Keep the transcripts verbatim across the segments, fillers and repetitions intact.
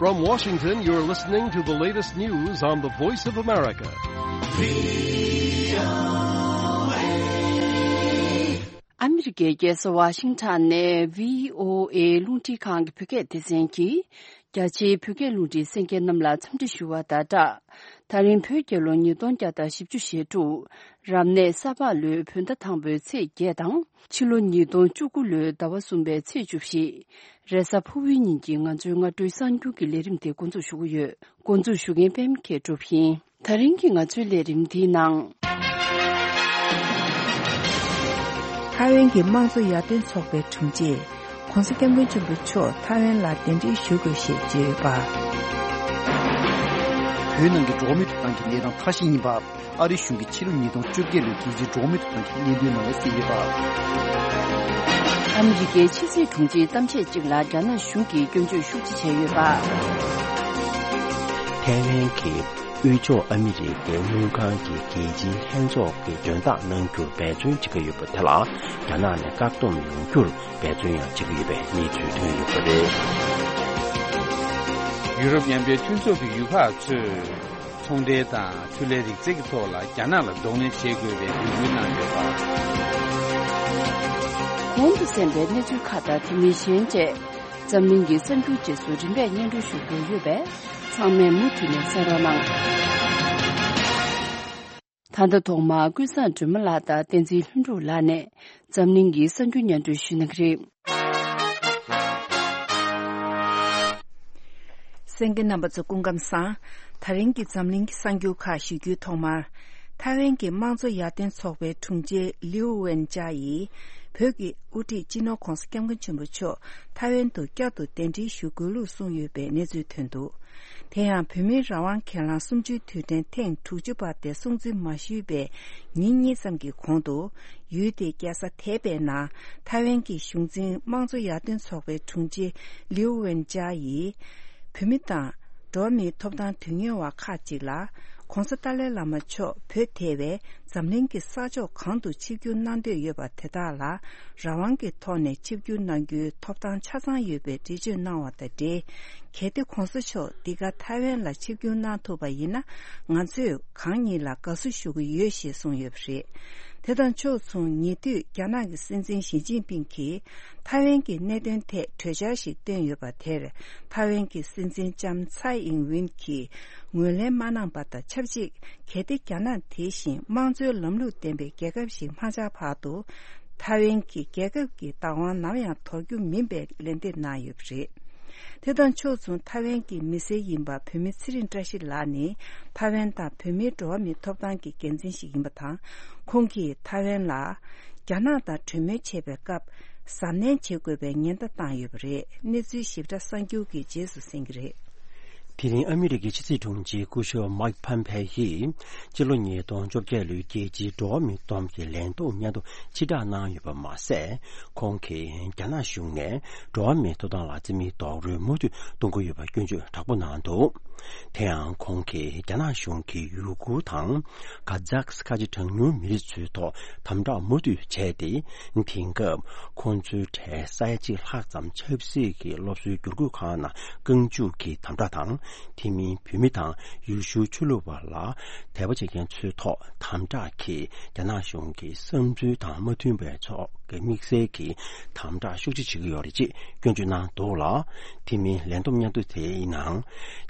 From Washington, you're listening to the latest news on the Voice of America. ཨ་མི་རི་ཀའི་རྒྱལ་ས་ཝ་ཤིང་ཊོན་ནས་བྷི་ཨོ་ཨེ་རླུང་འཕྲིན་ཁང་གི་བོད་སྐད་སྡེ་ཚན་གྱིས། རྒྱ་ཆེའི་བོད་སྐད་རླུང་འཕྲིན་གསན་མཁན་རྣམས་ལ་འཚམས་འདྲི་ཞུ་བ་དང་སྦྲགས། ད་རིང་བོད་རྒྱལ་ལོ་ཉིས་སྟོང་བརྒྱ་དང་བཞི་བཅུ་ཞེ་དྲུག་རབ་གནས་ས་ཕག་ལོའི་བོད་ཟླ་དང་པོའི་ཚེས་བརྒྱད་དང་། ཕྱི་ལོ་ཉིས་སྟོང་བཅུ་དགུ་ལོའི་ཟླ་བ་གསུམ་པའི་ཚེས་བཅུ་བཞི། རེས་གཟའ་ཕུར་བུའི་ཉིན་གྱི་ང་ཚོའི་སྔ་དྲོའི་གསར་འགྱུར་གྱི་ལས་རིམ་དེ་འགོ་འཛུགས་ཞུ་གི་ཡོད། འགོ་འཛུགས་ཞུ་མཁན་པད་མ་མཁས་གྲུབ་ཡིན། ད་རིང་གི་ང་ཚོའི་ལས་རིམ་འདིའི་ནང་། ཐའེ་ཝན་གྱི་དམངས་གཙོ་ཡར་ཐོན་ཚོགས་པའི་དྲུང་ཆེ་༧གོང་ས་༧སྐྱབས་མགོན་ཆེན་པོ་མཆོག་ཐའེ་ཝན་ལ་གདན་འདྲེན་ཞུ་དགོས་ཞེས་བརྗོད་ཡོད་པ། བོད་ནང་གི་འགྲོ་བ་མིའི་ཐོབ་ཐང་གི་གནས་སྟངས་ཁ་ཤས་ཡིན་པ། ཨ་རིའི་གཞུང་གིས་ཕྱི་ལོ་ཉིས་སྟོང་བཅོ་བརྒྱད་ལོའི་རྒྱལ་སྤྱིའི་འགྲོ་བ་མིའི་ཐོབ་ཐང་གི་སྙན་ཐོའི་ནང་ལ་གསལ་ཡོད་པ། ཨ་མི་རི་ཀའི་ཕྱི་སྲིད་དྲུང་ཆེའི་གཏམ་བཤད་ཅིག་ལ་རྒྱ་ནག་གཞུང་གིས་སྐྱོན་བརྗོད་ཤུགས་ཆེ་བྱས་ཡོད་པ། ཐའེ་ཝན་གྱི་དབུས་ཕྱོགས་ཨ་མི་རི་ཀའི་དངུལ་ཁང་གི་རྒྱལ་སྤྱིའི་ལྷན་ཚོགས་ཀྱི་མགྲོན་བདག་གནང་རྒྱུར་འབད་བརྩོན་བྱེད་ཀྱི་ཡོད་པ་དེ་ལ་རྒྱ་ནག་ནས་བཀག་སྡོམ་ཡོང་རྒྱུར་འབད་བརྩོན་ཡང་བྱེད་ཀྱི་ཡོད་པའི་གནས་ཚུལ་ཐོན་ཡོད་པ་རེད། ཡུ་རོབ་མཉམ་འབྲེལ་མཐུན་ཚོགས་ཀྱི་ཡུལ་ཁག་ཚོས། ཚོང་འབྲེལ་དང་ཆུ་ལྷའི་རིག་རྩལ་གྱི་ཐོག་ལ་རྒྱ་ནག་ལ་གདོང་ལེན་བྱེད་དགོས་པའི་འབོད་སྐུལ་གནང་ཡོད་པ། གོང་དུ་གསན་པའི་གནས་ཚུལ་ཁག་དང་དེ་མིན་གཞན་བཅས། འཛམ་གླིང་གི་གསར་འགྱུར་རྗེས་སུ་རིམ་པས་སྙན་སྒྲོན་ཞུ་རྒྱུ་ཡོད་པས། ཚང་མས་མུ་མཐུད་ནས་གསན་རོགས་གནང་། ད་ལྟ་ཐོག་མར་ཀུན་བཟང་སྒྲོལ་མ་ལགས་དང་བསྟན་འཛིན་ལྷུན་གྲུབ་ལགས་ནས་འཛམ་གླིང་གི་གསར་འགྱུར་སྙན་སྒྲོན་ཞུ་གནང་གི་རེད། གསན་མཁན་རྣམ་པ་ཚོ་སྐུ་ཁམས་བཟང་། ད་རིང་གི་འཛམ་གླིང་གི་གསར་འགྱུར་ཁག་ཞུ་རྒྱུའི་ཐོག་མར། ཐའེ་ཝན་གྱི་དམངས་གཙོ་ཡར་ཐོན་ཚོགས་པའི་དྲུང་ཆེ་ལིའུ་ཝེན་ཅཱ་ཡིས་བོད་ཀྱི་དབུ་ཁྲིད་སྤྱི་ནོར་༧གོང་ས་༧སྐྱབས་མགོན་ཆེན་པོ་མཆོག་ཐའེ་ཝན་དུ་བསྐྱར་དུ་གདན་འདྲེན་ཞུ་དགོས་ལུགས་གསུངས་ཡོད་པའི་གནས་ཚུལ་ཐོན་འདུག་དེ་ཡང་བོད་མིའི་རང་དབང་སྒེར་ལངས་གསུམ་བཅུའི་དུས་དྲན་ཐེངས་དྲུག་ཅུ་པ་དེ་སྲུང་བརྩི་མ་ཞུས་པའི་ཉིན་གཉིས་ཙམ་གྱི་གོང་དུ། ཡུལ་དེའི་རྒྱལ་ས་ཐའེ་པེ་ནང་ཐའེ་ཝན་གྱི་གཞུང་འཛིན་དམངས་གཙོ་ཡར་ཐོན་ཚོགས་པའི་དྲུང་ཆེ་ལིའུ་ཝེན་ཅཱ་ཡིས། བོད་མི་དང་འགྲོ་བ་མིའི་ཐོབ་ཐང་དོན་གཉེར་བ་ཁག་ཅིག་ལ། ༸གོང་ས་ཏཱ་ལའི་བླ་མ་མཆོག་བོད་ཐེ་བའི་འཛམ་གླིང་གི་ས་ཕྱོགས་གང་དུ་ཆིབས་བསྒྱུར་གནང་འདོད་ཡོད་པ་དེ་དག་ལ། རང་དབང་གི་ཐོག་ནས་ཆིབས་བསྒྱུར་གནང་རྒྱུའི་ཐོབ་ཐང་ཆ་ཚང་ཡོད་པའི་འགྲེལ་བརྗོད་གནང་བ་དང་འབྲེལ། གལ་ཏེ་༸གོང་ས་མཆོག་འདི་ག་ཐའེ་ཝན་ལ་ཆིབས་བསྒྱུར་གནང་ཐུབ་པ་ཡིན་ན། ང་ཚོས་གང་ཉིད་ལ་དགའ་བསུ་ཞུ་གི་ཡོད་ཞེས་གསུངས་ཡོད་པ་རེད། དེ་དང་ཕྱོགས་མཚུངས། ཉེ་དུས་རྒྱ་ནག་གི་སྲིད་འཛིན་ཞི་ཅིན་ཕིང་གིས་ཐའེ་ཝན་གྱི་གནད་དོན་ཐད་གྲོས་འཆར་ཞིག་བཏོན་ཡོད་པ་དེར། ཐའེ་ཝན་གྱི་སྲིད་འཛིན་ལྕམ་ཚའེ་ཨིང་ཝིན་གྱིས་ངོས་ལེན་མ་གནང་པ་དང་ཆབས་ཅིག་གལ་ཏེ་རྒྱ་ནག་དེ་བཞིན་དམངས་གཙོའི་ལམ་ལུགས་ལྡན་པའི་རྒྱལ་ཁབ་ཞིག་མ་ཆགས་བར་དུ། ཐའེ་ཝན་གྱི་རྒྱལ་ཁབ་ཀྱི་བདག་དབང་ནམ་ཡང་དོར་རྒྱུ་མིན་པའི་ལན་འདེབས་གནང་ཡོད་པ་རེད། དེ་དང་ཕྱོགས་མཚུངས། ཐའེ་ཝན་གྱི་མི་སེར་ཡིན་པ་བོད་མི་ཚེ་རིང་བཀྲ་ཤིས་ལགས་ནི། ཐའེ་ཝན་དང་བོད་མིའི་འགྲོ་བ་མིའི་ཐོབ་ཐང་གི་འགན་འཛིན་ཞིག་ཡིན་པ་དང་། ཁོང་གིས་ཐའེ་ཝན་ལ། རྒྱ་ནག་དང་གྲོས་མོལ་བྱེད་པའི་སྐབས། གཟབ་ནན་བྱེད་དགོས་པའི་ཉེན་བརྡ་བཏང་ཡོད་པ་རེད། གནས་ཚུལ་ཞིབ་ཕྲ་གསར་འགྱུར་གྱི་རྗེས་སུ་གསན་གྱི་རེད། དེ་རིང་ཨ་མི་རི་ཀའི་ཕྱི་སྲིད་དྲུང་ཆེ་སྐུ་ཞབས་མཱིག་ཕམ་ཕེ་ཡིས་སྤྱི་ལོ་ཉིས་སྟོང་བཅོ་བརྒྱད་ལོའི་རྒྱལ་སྤྱིའི་འགྲོ་བ་མིའི་སྟོབས་ཀྱི་ལས་ཐོག་སྙན་ཐོ་ཕྱིར་བསྒྲགས་གནང་ཡོད་པ་མ་ཟད། ཁོང་གིས་རྒྱ་ནག་གཞུང་ནས་འགྲོ་བ་མིའི་ཐོབ་ཐང་ལ་བརྩི་མེད་རྡོག་རོལ་མུ་མཐུད་གཏོང་གི་ཡོད་པར་སྐྱོན་བརྗོད་དྲག་པོ་གནང་འདུག་དེ་ཡང་ཁོང་གིས་རྒྱ་ནག་གཞུང་གིས་ཡུ་གུར་དང་ཀ་ཛག་ཁ་ཆེ་གྲངས་ཉུང་མི་རིགས་ཚོའི་ཐོག་དམ་དྲག་མུ་མཐུད་བྱས་ཏེ། དེང་སྐབས་ཁོང་ཚོའི་གྲས་ས་ཡ་གཅིག་ལྷག་ཙམ་ཆབ་སྲིད་ཀྱི་སློབ་གསོའི་བསྒྱུར་བཀོད་ཁང་ནང་རྐང་བཅུག་གི་དམ་དྲག་དང་། དེ་མིན་བོད་མི་དང་ཡུལ་ཤུལ་ཆོས་ལུགས་པ་ལ་དད་པ་བྱེད་མཁན་ཚོའི་ཐོག་དམ་དྲག་གིས་རྒྱ་ནག་གཞུང་གི་བསམ་ཚུལ་དང་མ་མཐུན་པའི་ཕྱོགས་ཀྱི་དམིགས་བསལ་གྱི་དམ་དྲག་ཤུགས་ཆེ་བྱེད་ཀྱི་ཡོད་རེད་ཅེས་སྐྱོན་བརྗོད་གནང་འདུག་ལ། དེ་མིན་ལས་བསྡོམས་སྙན་ཐོ་དེའི་ནང་།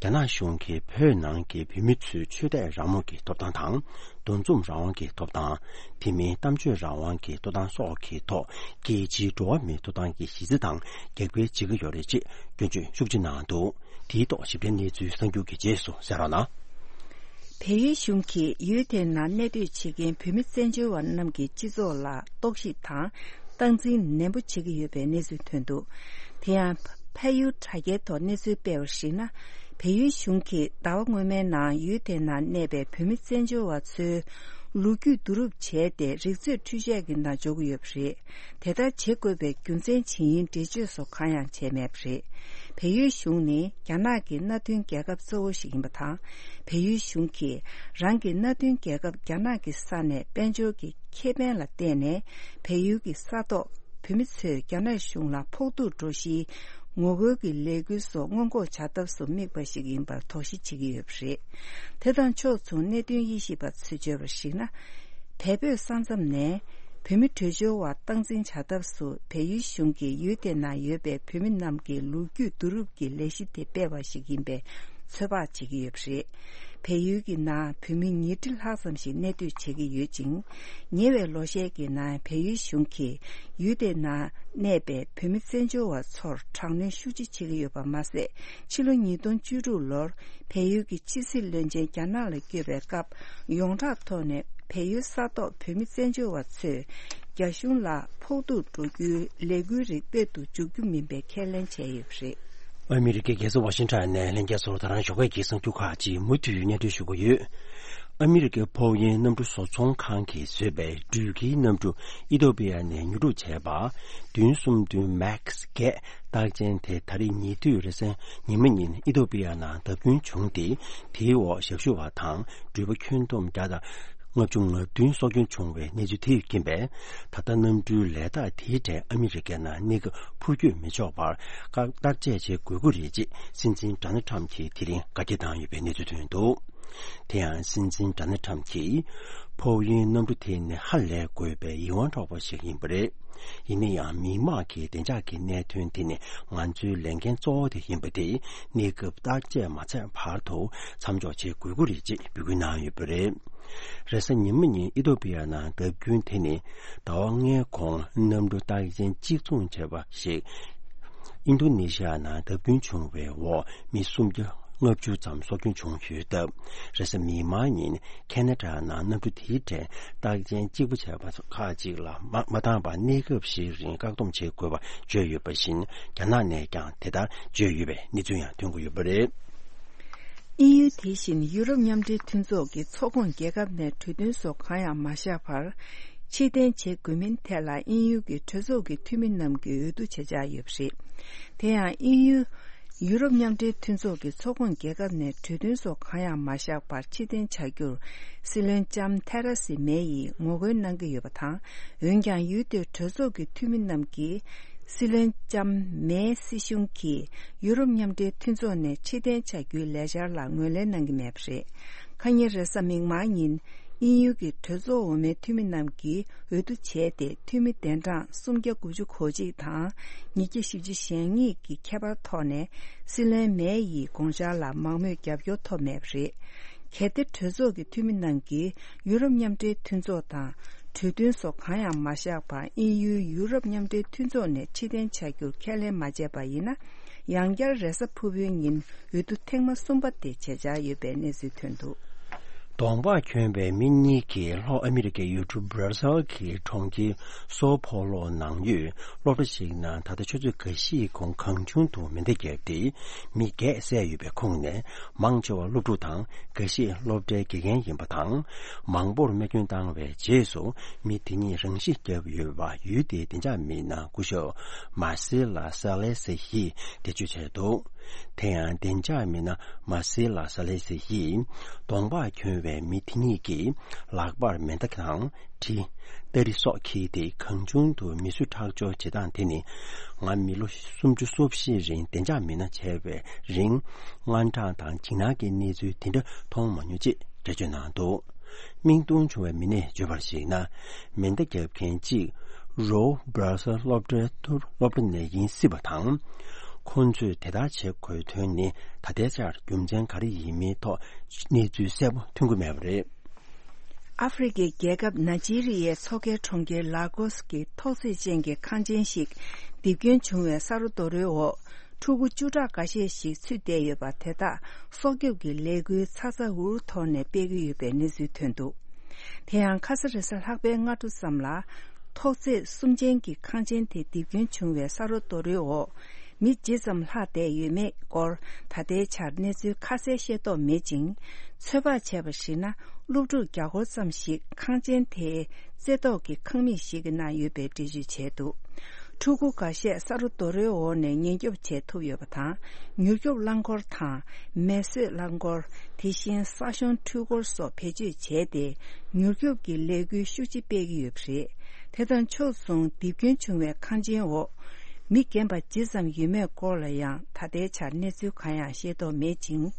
རྒྱ་ནག་གཞུང་གིས་བོད་ནང་གི་བོད་མི་ཚོའི་ཆོས་དད་རང་མོས་ཀྱི་ཐོབ་ཐང་དང་། འདུ་འཛོམས་རང་དབང་གི་ཐོབ་ཐང་། དེ་མིན་གཏམ་བརྗོད་རང་དབང་གི་ཐོབ་ཐང་སོགས་ཀྱི་ཐོག་རྒྱལ་སྤྱིའི་འགྲོ་བ་མིའི་ཐོབ་ཐང་གི་གཞི་རྩ་དང་རྒྱབ་འགལ་བྱེད་ཀྱི་ཡོད་རེད་ཅེས་སྐྱོན་བརྗོད་ཤུགས་ཆེ་གནང་འདུག་དེའི་ཐོག་ཞིབ་ཕྲའི་གནས་ཚུལ་གསར་འགྱུར་གྱི་རྗེས་སུ་གསན་རོགས་གནང་། བལ་ཡུལ་གཞུང་གིས་ཡུལ་དེའི་ནང་གནས་སྡོད་བྱེད་མཁན་བོད་མི་བཙན་བྱོལ་བ་རྣམས་ཀྱི་སྤྱི་ཚོགས་ལ་རྟོག་ཞིབ་དང་། སྟངས་འཛིན་ནན་པོ་བྱེད་ཀྱི་ཡོད་པའི་གནས་ཚུལ་ཐོན་འདུག་དེ་ཡང་། འཕགས་ཡུལ་དྲ་རྒྱའི་ཐོག་གནས་ཚུལ་སྤེལ་བར་གཞིགས་ན། བལ་ཡུལ་གཞུང་གིས་ཟླ་བ་སྔོན་མའི་ནང་ཡུལ་དེའི་ནང་གནས་པའི་བོད་མི་བཙན་བྱོལ་བ་ཚོའི་ལོ་རྒྱུས་བསྡུ་རུབ་བྱས་ཏེ། རིག་མཛོད་འཕྲུལ་ཆས་ཀྱི་ནང་འཇོག་གི་ཡོད་པ་རེད། དེ་ལྟར་བྱེད་དགོས་པའི་རྒྱུ་མཚན་ཇི་ཡིན་འགྲེལ་བརྗོད་སོགས་གང་ཡང་བྱས་མེད་པ་རེད། བལ་ཡུལ་གཞུང་ནི་རྒྱ་ནག་གི་མནའ་མཐུན་རྒྱལ་ཁབ་གཙོ་བོ་ཞིག་ཡིན་པ་དང་། བལ་ཡུལ་གཞུང་གིས་རང་གི་མནའ་མཐུན་རྒྱལ་ཁབ་རྒྱ་ནག་གི་ས་ནས་དཔལ་འབྱོར་གྱི་ཁེ་ཕན་ལ་བརྟེན་ནས། བལ་ཡུལ་གྱི་ས་ཐོག་བོད་མི་ཚོས་རྒྱ་ནག་གཞུང་ལ་ཕོག་ཐུག་འགྲོ་གཞིའི་ ངོ་རྒོལ་གྱི་ལས་འགུལ་སོགས་སྔོན་འགོག་བྱ་ཐབས་སུ་དམིགས་པ་ཞིག་ཡིན་པར་དོགས་གཞི་བྱེད་ཀྱི་ཡོད་པ་རེད། དེ་དང་ཕྱོགས་མཚུངས་གནད་དོན་དབྱེ་ཞིབ་པ་ཚོས་བརྗོད་པར་གཞིགས་ན། བལ་བོད་ས་མཚམས་ནས་བོད་མི་བྲོས་བྱོལ་བ་སྟངས་འཛིན་བྱ་ཐབས་སུ་བལ་ཡུལ་གཞུང་གིས་ཡུལ་དེ་ན་ཡོད་པའི་བོད་མི་རྣམས་ཀྱི་ལོ་རྒྱུས་བསྡུ་རུབ་ཀྱི་ལས་གཞི་དེ་སྤེལ་བ་ཞིག་ཡིན་པའི་ཚོད་དཔག་བྱེད་ཀྱི་ཡོད་པ་རེད། བལ་ཡུལ་གྱི་ནང་བོད་མི་ཉིས་ཁྲི་ལྷག་ཙམ་ཞིག་གནས་སྡོད་བྱེད་ཀྱི་ཡོད་ཅིང་། ཉེ་བའི་ལོ་ཤས་ཀྱི་ནང་བལ་ཡུལ་གཞུང་གིས་ཡུལ་དེ་ན་གནས་པའི་བོད་མི་བཙན་བྱོལ་བ་ཚོར་དྲག་གནོན་ཤུགས་ཆེ་བྱེད་ཀྱི་ཡོད་པ་མ་ཟད། ཕྱི་ལོ་ཉིས་སྟོང་བཅུ་དྲུག་ལོར་བལ་ཡུལ་གྱི་ཕྱི་སྲིད་བློན་ཆེན་རྒྱ་ནག་ལ་བསྐྱོད་པའི་སྐབས། ཡོངས་གྲགས་ཐོག་ནས་བལ་ཡུལ་ས་ཐོག་བོད་མི་བཙན་བྱོལ་བ་ཚོས་རྒྱ་གཞུང་ལ་ཕོག་ཐུག་འགྲོ་རྒྱུའི་ལས་འགུལ་རིགས་སྤེལ་དུ་འཇུག་རྒྱུ་མིན་པའི་ཁས་ལེན་བྱས་ཡོད་པ་རེད། ཨ་མི་རི་ཀའི་རྒྱལ་ས་ཝ་ཤིང་ཊོན་ནས་ལྷན་རྒྱས་ཚོར་ད་རང་ཞོགས་ཀའི་གསར་འགྱུར་ཁག་ཅིག་མུ་མཐུད་སྙན་སྒྲོན་ཞུ་གི་ཡོད། ཨ་མི་རི་ཀའི་ཕོ་དབྱིངས་གནམ་གྲུ་བཟོ་ཚོང་ཁང་གིས་བཟོས་པའི་འགྲུལ་སྐྱེལ་གནམ་གྲུ་ཨི་ཐོ་པི་ཡ་ནས་ཉོ་སྒྲུབ་བྱས་པ། བདུན་གསུམ་བདུན་མེག་སི་བརྒྱད་རྟགས་ཅན་དེ་ད་རེས་ཉེ་དུས་རེས་གཟའ་ཉི་མ་ཉིན་ཨི་ཐོ་པི་ཡ་ནང་བརྡབ་སྐྱོན་བྱུང་སྟེ། དེའི་འོག་ཞབས་ཞུ་བ་དང་འགྲུལ་པ་ཁྱོན་བསྡོམས་བརྒྱ་དང་ལྔ་བཅུ་ང་བདུན་སྲོག་སྐྱོན་བྱུང་བའི་གནས་ཚུལ་དེས་རྐྱེན་པས། ད་ལྟ་གནམ་གྲུའི་ལས་རྟགས་དེའི་གྲས་ཨ་མི་རི་ཀའི་ནང་གནས་སྐབས་འཕུར་སྐྱོད་མི་ཆོག་པར་བཀག་བརྟག་དཔྱད་བྱེད་དགོས་ཀྱི་རེད་ཅེས་སྲིད་འཛིན་ཌོ་ནལ་ཊམ་གྱིས་དེ་རིང་བཀའ་རྒྱ་བཏང་ཡོད་པའི་གནས་ཚུལ་ཐོན་འདུག། དེ་ཡང་སྲིད་འཛིན་ཌོ་ནལ་ཊམ་གྱིས། ཕོ་དབྱིངས་གནམ་གྲུ་དེ་ནི་ཧ་ལས་དགོས་པའི་ཡིད་དབང་འཕྲོག་པ་ཞིག་ཡིན་པ་རེད། ཡིན་ན་ཡང་མི་དམངས་ཀྱི་བདེ་འཇགས་ཀྱི་གནད་དོན་དེ་ནི་ང་ཚོའི་ལས་འགན་གཙོ་བོ་དེ་ཡིན་པ་དེ་གནས་སྐབས་བརྟག་དཔྱད་མ་ཚར་བར་དུ་མཚམས་འཇོག་བྱེད་དགོས་ཀྱི་རེད་ཅེས་འབོད་སྐུལ་གནང་ཡོད་པ་རེད། རེས་གཟའ་ཉི་མ་ཉིན་ཨི་ཐོ་པི་ཡ་ནང་བརྡབ་སྐྱོན་དེ་ནི་ཟླ་བ་ལྔའི་གོང་གནམ་གྲུ་རྟགས་ཅན་གཅིག་མཚུངས་བྱས་པ་ཞིག་ཨིན་རྡུ་ནེ་ཤི་ཡ་ནང་བརྡབ་སྐྱོན་བྱུང་བའི་འོག་མི་སུམ་བརྒྱ་ལྔ་བཅུ་ཙམ་སྲོག་སྐྱོན་བྱུང་ཡོད་སྟབས། རེས་གཟའ་མིག་དམར་ཉིན་ཁེ་ན་ཌ་ནང་གནམ་གྲུ་དེའི་གྲས་རྟགས་ཅན་གཅིག་པ་བྱས་པ་ཁག་ཅིག་ལ་མ་མ་བཏང་བར་གནས་སྐབས་ཤིག་རིང་བཀག་སྡོམ་བྱེད་དགོས་པ་བརྗོད་ཡོད་པ་བཞིན། རྒྱ་ནག་ནས་ཀྱང་དེ་ལྟར་བརྗོད་ཡོད་པའི་གནས་ཚུལ་ཡང་ཐོན་གྱི་ཡོད་པ་རེད། དབྱིན་ཡུལ་དེ་བཞིན་ཡུ་རོབ་མཉམ་འབྲེལ་མཐུན་ཚོགས་ཀྱི་ཚོགས་ཁོངས་རྒྱལ་ཁབ་ནས་གྲོས་མཐུན་སོགས་གང་ཡང་མ་བཞག་པར། ཕྱིར་འཐེན་བྱེད་དགོས་མིན་ཐད་ལ་དབྱིན་ཡུལ་གྱི་གྲོས་ཚོགས་ཀྱི་འཐུས་མི་རྣམས་ཀྱིས་འོས་བསྡུ་བྱེད་འཆར་ཡོད་པ་རེད། དེ་ཡང་དབྱིན་ཡུལ། ཡུ་རོབ་མཉམ་འབྲེལ་མཐུན་ཚོགས་ཀྱི་ཚོགས་ཁོངས་རྒྱལ་ཁབ་ནས་གྲོས་མཐུན་སོགས་གང་ཡང་མ་བཞག་པར་ཕྱིར་འཐེན་བྱ་རྒྱུར། སྲིད་བློན་ལྕམ་ཐེ་རེ་སི་མེ་ཡིས་ངོ་རྒོལ་གནང་གི་ཡོད་པ་དང་། འོན་ཀྱང་ཡུལ་དེའི་གྲོས་ཚོགས་ཀྱི་འཐུས་མི་རྣམས་ཀྱིས། སྲིད་བློན་ལྕམ་མེའི་སྲིད་གཞུང་གིས་ཡུ་རོབ་མཉམ་འབྲེལ་མཐུན་ཚོགས་ནས་ཕྱིར་འཐེན་བྱ་རྒྱུའི་ལས་འཆར་ལ་ངོས་ལེན་གནང་གི་མེད་པ་རེད། ཁ་ཉིན་རེས་གཟའ་མིག་དམར་ཉིན། དབྱིན་ཡུལ་གྱི་གྲོས་ཚོགས་འོག་མའི་འཐུས་མི་རྣམས་ཀྱིས་འོས་བསྡུ་བྱས་ཏེ། འཐུས་མི་གདན་གྲངས་སུམ་བརྒྱ་དགུ་བཅུ་གོ་གཅིག་དང་ཉིས་བརྒྱ་བཞི་བཅུ་ཞེ་གཉིས་ཀྱི་ཁྱད་པར་ཐོག་ནས། སྲིད་བློན་མེ་ཡི་དགོངས་འཆར་ལ་མང་མོས་རྒྱབ་སྐྱོར་ཐོབ་མེད་པ་རེད། གལ་ཏེ་གྲོས་ཚོགས་ཀྱི་འཐུས་མི་རྣམས་ཀྱིས་ཡུ་རོབ་མཉམ་འབྲེལ་མཐུན་ཚོགས་དང་། གྲོས་མཐུན་སོགས་གང་ཡང་མ་བཞག་པར་དབྱིན་ཡུལ་ཡུ་རོབ་མཉམ་འབྲེལ་མཐུན་ཚོགས་ནས་ཕྱིར་འཐེན་བྱ་རྒྱུར་ཁས་ལེན་མ་བྱས་པ་ཡིན་ན། ཡང་བསྐྱར་རེས་གཟའ་ཕུར་བུའི་ཉིན་འོས་བསྡུ་ཐེངས་མ་གསུམ་པ་དེ་བྱེད་འཆར་ཡོད་པའི་གནས་ཚུལ་ཐོན་འདུག། གདོང་པགས་གྱོན་པའི་མི་གཉིས་ཀྱིས་ལྷོ་ཨ་མི་རི་ཀའི་ཡུལ་གྲུ་སྦྲ་སེལ་གྱི་གྲོང་ཁྱེར་སོ་ཕོ་ལོ་ནང་ཡོད་སློབ་གྲྭ་ཞིག་ནང་ད་ལྟ་ཆུ་ཚོད་འགའ་ཤས་གོང་གང་བྱུང་དུ་མེ་མདའ་བརྒྱབ་སྟེ་མི་བརྒྱད་བསད་ཡོད་པའི་ཁོངས་ནས། མང་ཆེ་བ་སློབ་ཕྲུག་དང་འགའ་ཤས་སློབ་གྲྭའི་དགེ་རྒན་ཡིན་པ་དང་། མང་པོར་རྨས་སྐྱོན་བཏང་བའི་རྗེས་སུ་མི་དེ་གཉིས་རང་ཤི་བརྒྱབ་ཡོད་པ་ཡུལ་དེའི་བདེ་འཇགས་མི་སྣ་སྐུ་ཞབས་མར་སེ་ལ་ས་ལེ་སི་ཡིས་འགྲེལ་བརྗོད་བྱས་འདུག། དེ་ཡང་བདེ་འཇགས་མི་སྣ་མར་སེ་ལ་ས་ལེ་སི་ཡིས་གདོང་པགས་གྱོན་པའི་མི་དེ་གཉིས་ཀྱིས་ལག་པར་མེ་མདའ་དང་། གྲི། སྟ་རེ་སོགས་འཁྱེར་ཏེ་གང་བྱུང་དུ་མི་གསོད་ཁྲག་སྦྱོར་བྱེད་སྟངས་དེ་ནི། ང་མི་ལོ་སུམ་ཅུ་སོ་བཞི་རིང་བདེ་འཇགས་མི་སྣ་བྱས་པའི་རིང་། དངངས་སྐྲག་དང་འཇིགས་སྣང་གི་གནས་ཚུལ་དེ་འདྲ་མཐོང་མ་མྱོང་ཅེས་འགྲེལ་བརྗོད་གནང་འདུག། མིག་མཐོང་བྱུང་བའི་མི་སྣས་བརྗོད་པར་གཞིགས་ན། མེ་མདའ་བརྒྱབ་མཁན་གཅིག་རོ་སྦྲ་སེལ་སློབ་གྲྭའི་ཐུར་སློབ་གྲྭ་ནས་ཡིན་སྲིད་པ་དང་། ཁོང་ཚོས་དེ་ལྟར་བྱེད་དགོས་དོན་ནི་ད་ལྟའི་ཆར་རྒྱུ་མཚན་ག་རེ་ཡིན་མིན་ཐོག་གནས་ཚུལ་གསལ་པོ་ཐོན་གྱི་མེད་པ་རེད། ཨ་ཧྥེ་རི་ཁའི་རྒྱལ་ཁབ་ནཱ་ཇི་རི་ཡའི་མཚོ་ཁའི་གྲོང་ཁྱེར་ལ་གོ་སི་ཀྱི་ཐོག་བརྩེགས་ཅན་གྱི་ཁང་ཆེན་ཞིག་རྡིབ་སྐྱོན་བྱུང་བའི་ས་རོ་རྡོ་རོའི་འོག་ཕྲུ་གུ་བཅུ་ཕྲག་འགའ་ཤས་ཤིག་ཚུད་བསྡད་ཡོད་པ་དེ་དག་སྲོག་སྐྱོབ་ཀྱི་ལས་འགུལ་ཚ་ཚ་འུར་འུར་ཐོག་ནས་སྤེལ་གྱི་ཡོད་པའི་གནས་ཚུལ་ཐོན་འདུག། དེ་ཡང་ཁ་ས་རེས་གཟའ་ལྷག་པའི་སྔ་དྲོ་ཙམ་ལ། ཐོག་བརྩེགས་གསུམ་ཅན་གྱི་ཁང་ཆེན་དེ་རྡིབ་སྐྱོན་བྱུང་བའི་ས་རོ་རྡོ་རོའི་འོག་མི་ཇི་ཙམ་ལྷག་བསྡད་ཡོད་མེད་སྐོར་ད་ལྟའི་ཆར་གནས་ཚུལ་ཁ་གསལ་ཤེས་རྟོགས་མེད་ཅིང་། ཚོད་དཔག་བྱས་པར་གཞིགས་ན། སློབ་ཕྲུག་བརྒྱ་སྐོར་ཙམ་ཞིག་ཁང་ཆེན་དེའི་རྩེ་ཐོག་གི་ཁང་མིག་ཞིག་གི་ནང་ཡོད་པའི་འགྲེལ་བརྗོད་བྱས་འདུག། ཕྲུ་གུ་འགའ་ཤས་ས་རོ་རྡོ་རོའི་འོག་ནས་ཉེན་སྐྱོབ་བྱེད་ཐུབ་ཡོད་པ་དང་། མྱུར་སྐྱོབ་རླངས་འཁོར་དང་། མེ་གསོད་རླངས་འཁོར། དེ་བཞིན་ས་གཞོང་འཕྲུལ་འཁོར་སོགས་བེད་སྤྱོད་བྱས་ཏེ། མྱུར་སྐྱོབ་ཀྱི་ལས་འགུལ་ཤུགས་ཆེ་སྤེལ་གྱི་ཡོད་པ་རེད། དེ་དང་ཕྱོགས་མཚུངས་རྡིབ་སྐྱོན་བྱུང་བའི་ཁང་ཆེན་འོག་མི་རྒན་པ་ཇི་ཙམ་ཡོད་མེད་སྐོར་ལ་ཡང་ད་ལྟའི་ཆར་གནས་ཚུལ་གང་ཡང་ཤེས་རྟོགས་མེད་ཅིང་།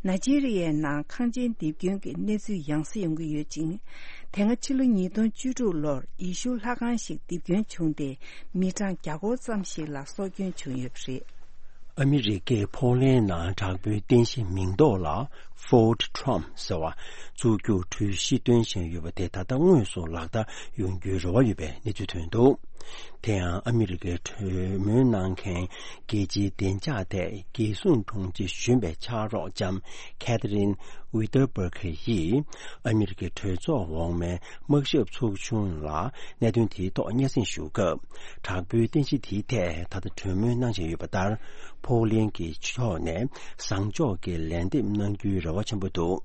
ནཱི་ཇི་རི་ཡའི་ནང་ཁང་ཆེན་རྡིབ་སྐྱོན་གྱི་གནས་ཚུལ་ཡང་སེ་ཡོང་གི་ཡོད་ཅིང་། དེ་སྔ་ཕྱི་ལོ་ཉིས་སྟོང་བཅུ་དྲུག་ལོར་ཡེ་ཤུ་ལྷ་ཁང་ཞིག་རྡིབ་སྐྱོན་བྱུང་སྟེ་མི་གྲངས་བརྒྱ་སྐོར་ཙམ་ཞིག་ལ་སྲོག་སྐྱོན་བྱུང་ཡོད་པ་རེད། ཨ་མི་རི་ཀས་ཕོ་ལན་ནང་དྲག་པོའི་རྟེན་གཞི་མིང་འདོགས་ལ་Fort Trump ཟེར་བ་བཙུགས་རྒྱུར་གྲོས་གཞི་བཏོན་བཞིན་ཡོད་པ་དེ་ད་ལྟ་དངོས་སུ་ལག་བསྟར་ཡོང་རྒྱུའི་རེ་བ་ཡོད་པའི་གནས་ཚུལ་ཐོན་འདུག་དེ་ཡང་ཨ་མི་རི་ཀའི་གྲོས་མོལ་གནང་མཁན་རྒྱལ་སྤྱིའི་བདེ་འཇགས་ཐད་རྒྱལ་སྲུང་དྲུང་ཆེ་གཞོན་པའི་ཕྱག་རོགས་ལྕམ་Catherine Whitaker ཡིས་ཨ་མི་རི་ཀའི་གྲོས་ཚོགས་འོག་མའི་དམག་ཞབས་ཚོགས་ཆུང་ལ་གནད་དོན་དེའི་ཐོག་སྙན་སེང་ཞུ་སྐབས། དྲག་པོའི་རྟེན་གཞི་དེའི་ཐད་ད་ལྟ་གྲོས་མོལ་གནང་བཞིན་ཡོད་པ་ལྟར། ཕོ་ལན་གྱི་ཕྱོགས་ནས་བཟང་ཕྱོགས་ཀྱི་ལན་འདེབས་གནང་རྒྱུའི་རེ་བ་ཆེན་པོ་འདུག་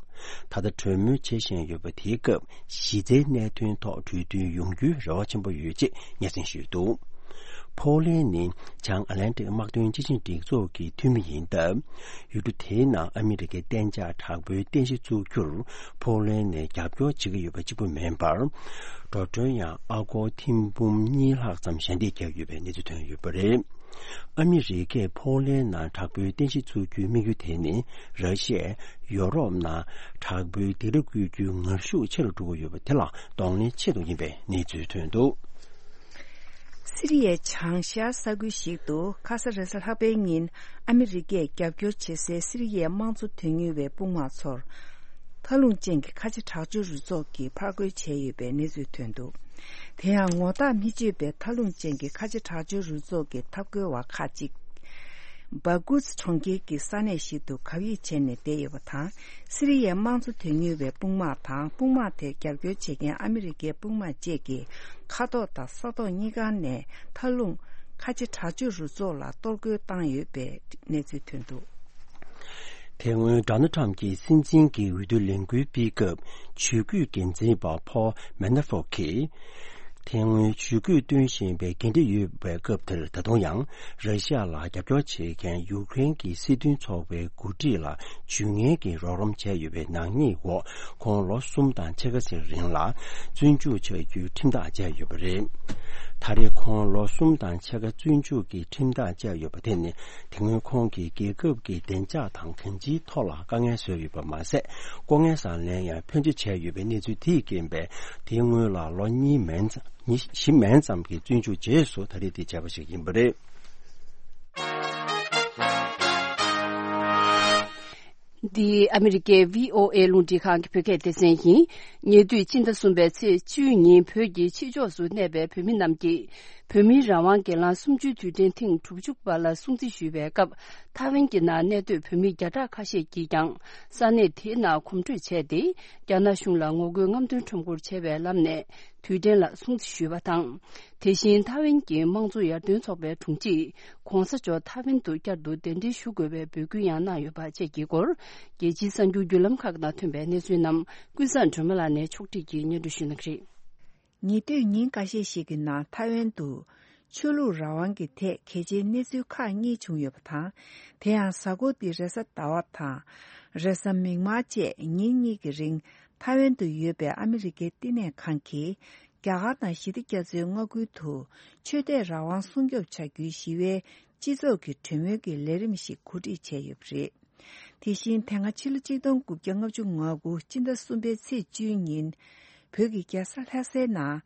ད་ལྟ་གྲོས་མོལ་བྱེད་བཞིན་ཡོད་པ་དེའི་སྐབས་གཞི་རྩའི་གནད་དོན་ཐོག་གྲོས་མཐུན་ཡོང་རྒྱུའི་རེ་བ་ཆེན་པོ་ཡོད་ཅེས་སྙན་སེང་ཞུས་འདུག་ཕོ་ལན་ནི་བྱང་ཨ་ལན་ཏིག་དམག་དོན་སྤྱི་ཆིངས་སྒྲིག་འཛུགས་ཀྱི་འཐུས་མི་ཡིན་སྟབས། ཡུལ་གྲུ་དེའི་ནང་ཨ་མི་རི་ཀའི་གཏན་འཇགས་དྲག་པོའི་རྟེན་གཞི་བཙུགས་རྒྱུར་ཕོ་ལན་ནས་རྒྱབ་སྐྱོར་བྱེད་ཀྱི་ཡོད་པ་གཅིག་པུ་མིན་པར། འགྲོ་གྲོན་ཡང་ཨ་སྒོར་ཐེར་འབུམ་གཉིས་ལྷག་ཙམ་ཞལ་འདེབས་བརྒྱབ་ཡོད་པའི་གནས་ཚུལ་ཐོན་ཡོད་པ་རེད། ཨ་མི་རི་ཀས་ཕོ་ལན་ནང་དྲག་པོའི་རྟེན་གཞི་བཙུགས་རྒྱུའི་དམིགས་ཡུལ་དེ་ནི་ར་ཤི་ཡས་ཡོ་རོབ་ནང་དྲག་པོའི་སྡིགས་ར་བསྐུལ་རྒྱུའི་ངར་ཤུགས་ཆེ་རུ་འགྲོ་གི་ཡོད་པ་དེ་ལ་གདོང་ལེན་ཆེད་དུ་ཡིན་པའི་གནས་ཚུལ་ཐོན་འདུག་སི་རི་ཡའི་བྱང་ཤར་ས་ཁུལ་ཞིག་ཏུ་ཁ་ས་རེས་གཟའ་ལྷག་པའི་ཉིན་ཨ་མི་རི་ཀས་རྒྱབ་སྐྱོར་བྱེད་སའི་སི་རི་ཡའི་དམངས་གཙོ་དོན་གཉེར་བའི་དཔུང་དམག་ཚོར། མཐའ་ལྷུང་ཅན་གྱི་ཁ་ཆེ་དྲག་སྤྱོད་རུ་ཚོགས་ཀྱིས་ཕར་རྒོལ་བྱས་ཡོད་པའི་གནས་ཚུལ་ཐོན་འདུག་དེ་ཡང་ངོ་རྟགས་མི་ཆོད་པའི་མཐའ་ལྷུང་ཅན་གྱི་ཁ་ཆེ་དྲག་སྤྱོད་རུ་ཚོགས་ཀྱི་འཐབ་རྒོལ་བ་ཁག་ཅིག་སྦ་གུ་ཙི་གྲོང་ཁྱེར་གྱི་ས་གནས་ཤིག་ཏུ་གབ་ཡིབ་བྱས་ནས་བསྡད་ཡོད་པ་དང་། སི་རི་ཡའི་དམངས་གཙོ་དོན་གཉེར་བའི་དཔུང་དམག་དང་དཔུང་དམག་དེར་རྒྱབ་སྐྱོར་བྱེད་མཁན་ཨ་མི་རི་ཀའི་དཔུང་དམག་བཅས་ཀྱིས་མཁའ་ཐོག་དང་ས་ཐོག་གཉིས་ཀ་ནས་མཐའ་ལྷུང་ཁ་ཆེ་དྲག་སྤྱོད་རུ་ཚོགས་ལ་གཏོར་རྒོལ་བཏང་ཡོད་པའི་གནས་ཚུལ་ཐོན་འདུག་དེ་སྔོན་ཌོ་ནལ་ཁྲམ་གྱིས་སྲིད་འཛིན་གྱི་འོས་བསྡུ་ལས་འགུལ་སྤེལ་སྐབས་ཇུས་འགོད་འགན་འཛིན་པ་ཕོལ་མེ་ན་ཧྥོ་གིས། དེ་སྔོན་ཇུས་འགོད་སྟོན་བཞིན་པའི་འགན་འཁྲི་ཡོད་པའི་སྐབས་དེར་ད་དུང་ཡང་ར་ཤི་ཡ་ལ་རྒྱབ་སྐྱོར་བྱེད་མཁན་ཡུཀ་རེན་གྱི་སྲིད་དོན་ཚོགས་པའི་འགོ་ཁྲིད་ལ་ཇུས་ངན་གྱི་རོགས་རམ་བྱས་ཡོད་པའི་ནག་ཉེས་འོག་ཁོང་ལོ་གསུམ་དང་ཕྱེད་ཀ་ཙམ་རིང་ལ་བཙོན་འཇུག་བྱ་རྒྱུའི་ཁྲིམས་ཐག་བཅད་ཡོད་པ་རེད། ད་རེས་ཁོང་ལོ་གསུམ་དང་ཕྱེད་ཀ་བཙོན་འཇུག་གི་ཁྲིམས་ཐག་བཅད་ཡོད་པ་དེ་ནི་དེ་སྔོན་ཁོང་གིས་རྒྱལ་ཁབ་ཀྱི་བདེ་འཇགས་དང་གང་ཅིའི་ཐོག་ལ་དཀའ་ངལ་བཟོས་ཡོད་པ་མ་ཟད། ལྐོག་རྔན་ཟ་ལེན་ཡང་ཕོན་ཆེ་བྱས་ཡོད་པའི་གནས་ཚུལ་དེས་རྐྱེན་པས་དེའི་སྔོན་ལ་ལོ་གཉིས་མན་ཙམ་ཉི་བཞི་མན་ཙམ་གྱི་བཙོན་འཇུག་རྗེས་སུ་ད་རེས་དེ་བྱས་པ་ཞིག་ཡིན་པ་རེད། འདི་ཨ་མི་རི་ཀའི་བྷི་ཨོ་ཨེ་རླུང་འཕྲིན་ཁང་གི་བོད་སྐད་སྡེ་ཚན་ཡིན། ཉེ་དུས་སྤྱི་ཟླ་གསུམ་པའི་ཚེས་བཅུའི་ཉིན་བོད་ཀྱི་ཕྱི་ཕྱོགས་སུ་གནས་པའི་བོད་མི་རྣམས་ཀྱིས་བོད་མིའི་རང་དབང་སྒེར་ལངས་གསུམ་བཅུའི་དུས་དྲན་ཐེངས་དྲུག་ཅུ་པ་ལ་སྲུང་བརྩི་ཞུས་པའི་སྐབས། ཐའེ་ཝན་གྱི་ནང་གནས་སྡོད་བོད་མི་བརྒྱ་ཕྲག་ཁ་ཤས་ཀྱིས་ཀྱང་ས་གནས་དེའི་ནང་གོམ་བགྲོད་བྱས་ཏེ། རྒྱ་ནག་གཞུང་ལ་ངོ་རྒོལ་རྔམ་སྟོན་ཁྲོམ་སྐོར་བྱས་པའི་ལམ་ནས་དུས་དྲན་ལ་སྲུང་བརྩི་ཞུས་པ་དང་། དེ་བཞིན་ཐའེ་ཝན་གྱི་དམངས་གཙོ་ཡར་ཐོན་ཚོགས་པའི་དྲུང་ཆེས་༧གོང་ས་མཆོག་ཐའེ་ཝན་དུ་བསྐྱར་དུ་གདན་འདྲེན་ཞུ་དགོས་པའི་འབོད་སྐུལ་ཡང་གནང་ཡོད་པ་བཅས་ཀྱི་སྐོར། རྒྱལ་སྤྱིའི་གསར་འགྱུར་བརྒྱུད་ལམ་ཁག་ནང་ཐོན་པའི་གནས་ཚུལ་རྣམས་ཀུན་བཟང་སྒྲོལ་མ་ལགས་ནས་ཕྱོགས་སྒྲིག་གིས་སྙན་སྒྲོན་ཞུ་གནང་གི་རེད། ཉེ་དུས་ཉིན་འགའ་ཤས་ཤིག་གི་ནང་ཐའེ་ཝན་དུ་ཆོས་ལུགས་རང་དབང་གི་ཐད་གལ་ཆེའི་གནས་ཚུལ་ཁག་གཉིས་བྱུང་ཡོད་པ་དང་། དེ་ཡང་གཟའ་འཁོར་འདིའི་རེས་གཟའ་ཟླ་བ་དང་། རེས་གཟའ་མིག་དམར་བཅས་ཉིན་གཉིས་ཀྱི་རིང་ཐའེ་ཝན་དུ་ཡོད་པའི་ཨ་མི་རི་ཀའི་བསྟི་གནས་ཁང་གིས་རྒྱ་གར་དང་ཞི་བདེ་རྒྱ་མཚོའི་མངའ་ཁུལ་དུ་ཆོས་དད་རང་དབང་སྲུང་སྐྱོབ་བྱ་རྒྱུའི་ཞི་བའི་སྤྱི་ཚོགས་ཀྱི་གྲོས་མོལ་གྱི་ལས་རིམ་ཞིག་གོ་སྒྲིག་བྱས་ཡོད་པ་རེད། དེ་བཞིན་དེ་སྔ་ཕྱི་ལོ་ཆིག་སྟོང་དགུ་བརྒྱ་ལྔ་བཅུ་ང་དགུ་སྤྱི་ཟླ་གསུམ་པའི་ཚེས་བཅུའི་ཉིན། བོད་ཀྱི་རྒྱལ་ས་ལྷ་སའི་ནང་།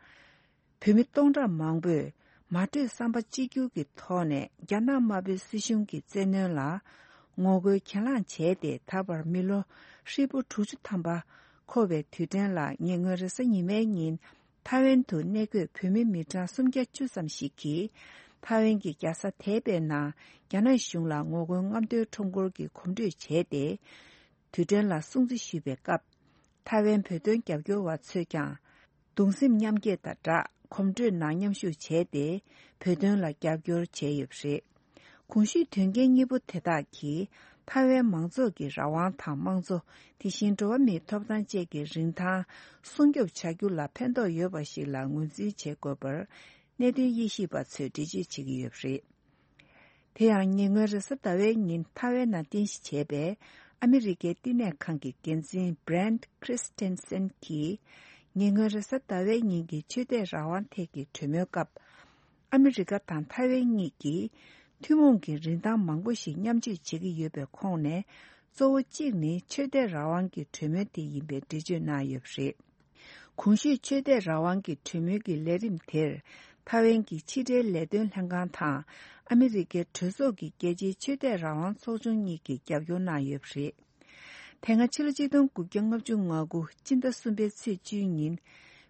བོད་མི་སྟོང་ཕྲག་མང་པོས་མ་གྲོས་བསམ་པ་གཅིག་གྱུར་གྱི་ཐོག་ནས་རྒྱ་ནག་དམར་པོའི་སྲིད་གཞུང་གི་བཙན་གནོན་ལ་ངོ་རྒོལ་གྱེན་ལངས་བྱས་ཏེ། ད་བར་མི་ལོ་ཧྲིལ་པོ་དྲུག་ཅུ་ཐམ་པ་འཁོར་བའི་དུས་དྲན་ལ་ཉེ་སྔོན་རེས་གཟའ་ཉི་མའི་ཉིན། ཐའེ་ཝན་དུ་གནས་འཁོད་བོད་མི་མི་གྲངས་སུམ་བརྒྱ་བཅུ་ཙམ་ཞིག་གིས། ཐའེ་ཝན་གྱི་རྒྱལ་ས་དེ་པེ་ནང་རྒྱ་ནག་གཞུང་ལ་ངོ་རྒོལ་རྔམ་སྟོན་ཁྲོམ་སྐོར་གྱི་གོམ་བགྲོད་བྱས་ཏེ། དུས་དྲན་ལ་སྲུང་བརྩི་ཞུས་པའི་སྐབས། ཐའེ་ཝན་བོད་དོན་རྒྱབ་སྐྱོར་བ་ཚོས་ཀྱང་། གདུང་སེམས་མཉམ་སྐྱེད་དང་སྦྲགས་གོམ་བགྲོད་ནང་མཉམ་ཞུགས་བྱས་ཏེ། བོད་དོན་ལ་རྒྱབ་སྐྱོར་བྱས་ཡོད་པ་རེད། གོང་ཞུས་དོན་རྐྱེན་གཉིས་པོ་དེ་དག་གིས་ཐའེ་ཝན་མང་ཚོགས་ཀྱི་རང་དབང་དང་དམངས་གཙོ། དེ་བཞིན་འགྲོ་བ་མིའི་ཐོབ་ཐང་བཅས་ཀྱི་རིན་ཐང་སྲུང་སྐྱོབ་བྱ་རྒྱུ་ལ་ཕན་ཐོགས་ཡོད་པ་ཞིག་ལ་ངོས་འཛིན་བྱེད་དགོས་པར། གནད་དོན་དབྱེ་ཞིབ་པ་ཚོས་འགྲེལ་བརྗོད་བྱེད་ཀྱི་ཡོད་པ་རེད། དེ་ཡང་ཉེ་སྔོན་རེས་གཟའ་ཟླ་བའི་ཉིན་ཐའེ་ཝན་ནང་རྟེན་གཞི་བྱས་པའི་ཨ་མི་རི་ཀའི་བསྟི་གནས་ཁང་གི་འགན་འཛིན་Brent Christensen གྱིས། ཉེ་སྔོན་རེས་གཟའ་ཟླ་བའི་ཉིན་གྱི་ཆོས་དད་རང་དབང་ཐད་ཀྱི་གྲོས་མོལ་སྐབས། ཨ་མི་རི་ཀ་དང་ཐའེ་ཝན་གཉིས་ཀྱིས་ཐུན་མོང་གི་རིན་ཐང་མང་པོ་ཞིག་མཉམ་སྤྱོད་བྱེད་ཀྱི་ཡོད་པའི་ཁོངས་ནས། གཙོ་བོ་གཅིག་ནི་ཆོས་དད་རང་དབང་གི་གྲོས་མོལ་དེ་ཡིན་པའི་འགྲེལ་བརྗོད་གནང་ཡོད་པ་རེད། གོང་ཞུས་ཆོས་དད་རང་དབང་གི་གྲོས་མོལ་གྱི་ལས་རིམ་དེར། ཐའེ་ཝན་གྱི་ཕྱི་འབྲེལ་ལས་དོན་ལྷན་ཁང་དང་། ཨ་མི་རི་ཀའི་གྲོས་ཚོགས་ཀྱི་རྒྱལ་སྤྱིའི་ཆོས་དད་རང་དབང་ཚོགས་ཆུང་གཉིས་ཀྱིས་རྒྱབ་སྐྱོར་གནང་ཡོད་པ་རེད། དེ་སྔ་ཕྱི་ལོ་ཆིག་སྟོང་དགུ་བརྒྱ་ལྔ་བཅུ་ང་དགུ་སྤྱི་ཟླ་གསུམ་པའི་ཚེས་བཅུའི་ཉིན།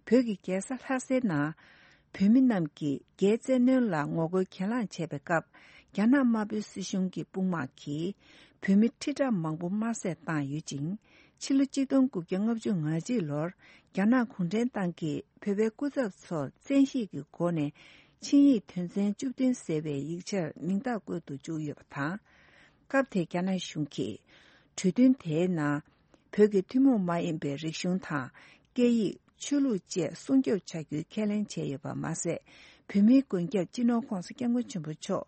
བོད་ཀྱི་རྒྱལ་ས་ལྷ་སའི་ནང་། བོད་མི་རྣམས་ཀྱིས་རྒྱའི་བཙན་གནོན་ལ་ངོ་རྒོལ་གྱེན་ལངས་བྱས་པའི་སྐབས། རྒྱ་ནག་དམར་པོའི་སྲིད་གཞུང་གི་དཔུང་དམག་གིས་བོད་མི་ཁྲི་ཕྲག་མང་པོ་དམར་བསད་བཏང་ཡོད་ཅིང་། ཕྱི་ལོ་ཆིག་སྟོང་དགུ་བརྒྱ་ལྔ་བཅུ་ང་གཅིག་ལོར། རྒྱ་ནག་གུང་ཁྲན་ཏང་གིས་བོད་པའི་སྐུ་ཚབ་ཚོར་བཙན་ཤེད་ཀྱི་སྒོ་ནས་ཆིངས་ཡིག་དོན་ཚན་བཅུ་བདུན་ཟེར་བའི་ཡིག་ཆར་མིང་རྟགས་བཀོད་དུ་བཅུག་ཡོད་པ་དང་། སྐབས་དེར་རྒྱ་ནག་གཞུང་གིས་གྲོས་མཐུན་དེའི་ནང་། བོད་ཀྱི་ཐུན་མོང་མ་ཡིན་པའི་རིག་གཞུང་དང་། སྐད་ཡིག་ཆོས་ལུགས་བཅས་སྲུང་སྐྱོབ་བྱ་རྒྱུའི་ཁས་ལེན་བྱས་ཡོད་པ་མ་ཟད། བོད་མིའི་མགོན་སྐྱབས་སྤྱི་ནོར་༧གོང་ས་༧སྐྱབས་མགོན་ཆེན་པོ་མཆོག་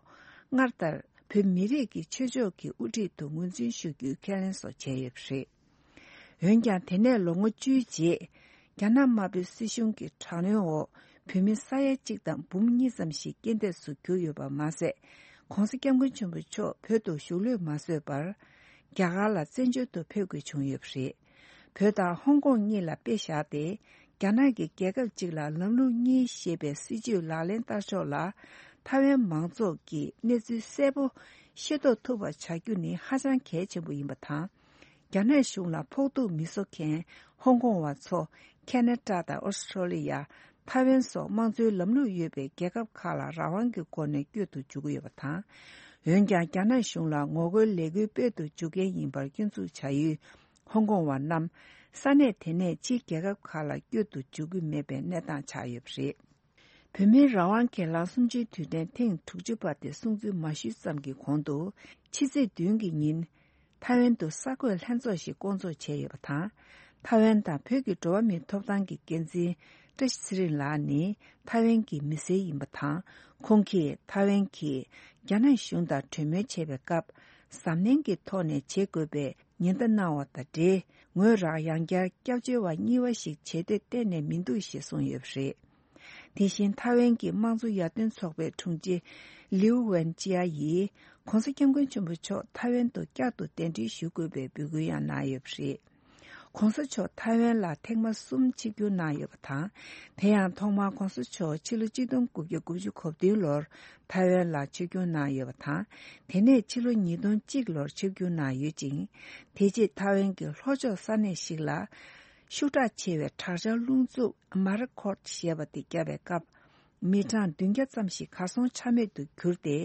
སྔར་ལྟར་བོད་མི་རིགས་ཀྱི་ཆོས་ཕྱོགས་ཀྱི་དབུ་ཁྲིད་དུ་ངོས་འཛིན་ཞུ་རྒྱུའི་ཁས་ལེན་སོགས་བྱས་ཡོད་པ་རེད། འོན་ཀྱང་། དེ་ནས་ལོ་ངོ་བཅུའི་རྗེས། རྒྱ་ནག་དམར་པོའི་སྲིད་གཞུང་གི་དྲག་གནོན་འོག་བོད་མི་ས་ཡ་གཅིག་དང་འབུམ་གཉིས་ཙམ་ཞིག་རྐྱེན་འདས་སུ་གྱུར་ཡོད་པ་མ་ཟད། ྋགོང་ས་ྋསྐྱབས་མགོན་ཆེན་པོ་མཆོག་བོད་དུ་བཞུགས་ལུགས་མ་བཟོད་པར། རྒྱ་གར་ལ་བཙན་བྱོལ་དུ་ཕེབས་དགོས་བྱུང་ཡོད་པ་རེད། བོད་དང་ཧོང་ཀོང་གཉིས་ལ་དཔེ་བཞག་སྟེ། རྒྱ་ནག་གིས་རྒྱལ་ཁབ་གཅིག་ལ་ལམ་ལུགས་གཉིས་ཞེས་པའི་སྲིད་བྱུས་ལག་ལེན་བསྟར་ཕྱོགས་ལ། ཐའེ་ཝན་མང་ཚོགས་ཀྱིས་གནས་ཚུལ་གསལ་པོ་ཤེས་རྟོགས་ཐུབ་པ་བྱ་རྒྱུ་ནི་ཧ་ཅང་གལ་ཆེན་པོ་ཡིན་པ་དང་། རྒྱ་ནག་གཞུང་ལ་ཕོག་ཐུག་མི་བཟོ་མཁན་ཧོང་ཀོང་བ་ཚོ་ཁེ་ན་ཌ་དང་ཨོ་སི་ཁྲོ་ལི་ཡ། ཐའེ་ཝན་སོགས་དམངས་གཙོའི་ལམ་ལུགས་ཡོད་པའི་རྒྱལ་ཁབ་ཁག་ལ་རང་དབང་གི་སྒོ་ནས་བསྐྱོད་དུ་འཇུག་གི་ཡོད་པ་དང་། འོན་ཀྱང་། རྒྱ་ནག་གཞུང་ལ་ངོ་རྒོལ་ལས་འགུལ་སྤེལ་དུ་འཇུག་མཁན་ཡིན་པར་སྐྱོན་འཛུགས་བྱ་ཡུལ། ཧོང་ཀོང་བ་རྣམས་ས་གནས་དེ་ནས་ཕྱིའི་རྒྱལ་ཁབ་ཁག་ལ་བསྐྱོད་དུ་འཇུག་གི་མེད་པའི་གནས་སྟངས་ཆགས་ཡོད་པ་རེད། བོད་མིའི་རང་དབང་སྒེར་ལངས་གསུམ་བཅུའི་དུས་དྲན་ཐེངས་དྲུག་ཅུ་པ་དེ་སྲུང་བརྩི་མ་ཞུས་ཙམ་གྱི་གོང་དུ། ཕྱི་ཚེས་བདུན་གྱི་ཉིན། ཐའེ་ཝན་དུ་གསར་འགོད་ལྷན་ཚོགས་ཤིག་བསྐོང་ཚོགས་བྱས་ཡོད་པ་དང་། ཐའེ་ཝན་དང་བོད་ཀྱི་འགྲོ་བ་མིའི་ཐོབ་ཐང་གི་འགན་འཛིན་བཀྲ་ཤིས་ཚེ་རིང་ལགས་ནི་ཐའེ་ཝན་གྱི་མི་སེར་ཡིན་པ་དང་། ཁོང་གིས་ཐའེ་ཝན་གྱིས་རྒྱ་ནག་གཞུང་དང་གྲོས་མོལ་བྱེད་པའི་སྐབས། གཟབ་ནན་གྱི་ཐོག་ནས་བྱེད་དགོས་པའི་ཉེན་བརྡ་གནང་བ་དང་འབྲེལ། ངོས་རང་ཡང་བསྐྱར་སྐྱབས་བཅོལ་བ་གཉིས་པ་ཞིག་བྱེད་འདོད་གཏན་ནས་མི་འདུག་ཞེས་གསུངས་ཡོད་པ་རེད། དེ་བཞིན་ཐའེ་ཝན་གྱི་དམངས་གཙོ་ཡར་ཐོན་ཚོགས་པའི་དྲུང་ཆེ་ལིའུ་ཝན་ཅི་ཡ་ཡིས་༧གོང་ས་༧སྐྱབས་མགོན་ཆེན་པོ་མཆོག་ཐའེ་ཝན་དུ་བསྐྱར་དུ་གདན་འདྲེན་ཞུ་དགོས་པའི་འབོད་སྐུལ་ཡང་གནང་ཡོད་པ་རེད། ྋགོང་ས་མཆོག་ཐའེ་ཝན་ལ་ཐེངས་མ་གསུམ་ཆིབས་བསྒྱུར་གནང་ཡོད་པ་དང་། དེ་ཡང་ཐོག་མར་༧གོང་ས་མཆོག་ཕྱི་ལོ་ཆིག་སྟོང་དགུ་བརྒྱ་དགུ་བཅུ་གོ་བདུན་ལོར་ཐའེ་ཝན་ལ་ཆིབས་བསྒྱུར་གནང་ཡོད་པ་དང་། དེ་ནས་ཕྱི་ལོ་ཉིས་སྟོང་གཅིག་ལོར་ཆིབས་བསྒྱུར་གནང་ཡོད་ཅིང་། དེ་རྗེས་ཐའེ་ཝན་གྱི་ལྷོ་ཕྱོགས་ས་གནས་ཤིག་ལ། ཤུགས་དྲག་ཆེ་བའི་དྲག་ཆར་རླུང་འཚུབ་མ་ར་ཁོར་ཞེས་པ་དེ་བརྒྱབ་པའི་སྐབས། མི་གྲངས་བདུན་བརྒྱ་ཙམ་ཞིག་གར་སོང་ཆ་མེད་དུ་གྱུར་ཏེ།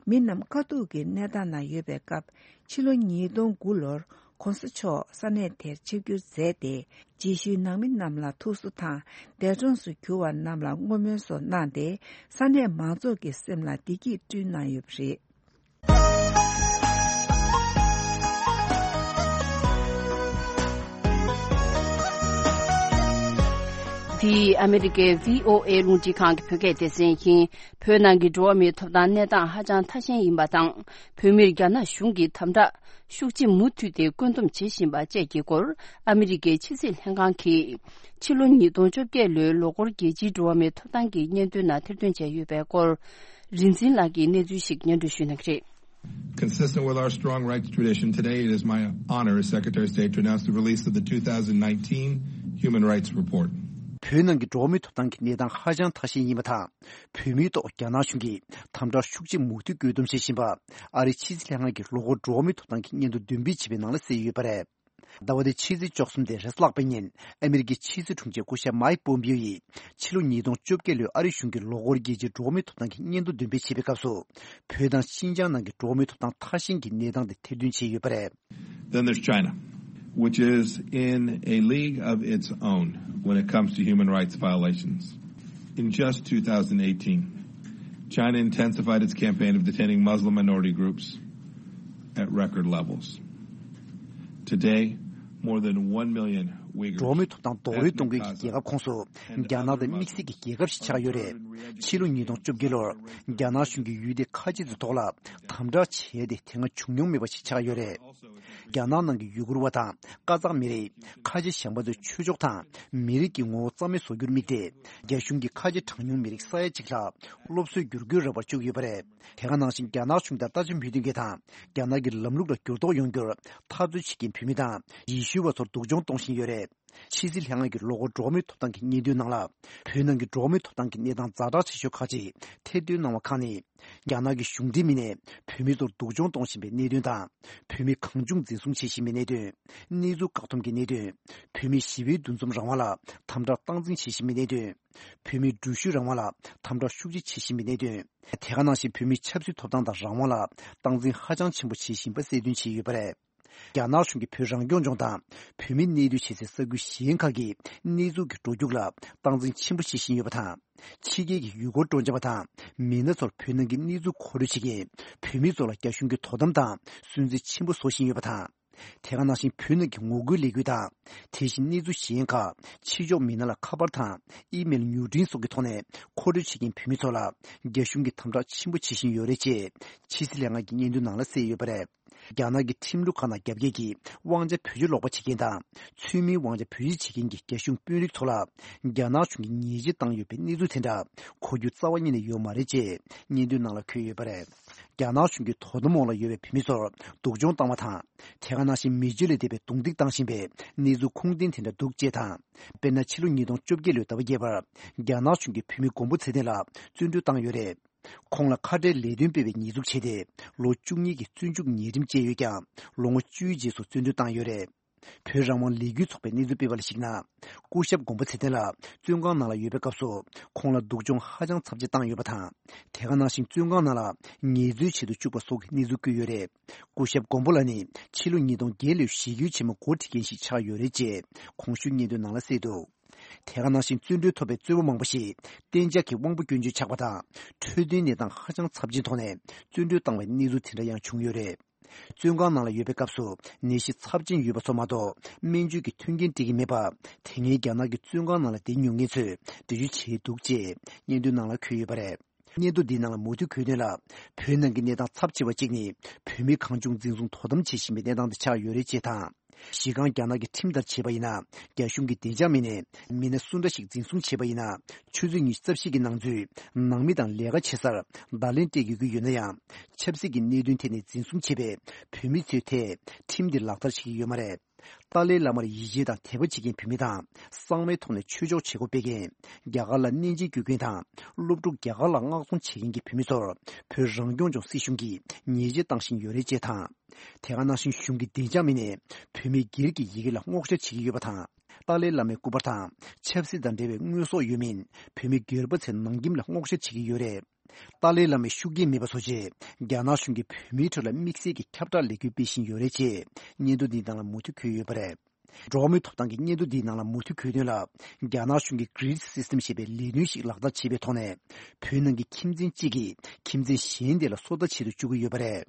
མི་རྣམས་དཀའ་སྡུག་གི་གནས་སྟངས་ནང་ཡོད་པའི་སྐབས། ཕྱི་ལོ་ཉིས་སྟོང་དགུ་ལོར་༧གོང་ས་མཆོག་ས་གནས་དེར་ཆིབས་བསྒྱུར་མཛད་དེ། རྗེས་ཤུལ་ནང་མི་རྣམས་ལ་ཐུགས་གསོ་དང་། འདས་གྲོངས་སུ་གྱུར་བ་རྣམས་ལ་བསྔོ་སྨོན་སོགས་གནང་སྟེ། ས་གནས་མང་ཚོགས་ཀྱི་སེམས་ལ་བདེ་སྐྱིད་བསྐྲུན་གནང་ཡོད་པ་རེད། འདི་ཨ་མི་རི་ཀའི་བྷི་ཨོ་ཨེ་རླུང་འཕྲིན་ཁང་གི་བོད་སྐད་སྡེ་ཚན་ཡིན། བོད་ནང་གི་འགྲོ་བ་མིའི་ཐོབ་ཐང་གནས་སྟངས་ཧ་ཅང་ཐ་ཞན་ཡིན་པ་དང་། བོད་མིར་རྒྱ་ནག་གཞུང་གིས་དམ་དྲག་ཤུགས་ཆེ་མུ་མཐུད་དེ་བཀོད་འདོམས་བྱེད་བཞིན་པ་བཅས་ཀྱི་སྐོར། ཨ་མི་རི་ཀའི་ཕྱི་སྲིད་ལྷན་ཁང་གིས། ཕྱི་ལོ་ཉིས་སྟོང་བཅོ་བརྒྱད་ལོའི་ལོ་འཁོར་རྒྱལ་སྤྱིའི་འགྲོ་བ་མིའི་ཐོབ་ཐང་གི་སྙན་ཐོའི་ནང་ཐེར་འདོན་བྱས་ཡོད་པའི་སྐོར། རིག་འཛིན་ལགས་ཀྱིས་གནས་ཚུལ་ཞིག་སྙན་སྒྲོན་ཞུ་གནང་གི་རེད། Consistent with our strong rights tradition, today it is my honor as Secretary of State to announce the release of the two thousand nineteen Human Rights Report. བོད་ནང་གི་འགྲོ་བ་མིའི་ཐོབ་ཐང་གི་གནས་སྟངས་ཧ་ཅང་ཐ་ཞན་ཡིན་པ་དང་། བོད་མིའི་ཐོག་རྒྱ་ནག་གཞུང་གིས་དམ་དྲག་ཤུགས་ཆེ་མུ་མཐུད་བཀོད་འདོམས་བྱེད་བཞིན་པ། ཨ་རིའི་ཕྱི་སྲིད་ལྷན་ཁང་གི་ལོ་འཁོར་འགྲོ་བ་མིའི་ཐོབ་ཐང་གི་སྙན་ཐོ་འདོན་སྤེལ་བྱས་པའི་ནང་ལ་གསལ་ཡོད་པ་རེད། ཟླ་བ་འདིའི་ཕྱི་ཚེས་བཅུ་གསུམ་སྟེ་རེས་གཟའ་ལྷག་པའི་ཉིན། ཨ་མི་རི་ཀའི་ཕྱི་སྲིད་དྲུང་ཆེ་སྐུ་ཞབས་མའིག་པོམ་པིའོ་ཡིས། ཕྱི་ལོ་ཉིས་སྟོང་བཅོ་བརྒྱད་ལོའི་ཨ་རི་གཞུང་གི་ལོ་འཁོར་རྒྱལ་སྤྱིའི་འགྲོ་བ་མིའི་ཐོབ་ཐང་གི་སྙན་ཐོ་འདོན་སྤེལ་བྱེད་པའི་སྐབས་སུ། བོད་དང་ཤིན་ཅང་ནང་གི་འགྲོ་བ་མིའི་ཐོབ་ཐང་ཐ་ཞན་གྱི་གནས་སྟངས་དེ་ཐེར་འདོན་བྱས་ཡོད་པ་རེད། Then there's China, which is in a league of its own when it comes to human rights violations. In just two thousand eighteen, China intensified its campaign of detaining Muslim minority groups at record levels. Today, more than one million འགྲོ་བ་མིའི་ཐོབ་ཐང་རྡོག་རོལ་གཏོང་མཁན་གྱི་རྒྱལ་ཁབ་ཁོངས་སུ་རྒྱ་ནག་དང་དམིགས་བསལ་གྱི་རྒྱལ་ཁབ་ཞིག་ཆགས་ཡོད་རེད། ཕྱི་ལོ་ཉིས་སྟོང་བཅོ་བརྒྱད་ལོར་རྒྱ་ནག་གཞུང་གིས་ཡུལ་དེ་ཁ་ཆེ་ཚོའི་ཐོག་ལ་དམ་དྲག་བྱས་ཏེ་དེ་སྔ་བྱུང་མྱོང་མེད་པ་ཞིག་ཆགས་ཡོད་རེད། རྒྱ་ནག་ནང་གི་ཡུ་གུར་བ་དང་ཀ་ཙག་མི་རིགས། ཁ་ཆེ་གཞན་པ་ཚོའི་ཆོས་ཕྱོགས་དང་མི་རིགས་ཀྱི་ངོ་བོ་རྩ་མེད་བཟོ་རྒྱུར་དམིགས་ཏེ། རྒྱ་གཞུང་གིས་ཁ་ཆེ་གྲངས་ཉུང་མི་རིགས་ས་ཡ་གཅིག་ལྷག་སློབ་གསོའི་བསྒྱུར་བཀོད་རག་པར་བཅུག་ཡོད་པ་རེད། དེ་ག་ནང་བཞིན་རྒྱ་ནག་གཞུང་དང་ལྟ་ཅི་མོས་མཐུན་མཁན་དང་རྒྱ་ནག་གི་ལམ་ལུགས་ལ་འགྱུར་ལྡོག་ཡོང་རྒྱུར་འཐབ་རྩོད་བྱེད་མཁན་བོད་མི་དང་ཡེ་ཤུ་བ་ཚོར་སྡུག་སྦྱོང་གཏོང་བཞིན་ཡོད་རེད། ཕྱི་སྲིད་ལྷན་ཁང་གི་ལོ་འཁོར་འགྲོ་བ་མིའི་ཐོབ་ཐང་གི་སྙན་ཐོའི་ནང་ལ། བོད་ནང་གི་འགྲོ་བ་མིའི་ཐོབ་ཐང་གི་གནས་སྟངས་ཛ་དྲག་ཆེ་ཤོས་ཁག་ཅིག་ཐེར་འདོན་གནང་བ་ཁག་ནི། རྒྱ་ནག་གི་གཞུང་འབྲེལ་མི་སྣས་བོད་མི་ཚོར་སྡུག་སྦྱོང་གཏོང་བཞིན་པའི་གནད་དོན་དང་། བོད་མི་གང་བྱུང་འཛིན་བཟུང་བྱེད་བཞིན་པའི་གནད་དོན། གནས་ཚུལ་བཀག་སྡོམ་གྱི་གནད་དོན། བོད་མིའི་ཞི་བའི་འདུ་འཛོམས་རང་དབང་ལ་དམ་དྲག་སྟངས་འཛིན་བྱེད་བཞིན་པའི་གནད་དོན། བོད་མིའི་འགྲུལ་བཞུད་རང་དབང་ལ་དམ་དྲག་ཤུགས་ཆེ་བྱེད་བཞིན་པའི་གནད་དོན། དེ་ག་ནང་བཞིན་བོད་མིའི་ཆབ་སྲིད་ཐོབ་ཐང་དང་རང་དབང་ལ་སྟངས་འཛིན་ཧ་ཅང་ཆེན་པོ་བྱེད་བཞིན་པ་གསལ་སྟོན་བྱས་ཡོད་པ་རེད། རྒྱ་ནག་གཞུང་གིས་བོད་རང་སྐྱོང་ལྗོངས་དང་བོད་མིའི་གནས་སྡོད་བྱེད་སའི་ས་ཁུལ་གཞན་ཁག་གི་གནས་ཚུལ་གྱི་འགྲོ་རྒྱུགས་ལ་སྟངས་འཛིན་ཆེན་པོ་བྱེད་བཞིན་ཡོད་པ་དང་། ཕྱི་རྒྱལ་གྱི་ཡུལ་སྐོར་སྤྲོ་འཆམ་པ་དང་མི་སྣ་ཚོར་བོད་ནང་གི་གནས་ཚུལ་མཁོ་སྤྲོད་བྱེད་མཁན་བོད་མི་ཚོ་ལ་རྒྱ་གཞུང་གིས་དོ་དམ་དང་སུན་གཙེར་ཆེན་པོ་བཟོ་བཞིན་ཡོད་པ་དང་། དེ་ག་ནང་བཞིན་བོད་ནང་གི་ངོ་རྒོལ་ལས་འགུལ་དང་། དེ་བཞིན་གནས་ཚུལ་གཞན་ཁག་ཕྱི་ཕྱོགས་མི་སྣ་ལ་ཁ་པར་དང་ཨི་མེལ་མྱུར་འཕྲིན་སོགས་ཀྱི་ཐོག་ནས་མཁོ་སྤྲོད་བྱེད་མཁན་བོད་མི་ཚོ་ལ་རྒྱ་གཞུང་གིས་དམ་དྲག་ཆེན་པོ་བྱེད་བཞིན་ཡོད་རེད་ཅེས་ཕྱི་སྲིད་ལྷན་ཁང་གི་སྙན་ཐོའི་ནང་ལ་གསལ་ཡོད་པ་རེད། རྒྱ་ནག་གི་ཁྲིམས་ལུགས་ཁག་ནང་རྒྱ་བསྐྱེད་ཀྱིས་དབང་ཆ་བེད་སྤྱོད་ལོག་པ་བྱེད་མཁན་དང་། ཚུལ་མིན་དབང་ཆ་བེད་སྤྱོད་བྱེད་མཁན་གྱི་རྒྱ་གཞུང་དཔོན་རིགས་ཚོ་ལ་རྒྱ་ནག་གཞུང་གིས་ཉེས་ཆད་བཏང་ཡོད་པའི་གནས་ཚུལ་དེ་འདྲ་གོ་རྒྱུ་རྩ་བ་ཉིད་ནས་ཡོད་མ་རེད་ཅེས་སྙན་ཐོའི་ནང་ལ་འཁོད་ཡོད་པ་རེད། རྒྱ་ནག་གཞུང་གིས་དོ་དམ་འོག་ལ་ཡོད་པའི་བོད་མི་ཚོར་སྡུག་སྦྱོང་བཏང་བ་དང་། དེ་ག་ནང་བཞིན་མི་སྤྱོད་ལས་འདས་པའི་རྡུང་རྡེག་བཏང་བཞིན་པའི་གནས་ཚུལ་ཁུངས་ལྡན་དེ་འདྲ་འདུག་ཅེས་དང་། དཔེར་ན་ཕྱི་ལོ་ཉིས་སྟོང་བཅོ་བརྒྱད་ལོའི་ཟླ་བ་བརྒྱད་པར་རྒྱ་ནག་གཞུང་གིས་བོད་མི་མགོན་པོ་ཚེ་བརྟན་ལ་བཙོན་གྲོལ་བཏང་ཡོད་རེད། ཁོང་ལ་ཁ་བྲལ་ལས་དོན་སྤེལ་བའི་ཉེས་འཛུགས་བྱས་ཏེ་ལོ་བཅུ་གཉིས་ཀྱི་བཙོན་འཇུག་ཉེས་ཁྲིམས་བཅད་ཡོད་ཀྱང་ལོ་ངོ་བཅུའི་རྗེས་སུ་བཙོན་གྲོལ་བཏང་ཡོད་རེད། བོད་རང་དབང་ལས་འགུལ་ཚོགས་པས་གནས་ཚུལ་སྤེལ་བ་ལ་གཞིགས་ན། སྐུ་ཞབས་མགོན་པོ་ཚེ་བརྟན་ལགས་བཙོན་ཁང་ནང་ལ་ཡོད་པའི་སྐབས་སུ་ཁོང་ལ་སྡུག་སྦྱོང་ཧ་ཅང་ཚབས་ཆེ་བཏང་ཡོད་པ་དང་། དེ་ག་ནང་བཞིན་བཙོན་ཁང་ནང་ལ་ངལ་རྩོལ་བྱེད་དུ་བཅུག་པ་སོགས་ཀྱི་གནས་ཚུལ་བཀོད་ཡོད་རེད། སྐུ་ཞབས་མགོན་པོ་ལགས་ནི་ཕྱི་ལོ་ཉིས་སྟོང་བརྒྱད་ལོའི་གཞིས་སྒྱུར་ཆེན་མོའི་འགོ་ཁྲིད་མཁན་ཞིག་ཆགས་ཡོད་རེད་ཅེས་གོང་ཞུས་སྙན་ཐོའི་ནང་ལ་གསལ་འདུག་དེ་ག་ནང་བཞིན་བཙོན་གྲོལ་ཐོབ་པའི་བཙོན་པ་མང་པོ་ཞིག་གཏན་འཇགས་ཀྱི་དབང་པོ་སྐྱོན་བརྗོད་ཆགས་པ་དང་འཕྲོད་བསྟེན་གནས་སྟངས་ཧ་ཅང་ཚབས་ཆེན་ཐོག་ནས་བཙོན་གྲོལ་བཏང་བའི་གནས་ཚུལ་དེ་འདྲ་ཡང་བྱུང་ཡོད་རེད། བཙོན་ཁང་ནང་ལ་ཡོད་པའི་སྐབས་སུ་ནད་གཞི་ཚབས་ཆེན་ཡོད་པ་ཚོ་མ་གཏོགས་སྨན་བཅོས་ཀྱི་མཐུན་རྐྱེན་སྤྲད་ཀྱི་མེད་པ། དེ་སྔའི་རྒྱ་ནག་གི་བཙོན་ཁང་ནང་ལ་བསྡད་མྱོང་མཁན་ཚོས་འགྲེལ་བརྗོད་བྱས་འདུག་ཅེས་སྙན་ཐོའི་ནང་ལ་འཁོད་ཡོད་པ་རེད། སྙན་ཐོ་འདིའི་ནང་ལ་མུ་མཐུད་འཁོད་དོན་ལ། བོད་ནང་གི་གནས་སྟངས་ཚབས་ཆེ་བ་གཅིག་ནི། བོད་མི་གང་བྱུང་འཛིན་བཟུང་དོ་དམ་བྱེད་བཞིན་པའི་གནས་སྟངས་དེ་ཆགས་ཡོད་རེད་ཅེས་དང་། གཞི་རྐང་རྒྱ་ནག་གི་ཁྲིམས་ལྟར་བྱས་པ་ཡིན་ན། རྒྱ་གཞུང་གི་བདེ་འཇགས་མི་སྣས་མི་སྣ་སུ་འདྲ་ཞིག་འཛིན་བཟུང་བྱས་པ་ཡིན་ན། ཆུ་ཚོད་ཉི་ཤུ་རྩ་བཞི་གི་ནང་ཚུད་ནང་མི་དང་ལས་ཀ་བྱེད་སར་བརྡ་ལན་སྤྲད་དགོས་ཀྱི་ཡོད་ན་ཡང་། ཆབ་སྲིད་ཀྱི་གནད་དོན་ཐད་ནས་འཛིན་བཟུང་བྱས་པའི་བོད་མི་ཚོའི་ཐད་ཁྲིམས་འདི་ལག་བསྟར་བྱེད་ཀྱི་ཡོད་མ་རེད། ཏཱ་ལའི་བླ་མར་ཡིད་ཆེས་དང་དད་པ་བྱེད་མཁན་བོད་མི་དང་། གསང་བའི་ཐོག་ནས་ཆོས་ཕྱོགས་བྱེད་སྒོ་སྤེལ་མཁན། རྒྱ་གར་ལ་གནས་མཇལ་བརྒྱུད་མཁན་དང་། སློབ་ཕྲུག་རྒྱ་གར་ལ་མངགས་གཏོང་བྱེད་མཁན་གྱི་བོད་མི་ཚོར་བོད་རང་སྐྱོང་ལྗོངས་སྲིད་གཞུང་གིས་ཉེས་ཆད་བཏང་བཞིན་ཡོད་རེད་ཅེས་དང་། དེ་ག་ནང་བཞིན་གཞུང་གི་བདེ་འཇགས་མི་སྣས་བོད་མིའི་སྒེར་གྱི་ཡི་གེ་ལ་སྔོག་བཤེར་བྱེད་ཀྱི་ཡོད་པ་དང་། ཏཱ་ལའི་བླ་མའི་སྐུ་པར་དང་ཆབ་སྲིད་དང་འབྲེལ་བའི་དངོས་ཟོག་ཡོད་མིན་བོད་མི་སྒེར་པ་ཚོའི་ནང་ཁྱིམ་ལ་སྔོག་བཤེར་བྱེད་ཀྱི་ཡོད་རེད། ཏཱ་ལའི་བླ་མའི་ཤུགས་རྐྱེན་མེད་པ་བཟོ་ཆེད། རྒྱ་ནག་གཞུང་གིས་བོད་མིའི་ཁྲོད་ལ་དམིགས་བསལ་གྱི་ཁྱབ་བསྒྲགས་ལས་འགུལ་སྤེལ་བཞིན་ཡོད་རེད་ཅེས་སྙན་ཐོ་འདིའི་ནང་ལ་མུ་མཐུད་འཁོད་ཡོད་པ་རེད། འགྲོ་བ་མིའི་ཐོབ་ཐང་གི་སྙན་ཐོ་འདིའི་ནང་ལ་མུ་མཐུད་འཁོད་དོན་ལ། རྒྱ་ནག་གཞུང་གིས་Grid System ཞེས་པའི་ལས་དོན་ཞིག་ལག་བསྟར་བྱས་པའི་ཐོག་ནས། བོད་ནང་གི་ཁྱིམ་ཚན་གཅིག་གིས་ཁྱིམ་ཚན་གཞན་དེ་ལ་སོ་ལྟ་བྱེད་དུ་བཅུག་གི་ཡོད་པ་རེད།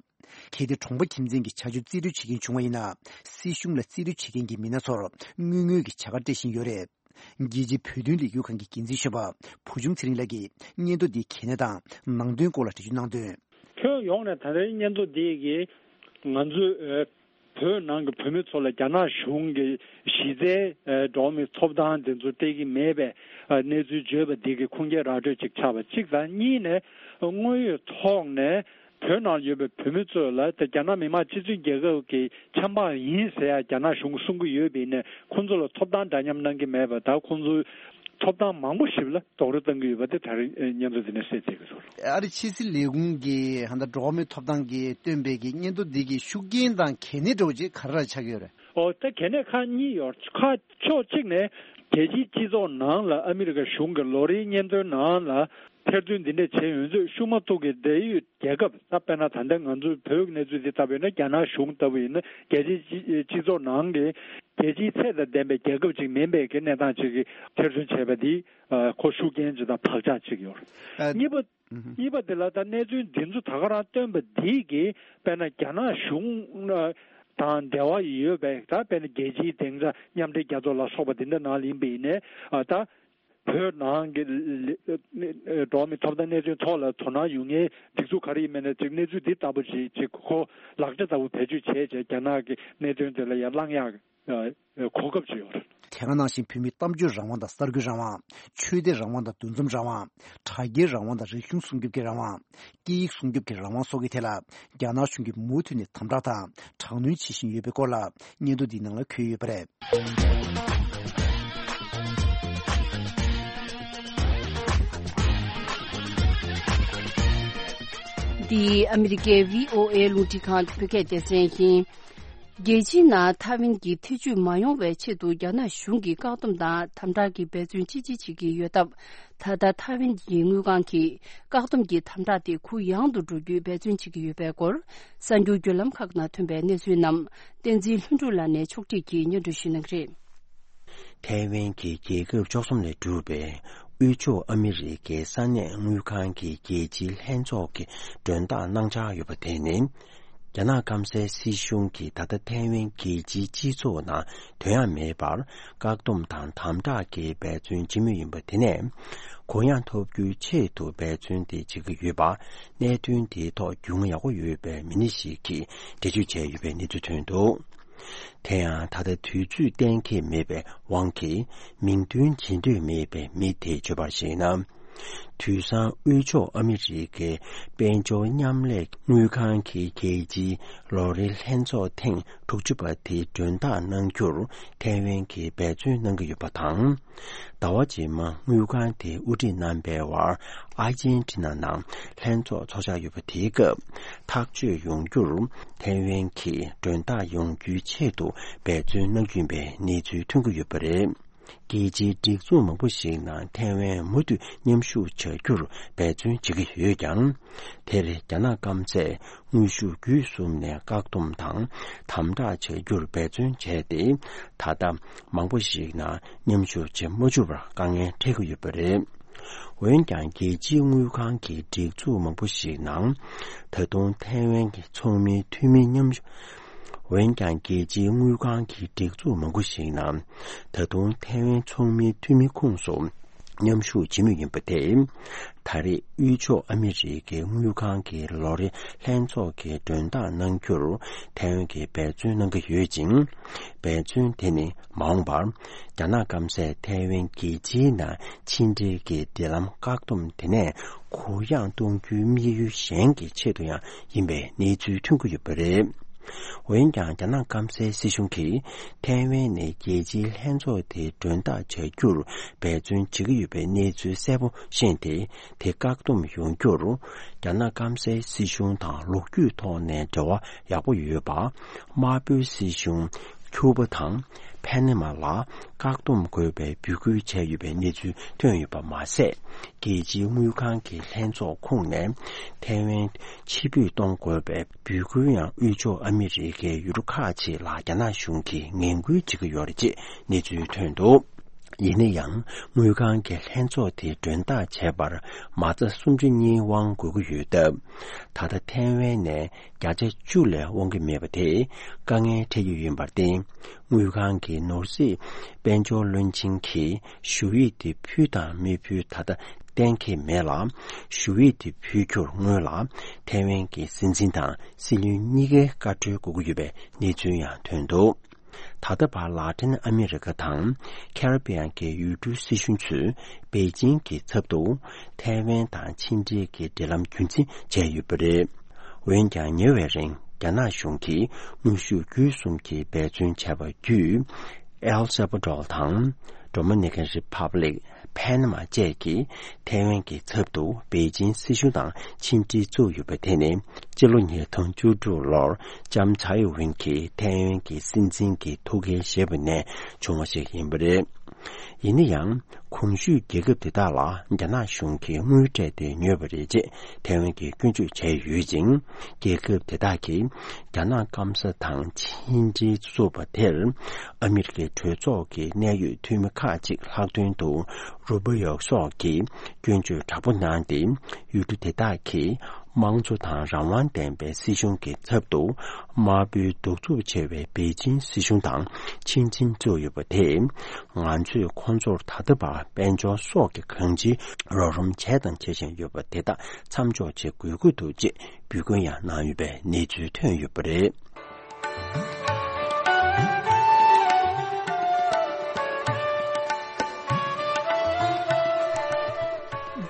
གལ་ཏེ་གྲོང་པ་ཁྱིམ་ཚན་གྱི་བྱ་སྤྱོད་རྩིས་སྤྲོད་བྱེད་མཁན་བྱུང་བ་ཡིན་ན། སྲིད་གཞུང་ལ་རྩིས་སྤྲོད་བྱེད་མཁན་གྱི་མི་སྣ་ཚོར་དངུལ་དངོས་ཀྱི་བྱ་དགའ་སྤྲད་བཞིན་ཡོད་རེད། རྒྱལ་སྤྱིའི་བོད་དོན་ལས་འགུལ་ཁང་གི་འགན་འཛིན་གཞོན་པ་བུ་ཆུང་ཚེ་རིང་ལགས་ཀྱིས་སྙན་ཐོ་འདིའི་གལ་གནད་དང་ནང་དོན་སྐོར་ལ་འགྲེལ་བརྗོད་གནང་དོན། ཁྱོན་ཡོངས་ནས་ད་ལྟའི་སྙན་ཐོ་འདི་གིས་ང་ཚོའི་བོད་ནང་གི་བོད་མི་ཚོ་ལ་རྒྱ་ནག་གཞུང་གི་གཞི་རྩའི་འགྲོ་བ་མིའི་ཐོབ་ཐང་དེ་ཚོ་སྤྲད་ཀྱི་མེད་པའི་གནས་ཚུལ་བརྗོད་པ་འདི་གི་ཁུངས་སྐྱེལ་ར་སྤྲོད་ཅིག་ཆགས་པ་གཅིག་དང་། གཉིས་ནས་དངོས་ཡོད་ཐོག་ནས། བོད་ནང་ཡོད་པའི་བོད་མི་ཚོ་ལ་ད་རྒྱ་ནག་མི་དམངས་སྤྱི་མཐུན་རྒྱལ་ཁབ་ཀྱི་ཆབ་འབངས་ཡིན་ཟེར་ཡ་རྒྱ་ནག་གཞུང་གིས་གསུང་གི་ཡོད་པ་ཡིན་ནའི་ཁོང་ཚོ་ལ་ཐོབ་ཐང་འདྲ་མཉམ་གནང་གི་མེད་པ་དང་། ཁོང་ཚོའི་ཐོབ་ཐང་མང་པོ་ཞིག་ལ་རྡོག་རོལ་བཏང་གི་ཡོད་པ་དེ་ད་རེས་སྙན་ཐོ་འདི་ནས་གསལ་མཛད་ཀྱི་ཡོད་རེད། ཨ་རི་ཕྱི་སྲིད་ལས་ཁུངས་ཀྱིས་ཧ་ད་འགྲོ་བ་མིའི་ཐོབ་ཐང་གི་བཏོན་པའི་གི་སྙན་ཐོ་འདི་གི་ཤུགས་རྐྱེན་དང་གལ་གནད་འདྲ་བོ་ཅིག་ག་རེ་ཆགས་ཀྱི་ཡོད་རེད། ཨོ་ད་གལ་གནད་ཁག་གཉིས་ཡོད། ཁག་ཕྱོགས་གཅིག་ནས་རྒྱལ་སྤྱིའི་སྤྱི་ཚོགས་ནང་ལ་ཨ་མི་རི་ཀ་གཞུང་གི་ལོ་རེའི་སྙན་ཐོའི་ནང་ལ། ཐེར་འདོན་འདི་འདྲས་བྱས་ཡོང་དུས་ཤུགས་མ་ཐུག་གི་འབྲེལ་ཡོད་རྒྱལ་ཁབ། ད་དཔེར་ན་ད་ལྟ་ང་ཚོའི་བོད་ཀྱི་གནས་ཚུལ་འདི་ལྟ་བུ་ཡིན་ན། རྒྱ་ནག་གཞུང་ལྟ་བུ་ཡིན་ན་རྒྱལ་སྤྱིའི་སྤྱི་སྤྱི་ཚོགས་ནང་གི་རྒྱལ་སྤྱིའི་ཚད་དང་ལྡན་པའི་རྒྱལ་ཁབ་ཅིག་མིན་པའི་གི་གནས་སྟངས་ཅིག་གི་ཐེར་འདོན་བྱས་པ་འདི་ཁོ་ཤུགས་རྐྱེན་ཅིག་དང་བག་ཆགས་ཅིག་ཡོད། ཨ། གཉིས་པ། ཨུ་ཧུ། གཉིས་པ་འདི་ལ་ད་གནས་ཚུལ་འདི་ཚོ་ད་ག་རང་བཏོན་པ་འདི་གིས་དཔེར་ན་རྒྱ་ནག་གཞུང་ཨ་ དང་འབྲེལ་བ་ཡོད་པའི། ད་དཔེར་ན་རྒྱལ་སྤྱིའི་སྡིངས་ཆ་མཉམ་འབྲེལ་རྒྱལ་ཚོགས་ལ་སོགས་པ་འདི་འདྲ་ནང་ལ་ཡིན་པ་ཡིན་ནའི། ཨ། ད་བོད་ནང་གི་ལ་ལ་འགྲོ་བ་མིའི་ཐོབ་ཐང་གནད་དོན་ཐོག་ལ་དོ་སྣང་ཡོང་མཁན་སྒྲིག་འཛུགས་ག་རེ་ཡིན་མིན་ནས་ཅིག་གནས་ཚུལ་འདི་ལྟ་བུ་ཞིག་ཅིག་ཁོ་ལག་ཆ་ལྟ་བུ་བེད་སྤྱོད་བྱས་བྱས་རྒྱ་ནག་གི་གནད་དོན་དེ་ལ་ཡར་བསླང་ཡག་གོ་སྐབས་ཅིག་ཡོད་རེད། དེ་ག་ནང་བཞིན་བོད་མིའི་གཏམ་བརྗོད་རང་དབང་དང་གསར་འགོད་རང་དབང་། ཆོས་དད་རང་དབང་དང་འདུ་འཛོམས་རང་དབང་། དྲ་རྒྱའི་རང་དབང་དང་རིག་གཞུང་སྲུང་སྐྱོབ་ཀྱི་རང་དབང་། སྐད་ཡིག་སྲུང་སྐྱོབ་ཀྱི་རང་དབང་སོགས་ཀྱི་ཐད་ལ་རྒྱ་ནག་གཞུང་གིས་མུ་མཐུད་ནས་དམ་དྲག་དང་དྲག་གནོན་བྱེད་བཞིན་ཡོད་པའི་སྐོར་ལ་སྙན་ཐོ་འདིའི་ནང་ལ་འཁོད་ཡོད་པ་རེད། འདི་ཨ་མི་རི་ཀའི་བྷི་ཨོ་ཨེ་རླུང་འཕྲིན་ཁང་གི་བོད་སྐད་སྡེ་ཚན་ཡིན། རྒྱལ་སྤྱིའི་ནང་ཐའེ་ཝན་གྱི་ཐེ་ཇུས་མ་ཡོང་བའི་ཆེད་དུ་རྒྱ་ནག་གཞུང་གིས་བཀག་སྡོམ་དང་དམ་དྲག་གི་འབད་བརྩོན་ཅི་ཆེ་བྱེད་ཀྱི་ཡོད་སྟབས། ད་ལྟ་ཐའེ་ཝན་གྱི་དངུལ་ཁང་གིས་བཀག་སྡོམ་གྱི་དམ་དྲག་དེ་གུ་ཡངས་དུ་འགྲོ་རྒྱུའི་འབད་བརྩོན་བྱེད་ཀྱི་ཡོད་པའི་སྐོར། གསར་འགྱུར་བརྒྱུད་ལམ་ཁག་ནང་ཐོན་པའི་གནས་ཚུལ་རྣམས་བསྟན་འཛིན་ལྷུན་གྲུབ་ལགས་ནས་ཕྱོགས་སྒྲིག་གིས་སྙན་སྒྲོན་ཞུ་གནང་གི་རེད། ཐའེ་ཝན་གྱི་རྒྱལ་ཁབ་བཅུ་གསུམ་ལས་གྲུབ་པའི་དབུས་ཕྱོགས་ཨ་མི་རི་ཀའི་ས་གནས་དངུལ་ཁང་གི་རྒྱལ་སྤྱིའི་ལྷན་ཚོགས་ཀྱི་མགྲོན་བདག་གནང་འཆར་ཡོད་པ་དེ་ནི། རྒྱ་ནག་སྐམ་སའི་སྲིད་གཞུང་གིས་ད་ལྟ་ཐའེ་ཝན་རྒྱལ་སྤྱིའི་སྤྱི་ཚོགས་ནང་དོན་ཡང་མེད་པར་བཀག་སྡོམ་དང་དམ་དྲག་གི་འབད་བརྩོན་བྱེད་མུས་ཡིན་པ་དེ་ནས། གུ་ཡངས་ཐོབ་རྒྱུའི་ཆེད་དུ་འབད་བརྩོན་དེ་བྱེད་ཀྱི་ཡོད་པ། གནད་དོན་དེའི་ཐོག་རྒྱུས་མངའ་ཡག་པོ་ཡོད་པའི་མི་སྣ་ཞིག་གིས་འགྲེལ་བརྗོད་བྱས་ཡོད་པའི་གནས་ཚུལ་ཐོན་འདུག་དེ་ཡང་ད་ལྟ་དུས་ཚོད་གཏན་འཁེལ་མེད་པའི་དབང་གིས་མིང་འདོན་བྱེད་འདོད་མེད་པའི་མི་དེས་བརྗོད་པར་གཞིགས་ན། དུས་སང་དབུས་ཕྱོགས་ཨ་མི་རི་ཀའི་དཔལ་འབྱོར་མཉམ་ལས་དངུལ་ཁང་གི་རྒྱལ་སྤྱིའི་ལོ་རེའི་ལྷན་ཚོགས་ཐེངས་དྲུག་ཅུ་པ་དེའི་མགྲོན་བདག་གནང་རྒྱུར་ཐའེ་ཝན་གྱིས་འབད་བརྩོན་གནང་གི་ཡོད་པ་དང་། ཟླ་བ་རྗེས་མ་དངུལ་ཁང་དེས་དབུ་ཁྲིད་གནང་པའི་བར་ཨར་ཇན་ཊི་ན་ནང་ལྷན་ཚོགས་ཚོགས་འཆར་ཡོད་པ་དེའི་སྐབས་ཐག་གཅོད་ཡོང་རྒྱུར་ཐའེ་ཝན་གྱིས་མགྲོན་བདག་ཡོང་རྒྱུའི་ཆེད་དུ་འབད་བརྩོན་གནང་རྒྱུ་ཡིན་པའི་གནས་ཚུལ་ཐོན་གྱི་ཡོད་པ་རེད། རྒྱལ་སྤྱིའི་སྒྲིག་འཛུགས་མང་པོ་ཞིག་ནང་ཐའེ་ཝན་མུ་མཐུད་མཉམ་ཞུགས་བྱ་རྒྱུར་འབད་བརྩོན་བྱེད་ཀྱི་ཡོད་ཀྱང་། དེར་རྒྱ་ནག་སྐམ་སས་དངོས་ཤུགས་བརྒྱུད་གསུམ་ནས་བཀག་སྡོམ་དང་དམ་དྲག་བྱ་རྒྱུར་འབད་བརྩོན་བྱས་ཏེ། ད་ལྟ་མང་པོ་ཞིག་ནང་མཉམ་ཞུགས་བྱེད་མ་བཅུག་པར་དཀའ་ངལ་འཕྲད་ཀྱི་ཡོད་པ་རེད། འོན་ཀྱང་རྒྱལ་སྤྱིའི་དངུལ་ཁང་གི་སྒྲིག་འཛུགས་མང་པོ་ཞིག་ནང་ད་དུང་ཐའེ་ཝན་གྱི་ཚོགས་མིའི་འཐུས་མི་མཉམ་ཞུགས། འོན་ཀྱང་རྒྱལ་སྤྱིའི་དངུལ་ཁང་གི་སྒྲིག་འཛུགས་མང་པོ་ཞིག་ནང་ད་དུང་ཐའེ་ཝན་ཚོགས་མིའི་འཐུས་མི་ཁོངས་སུ་མཉམ་ཞུགས་བྱེད་མུས་ཡིན་པ་དེས། ད་རེས་དབུས་ཕྱོགས་ཨ་མི་རི་ཀའི་དངུལ་ཁང་གི་ལོ་རེའི་ལྷན་ཚོགས་ཀྱི་མགྲོན་བདག་གནང་རྒྱུར་ཐའེ་ཝན་གྱིས་འབད་བརྩོན་གནང་གི་ཡོད་ཅིང་། འབད་བརྩོན་དེ་ནི་མ་འོངས་པར་རྒྱ་ནག་སྐམ་སས་ཐའེ་ཝན་རྒྱལ་སྤྱིའི་ནང་ཕྱི་འབྲེལ་གྱི་འབྲེལ་ལམ་བཀག་སྡོམ་དེ་ནས་གུ་ཡངས་གཏོང་རྒྱུའི་དམིགས་ཡུལ་གཞན་གྱི་ཆེད་དུ་ཡང་ཡིན་པའི་གནས་ཚུལ་ཐོན་གྱི་ཡོད་པ་རེད། འོན་ཀྱང་རྒྱ་ནག་སྐམ་སའི་སྲིད་གཞུང་གིས་ཐའེ་ཝན་ནས་རྒྱལ་སྤྱིའི་ལྷན་ཚོགས་དེའི་མགྲོན་བདག་བྱ་རྒྱུར་འབད་བརྩོན་བྱེད་ཀྱི་ཡོད་པའི་གནས་ཚུལ་གསལ་པོ་ཤེས་ཏེ། དེ་བཀག་སྡོམ་ཡོང་རྒྱུར་རྒྱ་ནག་སྐམ་སའི་སྲིད་གཞུང་དང་ལོ་རྒྱུས་ཐོག་ནས་འབྲེལ་བ་ཡག་པོ་ཡོད་པ། དམར་པོའི་སྲིད་གཞུང་ཁྱུ་པ་དང་ཕན་ན་མ་ལ་བཀག་སྡོམ་དགོས་པའི་འབོད་སྐུལ་བྱས་ཡོད་པའི་གནས་ཚུལ་ཐོན་ཡོད་པ་མ་ཟད། རྒྱལ་སྤྱིའི་དངུལ་ཁང་གི་ལྷན་ཚོགས་ཁོངས་ནས་ཐའེ་ཝན་ཕྱིར་འབུད་གཏོང་དགོས་པའི་འབོད་སྐུལ་ཡང་དབུས་ཕྱོགས་ཨ་མི་རི་ཀའི་ཡུལ་གྲུ་ཁག་ཅིག་ལ་རྒྱ་ནག་གཞུང་གིས་ངན་སྐུལ་བྱེད་ཀྱི་ཡོད་རེད་ཅེས་གནས་ཚུལ་ཐོན་འདུག་ཡིན་ན་ཡང་དངུལ་ཁང་གི་ལྷན་ཚོགས་དེའི་མགྲོན་བདག་བྱས་པར་མ་རྩ་སུམ་ཅུ་གཉིས་དབང་དགོས་ཀྱི་ཡོད་སྟབས། ད་ལྟ་ཐའེ་ཝན་ནས་བརྒྱ་ཆ་བཅུ་ལས་དབང་གི་མེད་པ་དེས་དཀའ་ངལ་འཕྲད་ཀྱི་ཡོད་པར་བརྟེན། དངུལ་ཁང་གི་ནོར་སྲིད་དཔལ་འབྱོར་བློན་ཆེན་གྱིས་ཞུ་ཡིག་དེ་ཕུལ་དང་མི་ཕུལ་ད་ལྟ་གཏན་འཁེལ་མེད་ལ། ཞུ་ཡིག་དེ་ཕུལ་རྒྱུར་སྔོན་ལ་ཐའེ་ཝན་གྱི་སྲིད་འཛིན་དང་སྲིད་བློན་གཉིས་ཀའི་བཀའ་འཁྲོལ་དགོས་ཀྱི་ཡོད་པའི་གནས་ཚུལ་ཡང་ཐོན་འདུག་ད་ལྟ་བར་ལག་འཕྲིན་ཨ་མི་རི་ཀ་དང་ཁེ་རི་བྷི་ཡན་གྱི་ཡུལ་གྲུའི་སྲིད་གཞུང་ཚོས་པེ་ཅིང་གི་ཚབ་ཏུ་ཐའེ་ཝན་དང་ཕྱི་འབྲེལ་གྱི་འབྲེལ་ལམ་རྒྱུན་འཛིན་བྱས་ཡོད་པ་རེད། འོན་ཀྱང་ཉེ་བའི་རིང་རྒྱ་ནག་གཞུང་གིས་དངོས་ཤུགས་བརྒྱུད་གསུམ་གྱི་འབད་བརྩོན་བྱས་པ་བརྒྱུད། ཨེལ་སེ་བ་ཌོར་དང་ཌོ་མི་ནི་ཀན་རི་ཕབ་ལིག་ཕན་མ་བཅས་ཀྱིས་ཐའེ་ཝན་གྱི་ཚབ་ཏུ་པེ་ཅིང་སྲིད་གཞུང་དང་ཕྱི་འབྲེལ་བཙུགས་ཡོད་པ་དེ་ནི་སྤྱི་ལོ་ཉིས་སྟོང་བཅུ་དྲུག་ལོར་ལྕམ་ཚའེ་ཝེན་གྱིས་ཐའེ་ཝན་གྱི་སྲིད་འཛིན་གྱི་ཐུགས་འགན་བཞེས་པ་ནས་བྱུང་བ་ཞིག་ཡིན་པ་རེད། ཡིན་ན་ཡང་གོང་ཞུས་རྒྱལ་ཁབ་དེ་དག་ལ་རྒྱ་ནག་གཞུང་གིས་དངུལ་སྤྲད་དེ་ཉོས་པ་རེད་ཅེས་ཐའེ་ཝན་གྱིས་སྐྱོན་བརྗོད་བྱས་ཡོད་ཅིང་། རྒྱལ་ཁབ་དེ་དག་གིས་རྒྱ་ནག་སྐམ་ས་དང་ཕྱི་འབྲེལ་བཙུགས་པ་དེར་ཨ་མི་རི་ཀའི་གྲོས་ཚོགས་ཀྱི་གནད་ཡོད་འཐུས་མི་ཁག་ཅིག་ལྷག་དོན་དུ་རུ་པ་ཡོག་སོགས་ཀྱིས་སྐྱོན་བརྗོད་དྲག་པོ་གནང་སྟེ། ཡུལ་གྲུ་དེ་དག་གིས་ དམངས་གཙོ་དང་རང་དབང་ལྡན་པའི་སྲིད་གཞུང་གི་ཚབ་ཏུ། དམར་པོའི་གདུག་རྩུབ་ཆེ་བའི་པེ་ཅིན་སྲིད་གཞུང་དང་ཕྱིར་འཛིང་བཙུགས་ཡོད་པ་དེས། ང་ཚོས་ཁོང་ཚོར་ད་ལྟ་བར་དཔལ་འབྱོར་སོགས་ཀྱི་གང་ཅིའི་རོགས་རམ་བྱས་དང་བྱེད་བཞིན་ཡོད་པ་དེ་དག་མཚམས་འཇོག་བྱེད་དགོས་ཀྱི་འདུག་ཅེས་འབོད་སྐུལ་ཡང་གནང་ཡོད་པའི་གནས་ཚུལ་ཐོན་ཡོད་པ་རེད།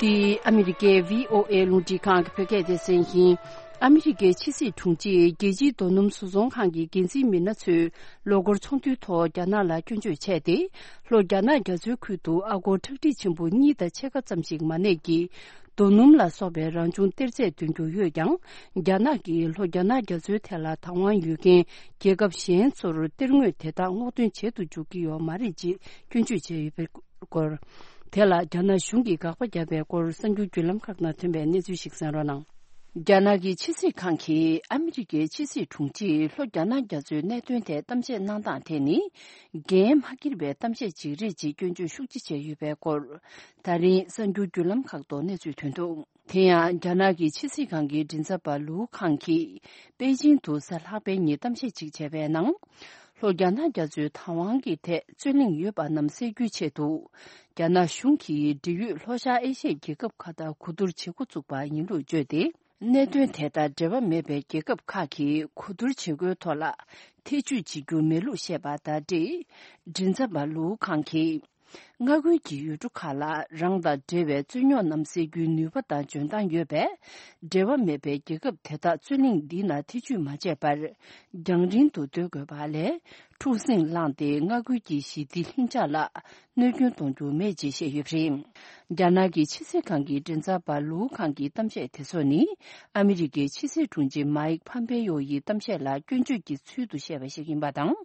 འདི་ཨ་མི་རི་ཀའི་བྷི་ཨོ་ཨེ་རླུང་འཕྲིན་ཁང་གི་བོད་སྐད་སྡེ་ཚན་ཡིན། ཨ་མི་རི་ཀའི་ཕྱི་སྲིད་དྲུང་ཆེས་རྒྱལ་སྤྱིའི་རྡོ་སྣུམ་བཟོ་ཚོང་ཁང་གི་འགན་འཛིན་མི་སྣ་ཚོས་ལོ་འཁོར་ཚོགས་འདུའི་ཐོག་རྒྱ་ནག་ལ་སྐྱོན་བརྗོད་བྱས་ཏེ། ལྷོ་རྒྱ་ནག་རྒྱ་མཚོའི་ཁུལ་དུ་ཨ་སྒོར་ཁྲག་ཁྲིག་ཆེན་པོ་གཉིས་དང་ཕྱེད་ཀ་ཙམ་ཞིག་མ་གནས་ཀྱི་རྡོ་སྣུམ་ལ་སོགས་པའི་རང་བྱུང་གཏེར་རྫས་འདོན་རྒྱུ་ཡོད་ཀྱང་། རྒྱ་ནག་གིས་ལྷོ་རྒྱ་ནག་རྒྱ་མཚོའི་ཐད་ལ་བདག་དབང་ཡོད་མཁན་རྒྱལ་ཁབ་གཞན་ཚོར་གཏེར་དངོས་དེ་དག་སྔོག་འདོན་བྱེད་དུ་འཇུག་གི་ཡོད་མ་རེད་ཅེས་སྐྱོན་བརྗོད་བྱས་ཡོད་པའི་སྐོར། དེ་ལ་རྒྱ་ནག་གཞུང་གིས་དགག་པ་བརྒྱབ་པའི་སྐོར་གསར་འགྱུར་བརྒྱུད་ལམ་ཁག་ནང་ཐོན་པའི་གནས་ཚུལ་ཞིག་གསན་རོགས་གནང་། རྒྱ་ནག་གི་ཕྱི་སྲིད་ཁང་གིས་ཨ་མི་རི་ཀའི་ཕྱི་སྲིད་དྲུང་ཆེས་ལྷོ་རྒྱ་ནག་རྒྱ་མཚོའི་གནད་དོན་ཐད་གཏམ་བཤད་གནང་སྟངས་དེ་ནི། འགན་མ་འཁྱེར་བའི་གཏམ་བཤད་ཅིག་རེད་ཅེས་སྐྱོན་བརྗོད་ཤུགས་ཆེ་བྱས་ཡོད་པའི་སྐོར། ད་རིང་གསར་འགྱུར་བརྒྱུད་ལམ་ཁག་ཏུ་གནས་ཚུལ་ཐོན་འདུག་དེ་ཡང་རྒྱ་ནག་གི་ཕྱི་སྲིད་ཁང་གི་མགྲིན་ཚབ་པ་ལུའུ་ཁང་གིས་པེ་ཅིང་དུ་གཟའ་ལྷག་པའི་ཉིན་གཏམ་བཤད་ཅིག་བྱས་པའི་ནང་། ལྷོ་རྒྱ་ནག་རྒྱ་མཚོའི་བདག་དབང་གི་ཐད་རྩོད་གླེང་ཡོད་པ་རྣམས་སེལ་རྒྱུའི་ཆེད་དུ། རྒྱ་ནག་གཞུང་གིས་འབྲེལ་ཡོད་ལྷོ་ཤར་ཨེ་ཤི་ཡའི་རྒྱལ་ཁབ་ཁག་དང་གོ་བསྡུར་བྱེད་འགོ་བཙུགས་པ་ཡིན་ལུགས་བརྗོད་དེ། གནད་དོན་དེ་དང་འབྲེལ་བ་མེད་པའི་རྒྱལ་ཁབ་ཁག་གིས་གོ་བསྡུར་བྱེད་སྒོའི་ཐོག་ལ་ཐེ་བྱུས་བྱེད་རྒྱུ་མེད་ལུགས་བཤད་པ་དང་འབྲེལ། མགྲིན་ཚབ་པ་ལུའུ་ཁང་གིས། མངའ་ཁུལ་གྱི་ཡུལ་གྲུ་ཁག་ལ་རང་དང་འབྲེལ་བའི་རྩོད་རྙོག་རྣམས་སེལ་རྒྱུའི་ནུས་པ་དང་འཇོན་ཐང་ཡོད་པས། འབྲེལ་བ་མེད་པའི་རྒྱལ་ཁབ་དེ་དག་རྩོད་གླེང་འདི་ན་ཐེ་བྱུས་མ་བྱས་པར། རྒྱང་རིང་དུ་སྡོད་དགོས་པ་ལས། འཁྲུག་ཟིང་བསླངས་ཏེ་མངའ་ཁུལ་གྱི་ཞི་བདེ་ལྷིང་འཇགས་ལ་གནོད་སྐྱོན་གཏོང་རྒྱུ་མེད་ཅེས་བཤད་ཡོད་པ་རེད། རྒྱ་ནག་གི་ཕྱི་སྲིད་ཁང་གི་མགྲིན་ཚབ་པ་ལུའུ་ཁང་གི་གཏམ་བཤད་དེ་ཚོ་ནི། ཨ་མི་རི་ཀའི་ཕྱི་སྲིད་དྲུང་ཆེ་མཱིག་ཕམ་པེ་ཡོ་ཡི་གཏམ་བཤད་ལ་སྐྱོན་བརྗོད་ཀྱི་ཚུལ་དུ་བཤད་པ་ཞིག་ཡིན་པ་དང་།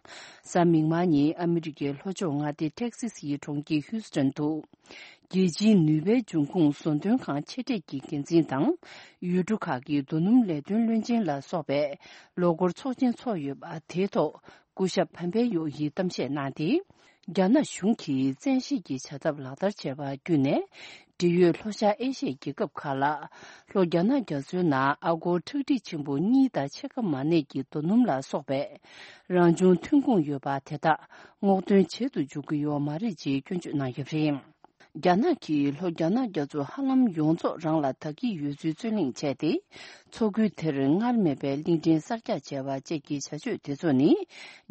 གཟའ་མིག་དམར་ཉིན་ཨ་མི་རི་ཀའི་ལྷོ་ཕྱོགས་མངའ་སྡེ་ཏེག་སི་སི་ཡི་གྲོང་ཁྱེར་ཧིའུ་སི་ཊོན་དུ། རྒྱལ་སྤྱིའི་ནུས་པའི་འབྱུང་ཁུངས་བཟོ་འདོན་ཁང་ཆེ་གྲས་ཀྱི་འགན་འཛིན་དང་། ཡུལ་གྲུ་ཁག་གི་རྡོ་སྣུམ་ལས་དོན་བློན་ཆེན་ལ་སོགས་པའི་ལོ་འཁོར་ཚོགས་ཆེན་ཚོགས་ཡོད་པ་དེའི་ཐོག་སྐུ་ཞབས་ཕམ་པེ་ཡོ་ཡིས་གཏམ་བཤད་གནང་སྟེ། རྒྱ་ནག་གཞུང་གིས་བཙན་ཤེད་ཀྱི་བྱ་ཐབས་ལག་བསྟར་བྱས་པ་བརྒྱུད་ནས། འབྲེལ་ཡོད་ལྷོ་ཤར་ཨེ་ཤི་ཡའི་རྒྱལ་ཁབ་ཁག་ལ། ལྷོ་རྒྱ་ནག་རྒྱ་མཚོའི་ནང་ཨ་སྒོར་ཁྲག་ཁྲིག་ཆེན་པོ་གཉིས་དང་ཕྱེད་ཀ་མ་གནས་ཀྱི་རྡོ་སྣུམ་ལ་སོགས་པའི་རང་བྱུང་ཐོན་ཁུངས་ཡོད་པ་དེ་དག་སྔོག་འདོན་བྱེད་དུ་འཇུག་གི་ཡོད་མ་རེད་ཅེས་སྐྱོན་བརྗོད་གནང་ཡོད་པ་རེད། རྒྱ་ནག་གིས་ལྷོ་རྒྱ་ནག་རྒྱ་མཚོ་ཧ་ལམ་ཡོངས་རྫོགས་རང་ལ་བདག་གི་ཡོད་ཚུལ་རྩོད་གླེང་བྱས་ཏེ། མཚོ་ཁུལ་དེར་སྔར་མེད་པའི་གླིང་ཕྲན་གསར་རྒྱག་བྱས་པ་བཅས་ཀྱི་བྱ་སྤྱོད་དེ་ཚོ་ནི།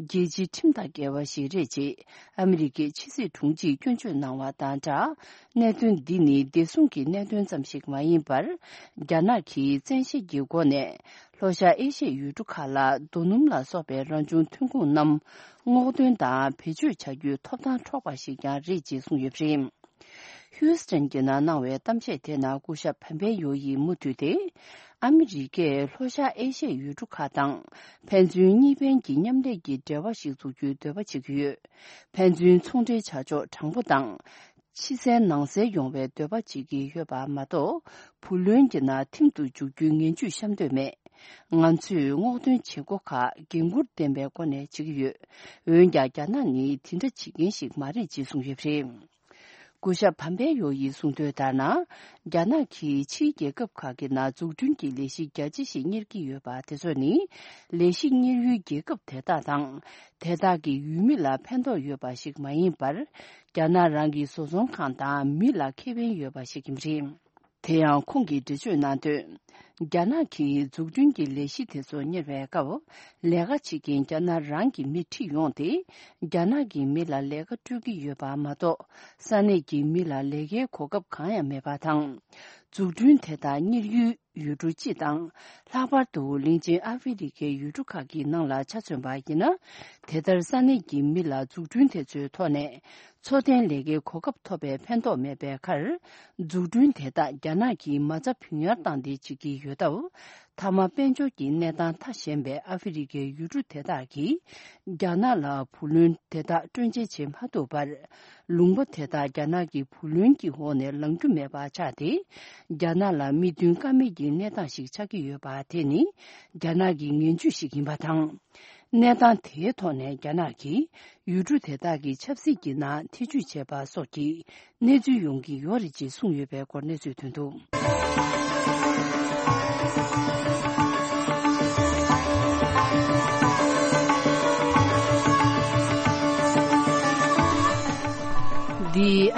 རྒྱལ་སྤྱིའི་ཁྲིམས་དང་འགལ་བ་ཞིག་རེད་ཅེས་ཨ་མི་རི་ཀའི་ཕྱི་སྲིད་དྲུང་ཆེས་སྐྱོན་བརྗོད་གནང་བ་དང་སྦྲགས། གནད་དོན་འདི་ནི་བདེ་སྲུང་གི་གནད་དོན་ཙམ་ཞིག་མ་ཡིན་པར། རྒྱ་ནག་གིས་བཙན་ཤེད་ཀྱི་སྒོ་ནས་ལྷོ་ཤར་ཨེ་ཤི་ཡའི་ཡུལ་གྲུ་ཁག་ལ་རྡོ་སྣུམ་ལ་སོགས་པའི་རང་བྱུང་ཐོན་ཁུངས་རྣམས་སྔོག་འདོན་དང་བེད་སྤྱོད་བྱ་རྒྱུའི་ཐོབ་ཐང་འཕྲོག་པ་ཞིག་ཀྱང་རེད་ཅེས་གསུངས་ཡོད་པ་རེད། ཧིའུ་སི་ཐན་གྱི་ནང་གནང་བའི་གཏམ་བཤད་དེ་ནང་སྐུ་ཞབས་ཕམ་པེ་ཡོ་ཡིས་མུ་མཐུད་དེ། ཨ་མི་རི་ཀས་ལྷོ་ཤར་ཨེ་ཤི་ཡའི་ཡུལ་གྲུ་ཁག་དང་ཕན་ཚུན་གཉིས་ཕན་གྱི་མཉམ་ལས་ཀྱི་འབྲེལ་བ་ཞིག་འཛུགས་རྒྱུའི་འདོད་པ་བྱེད་ཀྱི་ཡོད། ཕན་ཚུན་ཚོང་འབྲེལ་བྱ་ཕྱོགས་དྲང་པོ་དང་། ཕྱི་གསལ་ནང་གསལ་ཡོང་བའི་འདོད་པ་བྱེད་ཀྱི་ཡོད་པ་མ་གཏོགས། བུ་ལོན་གྱི་ནང་ཐིམ་དུ་འཇུག་རྒྱུའི་ངན་ཇུས་བཤམས་འདོད་མེད། ང་ཚོས་སྔོག་འདོན་བྱེད་སྒོ་ཁག་འགན་འཁུར་ལྡན་པའི་སྒོ་ནས་བྱེད་ཀྱི་ཡོད། འོན་ཀྱང་རྒྱ་ནག་ནི་དེ་འདྲ་བྱེད་མཁན་ཞིག་མ་རེད་ཅེས་གསུངས་ཡོད་པ་རེད། སྐུ་ཞབས་བམ་པའེ་ཡོ་ཡིས་གསུངས་དོན་ལྟར་ན། རྒྱ་ནག་གིས་ཕྱིའི་རྒྱལ་ཁབ་ཁག་གི་ནང་འཛུགས་སྐྲུན་གྱི་ལས་གཞི་རྒྱ་ཆེ་ཞིག་གཉེར་གྱི་ཡོད་པ་དེ་ཚོ་ནི། ལས་གཞི་གཉེར་ཡུལ་རྒྱལ་ཁབ་དེ་དག་དང་། དེ་དག་གི་ཡུལ་མི་ལ་ཕན་ཐོགས་ཡོད་པ་ཞིག་མ་ཡིན་པར། རྒྱ་ནག་རང་གི་བཟོ་ཚོང་ཁང་དང་མི་ལ་ཁེ་ཕན་ཡོད་པ་ཞིག་ཡིན་པ་རེད། དེ་ཡང་ཁོང་གིས་འགྲེལ་བརྗོད་གནང་དོན། རྒྱ་ནག་གིས་འཛུགས་སྐྲུན་གྱི་ལས་གཞི་དེ་ཚོ་གཉེར་བའི་སྐབས། ལས་ཀ་བྱེད་མཁན་རྒྱ་ནག་རང་གི་མི་ཁྲིད་ཡོང་སྟེ། རྒྱ་ནག་གི་མི་ལ་ལས་ཀ་སྤྲོད་ཀྱི་ཡོད་པ་མ་གཏོགས། ས་གནས་ཀྱི་མི་ལ་ལས་ཀའི་གོ་སྐབས་གང་ཡང་མེད་པ་དང་། འཛུགས་སྐྲུན་དེ་དག་གཉེར་ཡུལ་ཡུལ་གྲུ་སྤྱི་དང་། ལྷག་པར་དུ་གླིང་ཆེན་ཨ་ཧྥེ་རི་ཁའི་ཡུལ་གྲུ་ཁག་གི་ནང་ལ་ཆ་མཚོན་པ་ཡིན་ན། དེ་ལྟར་ས་གནས་ཀྱི་མི་ལ་འཛུགས་སྐྲུན་དེ་ཚོའི་ཐོག་ནས། འཚོ་རྟེན་ལས་ཀའི་གོ་སྐབས་ཐོབ་པའི་ཕན་ཐོགས་མེད་པའི་ཁར། འཛུགས་སྐྲུན་དེ་དག་རྒྱ་ནག་གིས་མ་རྩ་བུན་གཡར་བཏང་སྟེ་བྱེད་ཀྱི་ཡོད་སྟབས། མཐའ་མ་དཔལ་འབྱོར་གྱི་གནས་སྟངས་ཐ་ཞན་པའི་ཨ་ཧྥེ་རི་ཁའི་ཡུལ་གྲུ་དེ་དག་གིས། རྒྱ་ནག་ལ་བུ་ལོན་དེ་དག་སྤྲོད་འཇལ་བྱེད་མ་ཐུབ་པར། ལུང་པ་དེ་དག་རྒྱ་ནག་གི་བུ་ལོན་གྱི་འོག་ནས་ལངས་རྒྱུ་མེད་པ་ཆགས་ཏེ། རྒྱ་ནག་ལ་མིག་མདུན་ཀ་མེད་ཀྱི་གནས་སྟངས་ཤིག་ཆགས་ཀྱི་ཡོད་པ་དེ་ནི། རྒྱ་ནག་གི་ངན་ཇུས་ཤིག་ཡིན་པ་དང་། གནས་སྟངས་དེའི་ཐོག་ནས་རྒྱ་ནག་གིས་ཡུལ་གྲུ་དེ་དག་གི་ཆབ་སྲིད་ཀྱི་ནང་ཐེ་བྱུས་བྱས་པ་སོགས་ཀྱི་གནས་ཚུལ་ཡོང་གི་ཡོད་རེད་ཅེས་གསུངས་ཡོད་པའི་སྐོར་གནས་ཚུལ་ཐོན་འདུག།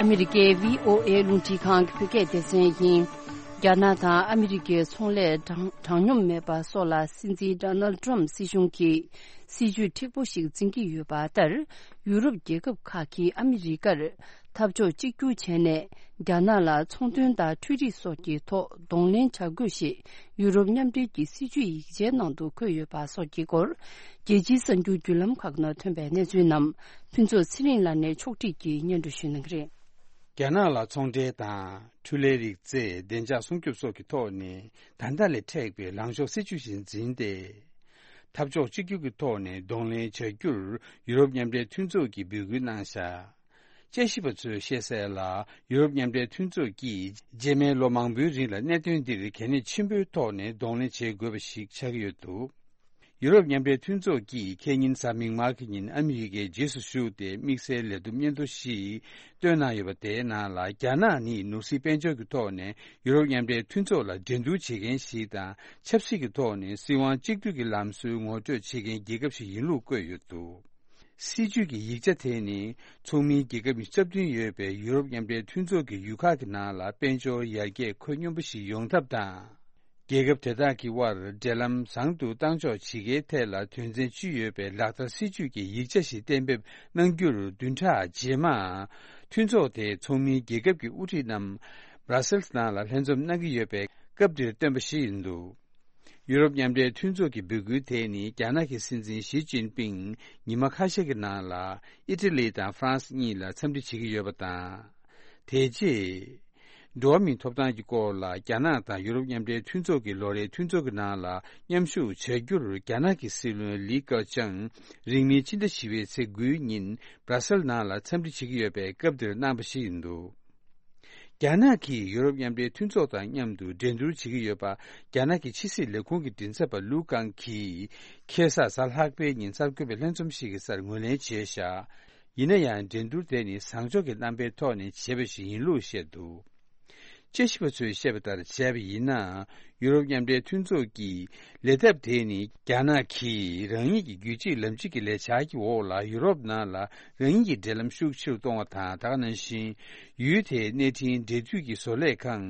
ཨ་མི་རི་ཀའི་བྷི་ཨོ་ཨེ་རླུང་འཕྲིན་ཁང་གི་བོད་སྐད་སྡེ་ཚན་ཡིན། རྒྱ་ནག་དང་ཨ་མི་རི་ཀའི་ཚོང་ལས་དྲང་དྲང་སྙོམས་མེད་པ་སོགས་ལ་སྲིད་འཛིན་ཌོ་ནལ་ཌི་ཊརམ་སྲིད་གཞུང་གིས་སྲིད་ཇུས་མཁྲེགས་པོ་ཞིག་འཛིན་གྱི་ཡོད་པ་ལྟར། ཡུ་རོབ་རྒྱལ་ཁབ་ཁག་གིས་ཨ་མི་རི་ཀར་འཐབ་ཕྱོགས་གཅིག་གྱུར་བྱས་ནས། རྒྱ་ནག་ལ་ཚོང་དོན་དང་འཕྲུལ་རིག་སོགས་ཀྱི་ཐོག་གདོང་ལེན་བྱ་དགོས་ཞེས་ཡུ་རོབ་མཉམ་འབྲེལ་གྱི་སྲིད་ཇུས་ཡིག་ཆའི་ནང་དུ་འཁོད་ཡོད་པ་སོགས་ཀྱི་སྐོར། རྒྱལ་སྤྱིའི་གསར་འགྱུར་བརྒྱུད་ལམ་ཁག་ནང་ཐོན་པའི་གནས་ཚུལ་རྣམས་ཕུན་ཚོགས་ཚེ་རིང་ལགས་ནས་ཕྱོགས་སྒྲིག་གིས་སྙན་སྒྲོན་ཞུ་གནང་གི་རེད། རྒྱ་ནག་ལ་ཚོང་འབྲེལ་དང་འཕྲུལ་ལས་རིག་རྩལ་བདེ་འཇགས་སྲུང་སྐྱོབ་སོགས་ཀྱི་ཐོག་ནས་ད་ལྟ་ལས་མཁྲེགས་པའི་ལངས་ཕྱོགས་སྲིད་ཇུས་ཤིག་འཛིན་ཏེ། འཐབ་ཕྱོགས་གཅིག་གྱུར་གྱི་ཐོག་ནས་གདོང་ལེན་བྱ་རྒྱུར་ཡུ་རོབ་མཉམ་འབྲེལ་མཐུན་ཚོགས་ཀྱིས་འབོད་སྐུལ་གནང་བཞག་དཔྱད་ཞིབ་པ་ཚོས་བཤད་གསལ་ལ། ཡུ་རོབ་མཉམ་འབྲེལ་མཐུན་ཚོགས་ཀྱིས་རྗེས་མའི་ལོ་མང་པོའི་རིང་ལ་གནད་དོན་འདིར་གལ་གནད་ཆེན་པོའི་ཐོག་ནས་གདོང་ལེན་བྱེད་དགོས་པ་ཞིག་ཆགས་ཀྱི་ཡོད་འདུག་ཡུ་རོབ་མཉམ་འབྲེལ་མཐུན་ཚོགས་ཀྱིས་ཁེ་ཉིན་གཟའ་མིག་དམར་གྱི་ཉིན་ཨ་མི་རི་ཀའི་རྗེས་སུ་ཞུགས་ཏེ་དམིགས་བསལ་ལས་བསྡོམས་སྙན་ཐོ་ཞིག་བཏོན་གནང་ཡོད་པ། དེའི་ནང་ལ་རྒྱ་ནག་ནི་ནོར་སྲིད་དཔལ་འབྱོར་གྱི་ཐོག་ནས་ཡུ་རོབ་མཉམ་འབྲེལ་མཐུན་ཚོགས་ལ་འགྲན་བསྡུར་བྱེད་མཁན་ཞིག་དང་། ཆབ་སྲིད་ཀྱི་ཐོག་ནས་སྲིད་དབང་གཅིག་སྡུད་ཀྱི་ལམ་སྲོལ་ངོ་སྤྲོད་བྱེད་མཁན་རྒྱལ་ཁབ་ཞིག་ཡིན་ལུགས་བཀོད་ཡོད་འདུག་སྲིད་ཇུས་ཀྱི་ཡིག་ཆ་དེ་ནི་ཚོགས་མིའི་རྒྱལ་ཁབ་ཉི་ཤུ་རྩ་བདུན་ཡོད་པའི་ཡུ་རོབ་མཉམ་འབྲེལ་མཐུན་ཚོགས་ཀྱི་ཡུལ་ཁག་གི་ནང་ལ་དཔལ་འབྱོར་ཡར་རྒྱས་ཁོད་སྙོམས་པོ་ཞིག་ཡོང་ཐབས་དང་། རྒྱལ་ཁབ་དེ་དག་གི་དབར་འབྲེལ་ལམ་བཟང་དུ་གཏང་ཕྱོགས་ཇི་དགེའི་ཐད་ལ་དོན་ཚན་བཅུ་ཡོད་པའི་ལག་བསྟར་སྲིད་ཇུས་ཀྱི་ཡིག་ཆ་ཞིག་གཏན་འབེབས་གནང་རྒྱུར་བདུན་ཕྲག་རྗེས་མ། མཐུན་ཚོགས་དེའི་ཚོགས་མིའི་རྒྱལ་ཁབ་ཀྱི་དབུ་ཁྲིད་རྣམས་སྦྲ་སེལ་ནང་ལ་ལྷན་འཛོམས་གནང་གི་ཡོད་པའི་སྐབས་འདིར་བཏོན་པ་ཞིག་ཡིན་འདུག་ཡུ་རོབ་མཉམ་འབྲེལ་མཐུན་ཚོགས་ཀྱི་འབོད་སྐུལ་དེ་ནི་རྒྱ་ནག་གི་སྲིད་འཛིན་ཞི་ཅིན་ཕིང་ཉི་མ་ཁ་ཤས་ཀྱི་ནང་ལ་ཨི་ཊ་ལི་དང་ཧྥ་རན་སི་གཉིས་ལ་འཚམས་འདྲི་བྱེད་ཀྱི་ཡོད་པ་དང་། དེ་རྗེས། འགྲོ་བ་མིའི་ཐོབ་ཐང་གི་སྐོར་ལ་རྒྱ་ནག་དང་ཡུ་རོབ་མཉམ་འབྲེལ་མཐུན་ཚོགས་ཀྱི་ལོ་རེའི་མཐུན་ཚོགས་ཀྱི་ནང་ལ་མཉམ་ཞུགས་བྱ་རྒྱུར་རྒྱ་ནག་གི་སྲིད་བློན་ལི་ཀེ་ཆང་རིང་མིན་ཕྱི་ཟླ་བཞི་པའི་ཚེས་དགུའི་ཉིན་སྦྲ་སེལ་ནང་ལ་འཚམས་འདྲི་བྱེད་ཀྱི་ཡོད་པའི་སྐབས་འདིར་གནང་པ་ཞིག་ཡིན་འདུག་རྒྱ་ནག་གིས་ཡུ་རོབ་མཉམ་འབྲེལ་མཐུན་ཚོགས་དང་མཉམ་དུ་འགྲན་བསྡུར་བྱེད་ཀྱི་ཡོད་པ། རྒྱ་ནག་གི་ཕྱི་སྲིད་ལས་ཁུངས་ཀྱི་མགྲིན་ཚབ་པ་ལུའུ་ཀང་གིས་ཁ་སང་གཟའ་ལྷག་པའི་ཉིན་གསར་འགོད་པའི་ལྷན་འཛོམས་ཤིག་གི་སར་ངོས་ལེན་བྱས་བཞག་ཡིན་ན་ཡང་འགྲན་བསྡུར་དེ་ནི་བཟང་ཕྱོགས་ཀྱི་རྣམ་པའི་ཐོག་ནས་བྱས་པ་ཞིག་ཡིན་ལུགས་བཤད་འདུག་དཔྱད་ཞིབ་པ་ཚོས་བཤད་པ་ལྟར་བྱས་པ་ཡིན་ན། ཡུ་རོབ་མཉམ་འབྲེལ་མཐུན་ཚོགས་ཀྱི་ལས་ཐབས་དེ་ནི་རྒྱ་ནག་གིས་རང་ཉིད་ཀྱི་རྒྱུད་གཅིག་ལམ་གཅིག་གི་ལས་འཆར་གྱི་འོག་ལ་ཡུ་རོབ་ནང་ལ་རང་ཉིད་ཀྱི་འབྲེལ་ལམ་ཤུགས་ཆེ་རུ་གཏོང་བ་དང་། ད་ག་ནང་བཞིན་ཡུལ་དེའི་གནས་འཕྲིན་འབྲེལ་མཐུད་ཀྱི་བཟོ་ལས་ཁང་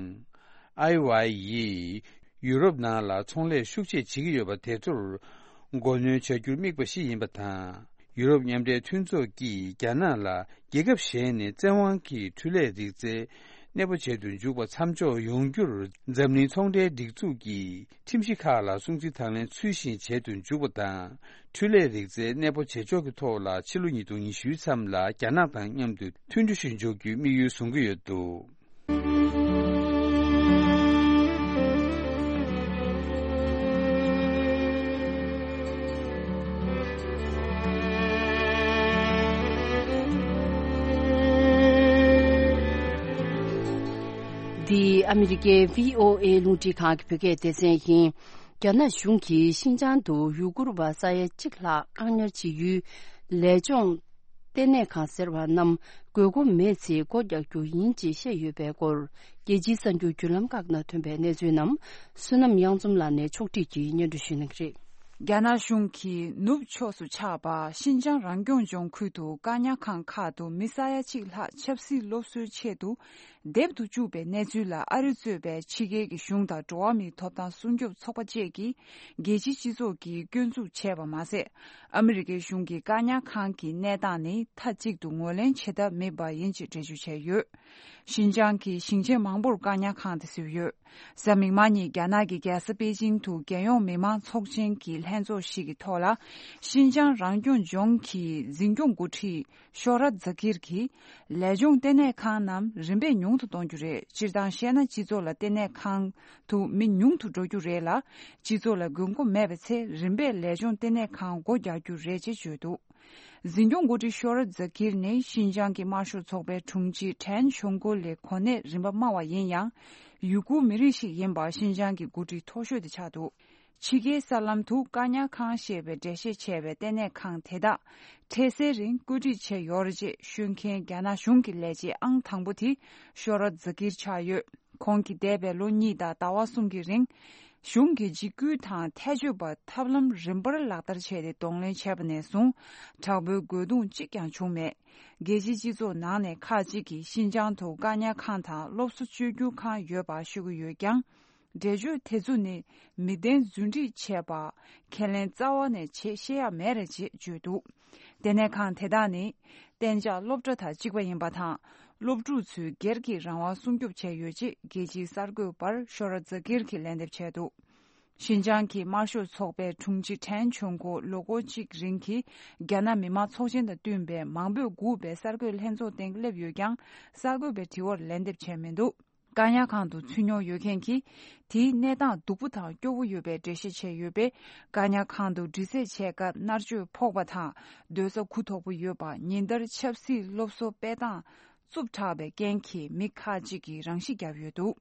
ཨའི་ཝའི་ཡིས་ཡུ་རོབ་ནང་ལ་ཚོང་ལས་ཤུགས་ཆེ་བྱེད་ཀྱི་ཡོད་པ་དེ་ཚོར་མགོ་གནོན་བྱ་རྒྱུར་དམིགས་པ་ཞིག་ཡིན་པ་དང་། ཡུ་རོབ་མཉམ་འབྲེལ་མཐུན་ཚོགས་ཀྱིས་རྒྱ་ནག་ལ་རྒྱལ་ཁབ་གཞན་ནས་བཙན་དབང་གིས་འཕྲུལ་ལས་རིག་རྩལ་གནས་སྤོ་བྱེད་དུ་འཇུག་པ་མཚམས་འཇོག་ཡོང་རྒྱུར་འཛམ་གླིང་ཚོང་འབྲེལ་སྒྲིག་འཛུགས་ཀྱི་ཁྲིམས་གཞི་ཁག་ལ་སྲུང་བརྩི་དང་ལེན་ཚུལ་བཞིན་བྱེད་དུ་འཇུག་པ་དང་། འཕྲུལ་ལས་རིག་རྩལ་གནས་སྤོ་བྱེད་ཕྱོགས་ཀྱི་ཐོག་ལ་ཕྱི་ལོ་ཉིས་སྟོང་ཉི་ཤུའི་མཚམས་ལ་རྒྱ་ནག་དང་མཉམ་དུ་མཐུན་གྲོས་ཤིག་འཇོག་རྒྱུའི་དམིགས་ཡུལ་བཟུང་གི་ཡོད་འདུག་འདི་ཨ་མི་རི་ཀའི་བྷི་ཨོ་ཨེ་རླུང་འཕྲིན་ཁང་གི་བོད་སྐད་སྡེ་ཚན་ཡིན། རྒྱ་ནག་གཞུང་གིས་ཤིན་ཅང་དུ་ཡུ་གུར་བ་ས་ཡ་གཅིག་ལྷག་བཀག་ཉར་བྱེད་ཡུལ་ལས་སྦྱོང་ལྟེ་གནས་ཁང་ཟེར་བ་རྣམས་དགོས་མཁོ་མེད་ཚེ་སྒོ་རྒྱག་རྒྱུ་ཡིན་ཅེས་བཤད་ཡོད་པའི་སྐོར། རྒྱལ་སྤྱིའི་གསར་འགྱུར་བརྒྱུད་ལམ་ཁག་ནང་ཐོན་པའི་གནས་ཚུལ་རྣམས་བསོད་ནམས་གཡང་འཛོམས་ལགས་ནས་ཕྱོགས་སྒྲིག་གིས་སྙན་སྒྲོན་ཞུ་གནང་གི་རེད། རྒྱ་ནག་གཞུང་གིས་ནུབ་ཕྱོགས་སུ་ཆགས་པ་ཤིན་ཅང་རང་སྐྱོང་ལྗོངས་ཁུལ་དུ་བཀག་ཉར་ཁང་ཁག་ཏུ་མི་ས་ཡ་གཅིག་ལྷག་ཆབ་སྲིད་སློབ་གསོའི་ཆེད་དུ་སྡེབ་ཏུ་བཅུག་པའི་གནས་ཚུལ་ལ་ཨ་རི་གཙོས་པའི་ཕྱི་རྒྱལ་གྱི་གཞུང་དང་འགྲོ་བ་མིའི་ཐོབ་ཐང་སྲུང་སྐྱོབ་ཚོགས་པ་བཅས་ཀྱིས་རྒྱལ་སྤྱིའི་སྤྱི་ཚོགས་ཀྱིས་སྐྱོན་འཛུགས་བྱས་པ་མ་ཟད། ཨ་མི་རི་ཀའི་གཞུང་གིས་བཀག་ཉར་ཁང་གི་གནས་སྟངས་ནི་མཐའ་གཅིག་ཏུ་ངོས་ལེན་བྱེད་ཐབས་མེད་པ་ཡིན་ཅེས་འགྲེལ་བརྗོད་བྱས་ཡོད། ཤིན་ཅང་གི་ཞིང་ཆེན་མང་པོར་བཀག་ཉར་ཁང་དེ་བཟོས་ཡོད། གཟའ་མིག་དམར་ཉིན་རྒྱ་ནག་གི་རྒྱལ་ས་པེ་ཅིང་དུ་རྒྱལ་ཡོངས་མི་མང་ཚོགས་ཆེན་གྱི་ལྷན་ཚོགས་ཤིག་གི་ཐོག་ལ། ཤིན་ཅང་རང་སྐྱོང་ལྗོངས་ཀྱི་འཛིན་སྐྱོང་འགོ་ཁྲིད་ཤོ་ར་ཛ་ཀིར་གྱིས། ལས་སྦྱོང་ལྟེ་གནས་ཁང་རྣམས་རིམ་པས་ཉུང་དུ་གཏོང་རྒྱུ་རེད། སྤྱིར་བཏང་བཤད་ན། སྤྱི་ཚོགས་ལ་ལྟེ་གནས་ཁང་དུ་མི་ཉུང་དུ་འགྲོ་རྒྱུ་རེད་ལ། སྤྱི་ཚོགས་ལ་དགོས་མཁོ་མེད་པའི་ཚེ། རིམ་པས་ལས་སྦྱོང་ལྟེ་གནས་ཁང་སྒོ་རྒྱག་རྒྱུ་རེད་ཅེས་བརྗོད་འདུག་འཛིན་སྐྱོང་འགོ་ཁྲིད་ཤོ་ར་ཛ་ཀིར་ནི་ཤིན་ཅང་གི་དམར་ཤོག་ཚོགས་པའི་དྲུང་ཆེ་ཁྲེན་ཆོང་ཀོ་ལི་གོ་གནས་རིམ་པ་དམའ་བ་ཡིན་ཡང་། ཡུ་གུར་མི་རིགས་ཤིག་ཡིན་པ་ཤིན་ཅང་གི་འགོ་ཁྲིད་མཐོ་ཤོས་དེ་ཆགས་འདུག་ཕྱི་རྒྱལ་གསར་ལམ་དུ་བཀག་ཉར་ཁང་ཞེས་པའི་འགྲེལ་བཤད་བྱས་པའི་ལྟེ་གནས་ཁང་དེ་དག་འཕྲལ་སེལ་རིང་བཀོད་སྒྲིག་བྱས་ཡོད་རེད་ཅེས་ཤོད་མཁན་རྒྱ་ནག་གཞུང་གི་ལས་བྱེད་ཨང་དང་པོ་དེ་ཤོ་ར་ཛ་ཀིར་ཆགས་ཡོད། ཁོང་གིས་འདས་པའི་ལོ་གཉིས་དང་ཟླ་བ་གསུམ་གྱི་རིང་ གཞུང་གི་འཇིགས་སྐུལ་དང་ཐལ་སྤྱོད་པ་ཐབས་ལམ་རིམ་པར་ལག་བསྟར་བྱས་ཏེ་གདོང་ལེན་བྱས་པ་ནས་བཟུང་དྲག་པོའི་རྒོལ་རྡུང་གཅིག་ཀྱང་བྱུང་མེད། རྒྱལ་སྤྱིའི་སྤྱི་ཚོགས་ནང་ནས་ཁག་ཅིག་གིས་ཤིན་ཅང་དུ་བཀག་ཉར་ཁང་དང་སློབ་གསོ་བཅོས་བསྒྱུར་ཁང་ཡོད་པ་ཤོད་ཀྱི་ཡོད་ཀྱང་། འགྲེལ་བརྗོད་དེ་ཚོ་ནི་མི་བདེན་རྫུན་སྒྲིག་བྱས་པ། ཁས་ལེན་རྩ་བ་ནས་བྱེད་ཤེས་ཡ་མེད་རེད་ཅེས་བརྗོད་འདུག་དེ་ནས་ཁང་དེ་དག་ནི་གཏན་འཇགས་སློབ་གྲྭ་དང་གཅིག་པ་ཡིན་པ་དང་། སློབ་ཕྲུག་ཚོའི་སྒེར་གྱི་རང་དབང་སྲུང་སྐྱོབ་བྱས་ཡོད་ཅེས་རྒྱལ་སྤྱིའི་གསར་འགོད་པར་ཤོ་ར་ཛ་ཀིར་གྱིས་ལན་འདེབས་བྱས་འདུག་ཤིན་ཅང་གི་དམར་ཤོག་ཚོགས་པའི་དྲུང་ཆེ་ཁྲེན་ཆོན་གོ་ལོ་འཁོར་གཅིག་རིང་གི་རྒྱ་ནག་མི་དམངས་ཚོགས་ཆེན་དང་བསྟུན་པའི་མང་པོས་སྒུག་པའི་གསར་འགོད་ལྷན་ཚོགས་སྟེང་སླེབས་ཡོད་ཀྱང་གསར་འགོད་པའི་དྲི་བར་ལན་འདེབས་བྱས་མི་འདུག་བཀག་ཉར་ཁང་དུ་ཚུད་མྱོང་ཡོད་མཁན་གྱིས་དེའི་གནས་སྟངས་སྡུག་པོ་དང་སྐྱོ་བོ་ཡོད་པའི་འགྲེལ་བཤད་བྱས་ཡོད་པས། བཀག་ཉར་ཁང་དུ་འདྲི་རྩད་བྱས་སྐབས་མནར་གཅོད་ཕོག་པ་དང་སྡོད་ས་གུ་དོག་པོ་ཡོད་པ། ཉིན་ལྟར་ཆབ་སྲིད་སློབ་གསོ་སྤེལ་སྟངས་རྩུབ་དྲགས་པའི་རྐྱེན་གྱིས་མི་ཁག་ཅིག་གིས་རང་ཤི་བརྒྱབ་ཡོད་འདུག་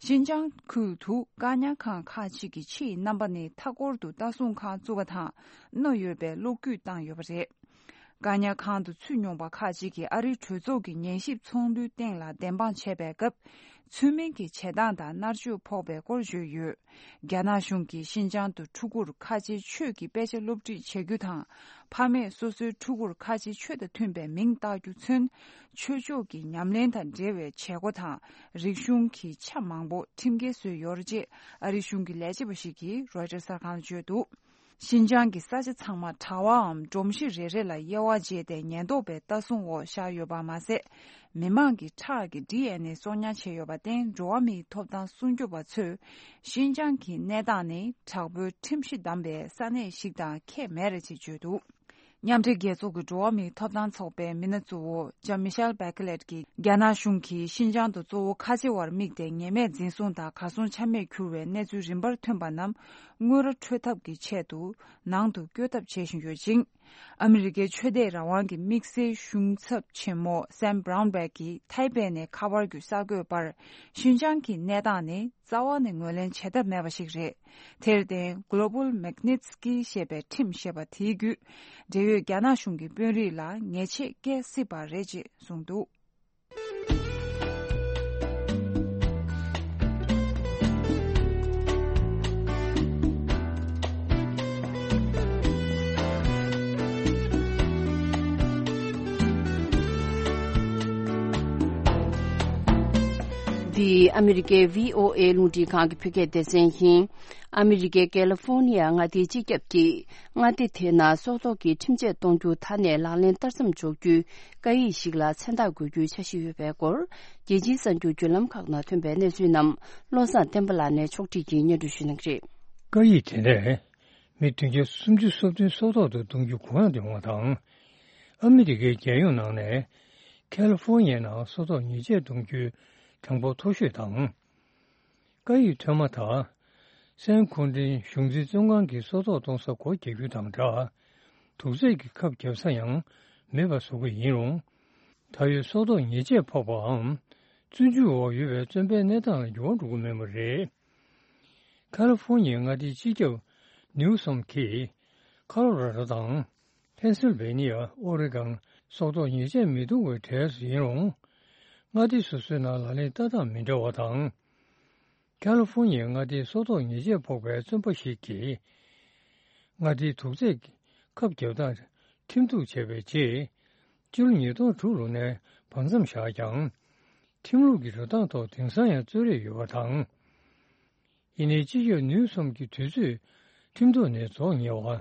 ཤིན་ཅང་ཁུལ་དུ་བཀག་ཉར་ཁང་ཁག་ཅིག་གི་ཕྱི་ཡི་རྣམ་པ་ནི་མཐའ་འཁོར་དུ་ལྟ་སྲུང་ཁང་བཙུགས་པ་དང་རྣོ་ཡོད་པའི་གློག་སྐུད་བཏང་ཡོད་པ་རེད། བཀག་ཉར་ཁང་དུ་ཚུད་མྱོང་པ་ཁག་ཅིག་གིས་ཨ་རིའི་གྲོས་ཚོགས་ཀྱི་ཉན་ཞིབ་ཚོགས་འདུའི་སྟེང་ལ་བདེན་དཔང་བྱས་པའི་སྐབས། ཚུལ་མིན་གྱི་བྱེད་སྟངས་དང་མནར་གཅོད་ཕོག་པའི་སྐོར་བརྗོད་ཡོད། རྒྱ་ནག་གཞུང་གིས་ཤིན་ཅང་དུ་ཕྲུ་གུར་ཁ་ཆེའི་ཆོས་ཀྱི་དཔེ་ཆ་སློབ་ཁྲིད་བྱེད་རྒྱུ་དང་། ཕ་མས་སོ་སོའི་ཕྲུ་གུར་ཁ་ཆེའི་ཆོས་དང་མཐུན་པའི་མིང་བཏགས་རྒྱུ་མཚོན། ཆོས་ཕྱོགས་ཀྱི་ཉམས་ལེན་དང་འབྲེལ་བའི་བྱེད་སྒོ་དང་རིག་གཞུང་གི་ཆ་མང་པོ་ཁྲིམས་འགལ་བཟོས་ཡོད་རེད་ཅེས་ཨ་རིའི་གཞུང་གི་ལས་བྱེད་པ་ཞིག་གིས་རོའི་ཊར་གསར་ཁང་ལ་བརྗོད་འདུག་ཤིན་ཅང་གི་ས་ཆ་ཚང་མ་གྲྭ་བའམ་སྒྲོམ་གཞི་རེ་རེ་ལ་དབྱེ་བ་འབྱེད་དེ་ཉེན་རྟོག་པའི་ལྟ་སྲུང་འོག་བཞག་ཡོད་པ་མ་ཟད། མི་མང་གི་ཁྲག་གི་ཌི་ཨེན་ཨེ་གསོག་ཉར་བྱས་ཡོད་པར་བརྟེན། འགྲོ་བ་མིའི་ཐོབ་ཐང་སྲུང་སྐྱོབ་པ་ཚོས་ཤིན་ཅང་གི་གནས་སྟངས་ནི་དྲག་པོའི་ཁྲིམས་གཞི་བསྡམས་པའི་ས་གནས་ཤིག་དང་ཁྱད་མེད་རེད་ཅེས་བརྗོད་འདུག་མཉམ་འབྲེལ་རྒྱལ་ཚོགས་ཀྱི་འགྲོ་བ་མིའི་ཐོབ་ཐང་ཚོགས་པའི་མི་སྣ་གཙོ་བོ་ལྕམ་མི་ཤེལ་བྷེ་ཁེ་ལེད་ཀྱིས། རྒྱ་ནག་གཞུང་གིས་ཤིན་ཅང་དུ་གཙོ་བོ་ཁ་ཆེ་བར་དམིགས་ཏེ་ཉེས་མེད་འཛིན་བཟུང་དང་གར་སོང་ཆ་མེད་གྱུར་བའི་གནས་ཚུལ་རིམ་པར་ཐོན་པ་རྣམས་དངུལ་ར་འཕྲོད་ཐབས་ཀྱི་ཆེད་དུ་ནང་དུ་བསྐྱོད་ཐབས་བྱེད་བཞིན་ཡོད་ཅིང་། ཨ་མི་རི་ཀའི་ཆོས་དད་རང་དབང་གི་དམིགས་བསལ་གཞུང་ཚབ་ཆེན་མོ་སེམ་བྷ་རའུན་བྷེག་གིས་ཐའེ་པེ་ནས་ཁ་པར་བརྒྱུད་གསར་འགོད་པར། ཤིན་ཅང་གི་གནས་སྟངས་ནི་རྩ་བ་ནས་ངོས་ལེན་བྱེད་ཐབས་མེད་པ་ཞིག་རེད། དེར་བརྟེན། Global Magnitsky ཞེས་པའི་ཁྲིམས་ཞེས་པ་དེའི་བརྒྱུད། འབྲེལ་ཡོད་རྒྱ་ནག་གཞུང་གི་དཔོན་རིགས་ལ་ཉེས་ཆད་བཀལ་སྲིད་པ་རེད་ཅེས་གསུངས་འདུག་འདི་ཨ་མི་རི་ཀའི་བྷི་ཨོ་ཨེ་རླུང་འཕྲིན་ཁང་གི་བོད་སྐད་སྡེ་ཚན་ཡིན། ཨ་མི་རི་ཀའི་ཀེ་ལི་ཧྥོ་ནི་ཡ་མངའ་སྡེའི་སྤྱི་ཁྱབ་ཀྱིས་མངའ་སྡེ་དེའི་ནང་སྲོག་ཐོག་གི་ཁྲིམས་ཆད་གཏོང་རྒྱུ་མཐའ་ནས་ལག་ལེན་བསྟར་མཚམས་འཇོག་རྒྱུའི་བཀའ་ཡིག་ཞིག་ལ་མཚན་རྟགས་འགོད་རྒྱུའི་འཆར་གཞི་ཡོད་པའི་སྐོར། རྒྱལ་སྤྱིའི་གསར་འགྱུར་བརྒྱུད་ལམ་ཁག་ནང་ཐོན་པའི་གནས་ཚུལ་རྣམས་བློ་བཟང་བསྟན་པ་ལགས་ནས་ཕྱོགས་སྒྲིག་གིས་སྙན་སྒྲོན་ཞུ་གནང་གི་རེད། བཀའ་ཡིག་དེ་ནས་མི་བདུན་བརྒྱ་སུམ་ཅུ་སོ་བདུན་སྲོག་ཐོག་ཏུ་གཏོང་རྒྱུ་གོ་ཡངས་དུ་ཡོང་བ་དང་། ཨ་མི་རི་ཀའི་རྒྱལ་ཡོངས་ནང་ནས་ཁ་ལི་ཧྥོ་ནི་ཡའི་ནང་སྲོག་ཐོག་ཉེས་ཆད་གཏོང་རྒྱུའི་གྲངས་འབོར་མཐོ་ཤོས་དང་། བཀའ་ཡིག་ཐོན་མ་ཐག་སན་ཁུན་ཏིན་གཞུང་འཛིན་བཙོན་ཁང་གི་སྲོག་ཐོག་གཏོང་ས་སྒོ་རྒྱག་རྒྱུ་དང་སྦྲགས། དུག་རྫས་ཀྱི་ཁབ་བརྒྱབ་ས་ཡང་མེད་པ་བཟོ་གི་ཡིན་རུང་། ད་ཡོད་སྲོག་ཐོག་ཉེས་ཆད་ཕོག་པའམ་བཙོན་འཇུག་འོག་ཡོད་པའི་བཙོན་པའི་གནས་སྟངས་ལ་འགྱུར་བ་འགྲོ་གི་མེད་པ་རེད། ཁ་ལི་ཧྥོ་ནི་ཡའི་མངའ་སྡེའི་སྤྱི་ཁྱབ་ནིའུ་སོམ་གྱིས་ཁ་ལོ་ར་ཌོ་དང་། ཕེན་སིལ་ཝེ་ནི་ཡ། ཨོ་རི་གང་སྲོག་ཐོག་ཉེས་ཆད་མི་གཏོང་བའི་གྲས་སུ་ཡིན་རུང་། མངའ་སྡེ་སོ་སོའི་ནང་ལག་ལེན་བསྟར་སྟངས་མི་འདྲ་བ་དང་། ཁ་ལི་ཧྥོ་ནི་ཡའི་མངའ་སྡེའི་སྲོག་ཐོག་ཉེས་ཆད་ཕོག་པའི་བཙོན་པ་ཞིག་གིས། མངའ་སྡེའི་དུག་རྫས་ཁབ་བརྒྱབ་སྟངས་ཁྲིམས་གཏུག་བྱས་པའི་རྗེས། སྤྱི་ལོ་ཉིས་སྟོང་དྲུག་ལོ་ནས་བར་མཚམས་བཞག་ཀྱང་། ཁྲིམས་ལུགས་ཀྱི་འགྲོ་སྟངས་ཐོག་དེང་སང་ཡང་རྩོད་རེས་ཡོད་པ་དང་། ཡིན་ནའི་སྤྱི་ཁྱབ་ནིའུ་སོམ་གྱིས་དུས་ཚོད་ཁྲིམས་ཐོག་ནས་རྫོགས་ཉེ་བ།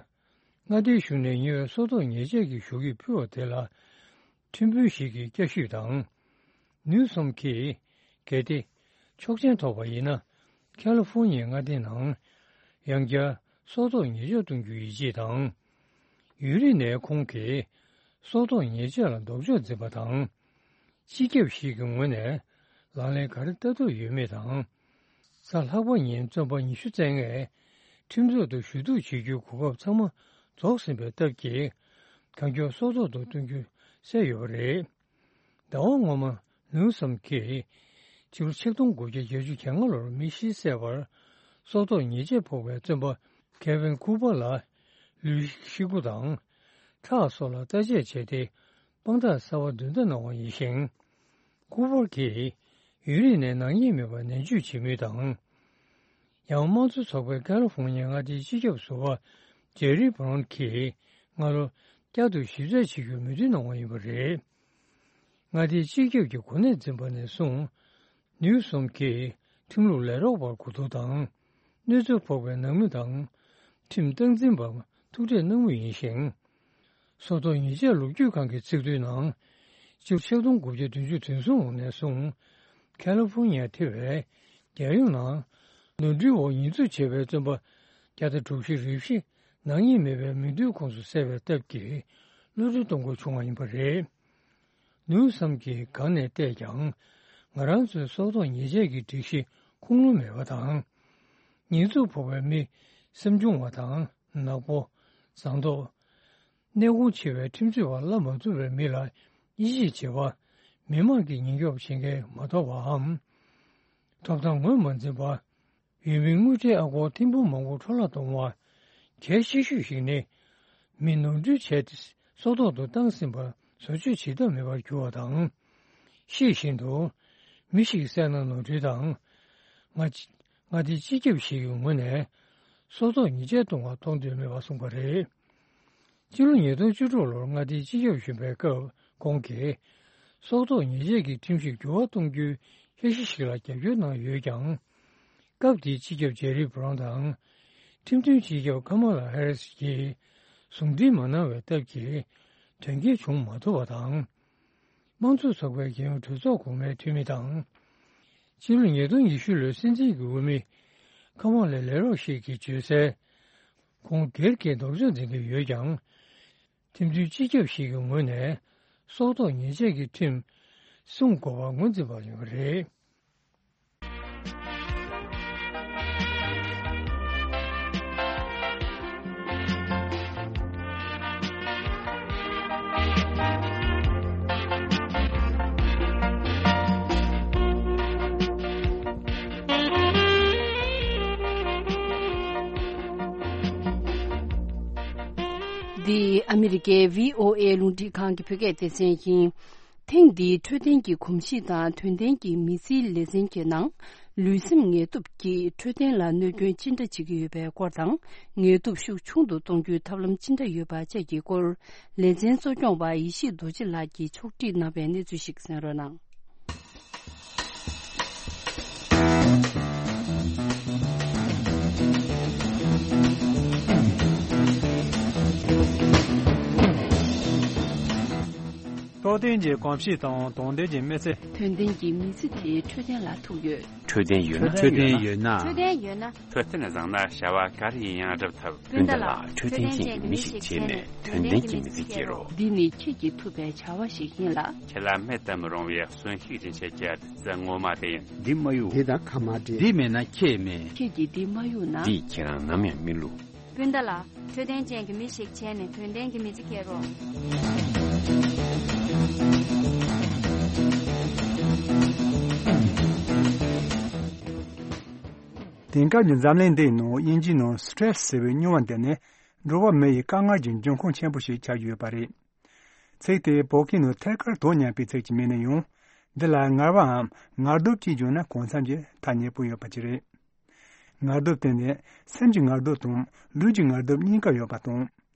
མངའ་སྡེའི་གཞུང་ནས་ཉེ་བའི་སྲོག་ཐོག་ཉེས་ཆད་ཀྱི་ཞུ་ཡིག་ཕུལ་བ་དེ་ལ། ཁྲིམས་དཔོན་ཞིག་གིས་བསྐྱར་ཞིབ་དང་། ནིའུ་སོམ་གྱིས། གལ་ཏེ། ཆོག་མཆན་ཐོབ་པ་ཡིན་ན། ཁ་ལི་ཧྥོ་ནི་ཡའི་མངའ་སྡེའི་ནང་། ཡང་བསྐྱར་སྲོག་ཐོག་ཉེས་ཆད་གཏོང་རྒྱུ་ཡིན་ཅེས་དང་། ཡུན་རིང་ནས་ཁོང་གིས། སྲོག་ཐོག་ཉེས་ཆད་ལ་ལྡོག་ཕྱོགས་འཛིན་པ་དང་། སྤྱི་ཁྱབ་ཞིག་གི་ངོས་ནས་ལག་ལེན་ག་རེ་བསྟར་ཐུབ་ཡོད་མེད་དང་། གཟའ་ལྷག་པ་ཉིན་བཙོན་པ་ཉི་ཤུ་རྩ་ལྔས་ཁྲིམས་ཚོགས་སུ་ཞུ་གཏུག་བྱེད་རྒྱུའི་གོ་སྐབས་ཚང་མ་རྫོགས་ཟིན་པའི་སྟབས་ཀྱིས། གང་མགྱོགས་སྲོག་ཐོག་ཏུ་གཏོང་རྒྱུ་གསལ་ཡོད་པ་རེད། ཟླ་བ་སྔོན་མ་ནིའུ་སོམ་གྱིས། ཕྱི་ལོ་ཆིག་སྟོང་དགུ་བརྒྱ་བརྒྱད་ཅུ་གྱ་ལྔ་ལོར་མི་བཞི་བསད་པར། སྲོག་ཐོག་ཉེས་ཆད་ཕོག་པའི་བཙོན་པ་ཁེ་ཝིན་ཀུ་པར་ལ། ལུས་ཤི་སྒོ་དང་། ཁྲག་སོགས་ལ་བརྟག་དཔྱད་བྱས་ཏེ། དཔང་རྟགས་གསར་པ་འདོན་ཐབས་གནང་བ་ཡིན་ཞིང་། ཀུ་པར་གྱིས་ཡུན་རིང་ནས་ནག་ཉེས་མེད་པར་ནན་བརྗོད་བྱེད་མུས་དང་། ཡང་དམངས་གཙོ་ཚོགས་པའི་ཀ་ལི་ཧྥོར་ཉི་ཡའི་མངའ་སྡེའི་སྤྱི་ཁྱབ་ཟུར་པ་ཇེ་རི་བྷ་རོན་གྱིས་སྔ་ལོ་བསྐྱར་དུ་ཞིབ་དཔྱད་བྱེད་རྒྱུའི་མོས་མཐུན་གནང་བ་ཡིན་པ་རེད། མངའ་སྡེའི་སྤྱི་ཁྱབ་ཀྱི་གོ་གནས་འཛིན་པ་ནས་བཟུང་། ནིའུ་སོམ་གྱིས་ཁྲིམས་ལུགས་ལས་རོགས་པར་གོ་བསྡུར་དང་། གནོད་འཚེ་ཕོག་པའི་ནང་མི་དང་། ཁྲིམས་སྟངས་འཛིན་པར་ཐུག་འཕྲད་གནང་མུས་ཡིན་ཞིང་། སྲོག་ཐོག་ཉེས་ཆད་ལོ་རྒྱུས་ཁང་གི་ཚིག་ཐོའི་ནང་། སྤྱི་ལོ་ཆིག་སྟོང་དགུ་བརྒྱ་བདུན་ཅུ་དོན་གསུམ་ལོ་ནས་བཟུང་། ཁ་ལི་ཧྥོར་ཉི་ཡ་ཐེ་བའི་རྒྱལ་ཡོངས་ནང་ནོར་འཁྲུལ་འོག་ཉེས་འཛུགས་བྱས་པའི་བཙོན་པ་བརྒྱ་དང་དྲུག་ཅུ་རེ་བཞི་ནག་ཉེས་མེད་པའི་མི་འདུལ་ཁོངས་སུ་གསལ་བའི་སྟབས་ཀྱིས་གློད་གྲོལ་གཏོང་དགོས་བྱུང་བ་ཡིན་པ་རེད། ནིའུ་སོམ་གྱིས་གང་ནས་བལྟས་ཀྱང་། ང་རང་ཚོའི་སྲོག་ཐོག་ཉེས་ཆད་ཀྱི་སྒྲིག་གཞི་ཁུངས་ལུང་མེད་པ་དང་། ཉེས་འཛུགས་ཕོག་པའི་མི་སེམས་ཆུང་བ་དང་ནག་པོ། ཟངས་མདོག་གནས་ཁོངས་ཆེ་བའི་ཁྲིམས་རྩོད་པ་བརླག་མ་ཐུབ་པའི་མི་ལ་དབྱེ་ཞིབ་བྱེད་པ། མི་དམངས་ཀྱི་ཉེན་སྐྱོབ་བྱེད་མཁན་མ་གཏོགས་པའམ། ཐོབ་ཐང་ངོས་མ་འཛིན་པ། ཡུལ་མིའི་དངུལ་ཁྲལ་ཨ་སྒོར་ཐེར་འབུམ་མང་པོ་འཕྲོ་བརླག་གཏོང་བ། གལ་ཆེ་ཤོས་ཤིག་ནི། མི་ནོར་འཁྲུལ་བྱས་ཏེ་སྲོག་ཐོག་ཏུ་བཏང་ཟིན་པར་བཟོ་བཅོས་བྱེད་ཐབས་མེད་པར་གྱུར་བ་དང་། ཤེས་བཞིན་དུ། མི་ཞིག་གི་སེམས་ནང་ནོར་འཁྲུལ་དང་། མངའ་སྡེའི་སྤྱི་ཁྱབ་ཞིག་གི་ངོས་ནས། སྲོག་ཐོག་ཉེས་ཆད་གཏོང་བར་མཐོང་འདོད་མེད་པ་གསུངས་པ་རེད། སྤྱི་ལོ་ཉིས་སྟོང་བཅུ་དྲུག་ལོར་མངའ་སྡེའི་སྤྱི་ཁྱབ་གཞོན་པའི་སྐབས་ཁོང་གིས། སྲོག་ཐོག་ཉེས་ཆད་ཀྱི་ཁྲིམས་གཞི་འགྱུར་བ་གཏོང་རྒྱུའི་འཆར་གཞི་ཞིག་ལ་རྒྱབ་སྐྱོར་གནང་ཡོད་ཀྱང་། སྐབས་དེའི་སྤྱི་ཁྱབ་ཇེ་རི་བྷ་རོན་དང་། ཁྲིམས་མཐུན་སྤྱི་ཁྱབ་ཀ་མ་ལ་ཧེ་རི་སི་ཡིས་ཟུང་འབྲེལ་མ་གནང་བའི་སྟབས་ཀྱིས། དོན་འཁྱོལ་བྱུང་མ་ཐུབ་པ་དང་། དམངས་གཙོ་ཚོགས་པའི་རྒྱལ་ཡོངས་གྲོས་ཚོགས་གོང་མའི་འཐུས་མི་དང་། ཕྱི་ལོ་ཉིས་སྟོང་ཉི་ཤུ་ལོའི་སྲིད་འཛིན་གྱི་འོས་མི། ཁ་མ་ལའི་ལས་རོགས་ཤིག་གིས་བརྗོད་གསལ། ཁོང་སྒེར་གྱི་ལྡོག་ཕྱོགས་འཛིན་གྱི་ཡོད་ཀྱང་། ཁྲིམས་མཐུན་སྤྱི་ཁྱབ་ཞིག་གི་ངོས་ནས། སྲོག་ཐོག་ཉེས་ཆད་ཀྱི་ཁྲིམས་སྲུང་དགོས་པར་ངོས་འཛིན་པ་ཡིན་པ་རེད། འདི་ཨ་མི་རི་ཀའི་བྷི་ཨོ་ཨེ་རླུང་འཕྲིན་ཁང་གི་བོད་སྐད་སྡེ་ཚན་ཡིན། ཐེངས་འདིའི་འཕྲོད་བསྟེན་གྱི་གོམས་གཤིས་དང་དོན་ལྡན་གྱི་མི་ཚེའི་ལེ་ཚན་གྱི་ནང་། ལུས་སེམས་ངལ་དུབ་ཀྱིས་འཕྲོད་བསྟེན་ལ་གནོད་སྐྱོན་ཅི་འདྲ་བྱེད་ཀྱི་ཡོད་པའི་སྐོར་དང་། ངལ་དུབ་ཤུགས་ཆུང་དུ་གཏོང་རྒྱུའི་ཐབས་ལམ་ཅི་འདྲ་ཡོད་པ་བཅས་ཀྱི་སྐོར། ལེ་ཚན་གཙོ་སྐྱོང་བ་ཡེ་ཤེས་རྡོ་རྗེ་ལགས་ཀྱིས་ཕྱོགས་སྒྲིག་གནང་བའི་གནས་ཚུལ་ཞིག་གསན་རོགས་གནང་། འཕྲོད་བསྟེན་གྱི་གོམས་གཤིས་དང་དོན་ལྡན་གྱི་མི་ཚེ། དོན་ལྡན་གྱི་མི་ཚེ་དེ་འཕྲོད་བསྟེན་ལ་ཐུག་ཡོད། འཕྲོད་བསྟེན་ཡོད་ན། འཕྲོད་བསྟེན་ཡོད་ན། འཕྲོད་བསྟེན་ཡོད་ན། འཕྲོད་བསྟེན་བཟང་ན་བྱ་བ་ག་རེ་ཡིན་ཡང་འགྲུབ་ཐུབ། སྤུན་ཟླ་ལགས། འཕྲོད་བསྟེན་ཅན་གྱི་མི་ཞིག་བྱས་ནས་དོན་ལྡན་གྱི་མི་ཚེ་སྐྱེལ་རོགས། འདི་ནི་ཁྱེད་ཀྱིས་ཐུབ་པའི་བྱ་བ་ཞིག་ཡིན་ལ། ཁྱེད་ལ་མེད་དུ་མི་རུང་བའི་གསོན་ཤུགས་ཡིན་ཆེད་ཀྱི་བདུད་རྩི་ངོ་མ་དེ་ཡིན། འདི་མ་གཡུག་འདི་དང་ཁ་མ་འདྲེས། འདི་མེད་ན་ཁྱེད་མེད། ཁྱེད་ཀྱིས་འདི་མ་གཡུག་ན། འདིས་ཁྱེད་རང་ནམ་ཡང་མི་བསླུ། སྤུན་ཟླ་ལགས། འཕྲོད་བསྟེན་ཅན་གྱི་མི་ཞིག་བྱས་ནས་དོན་ལྡན་གྱི་མི་ཚེ་སྐྱེལ་རོགས། དེང་སྐབས་ཀྱི་འཛམ་གླིང་འདིའི་ནང་དབྱིན་ཇིའི་ནང་སི་ཊེ་རེ་སི་ཟེར་བའི་སྨྱོ་བ་འདི་ནི་འགྲོ་བ་མི་ཡི་དཀའ་ངལ་གྱི་འབྱུང་ཁུངས་ཆེན་པོ་ཞིག་ཆགས་ཀྱི་ཡོད་པ་རེད། ཚིག་དེ་བོད་སྐད་ནང་ཐད་ཀར་དོན་ཉམས་པའི་ཚིག་ཅིག་མིན་ན་ཡང་། འདི་ལ་ངལ་བའམ་ངལ་དུབ་ཅེས་བརྗོད་ན་གང་འཚམ་གྱི་ཐ་སྙད་པོ་ཡོད་པ་ཅིག་རེད། ངལ་དུབ་དེ་ནི་སེམས་ཀྱི་ངལ་དུབ་དང་ལུས་ཀྱི་ངལ་དུབ་གཉིས་ཀ་ཡོད་པ་དང་།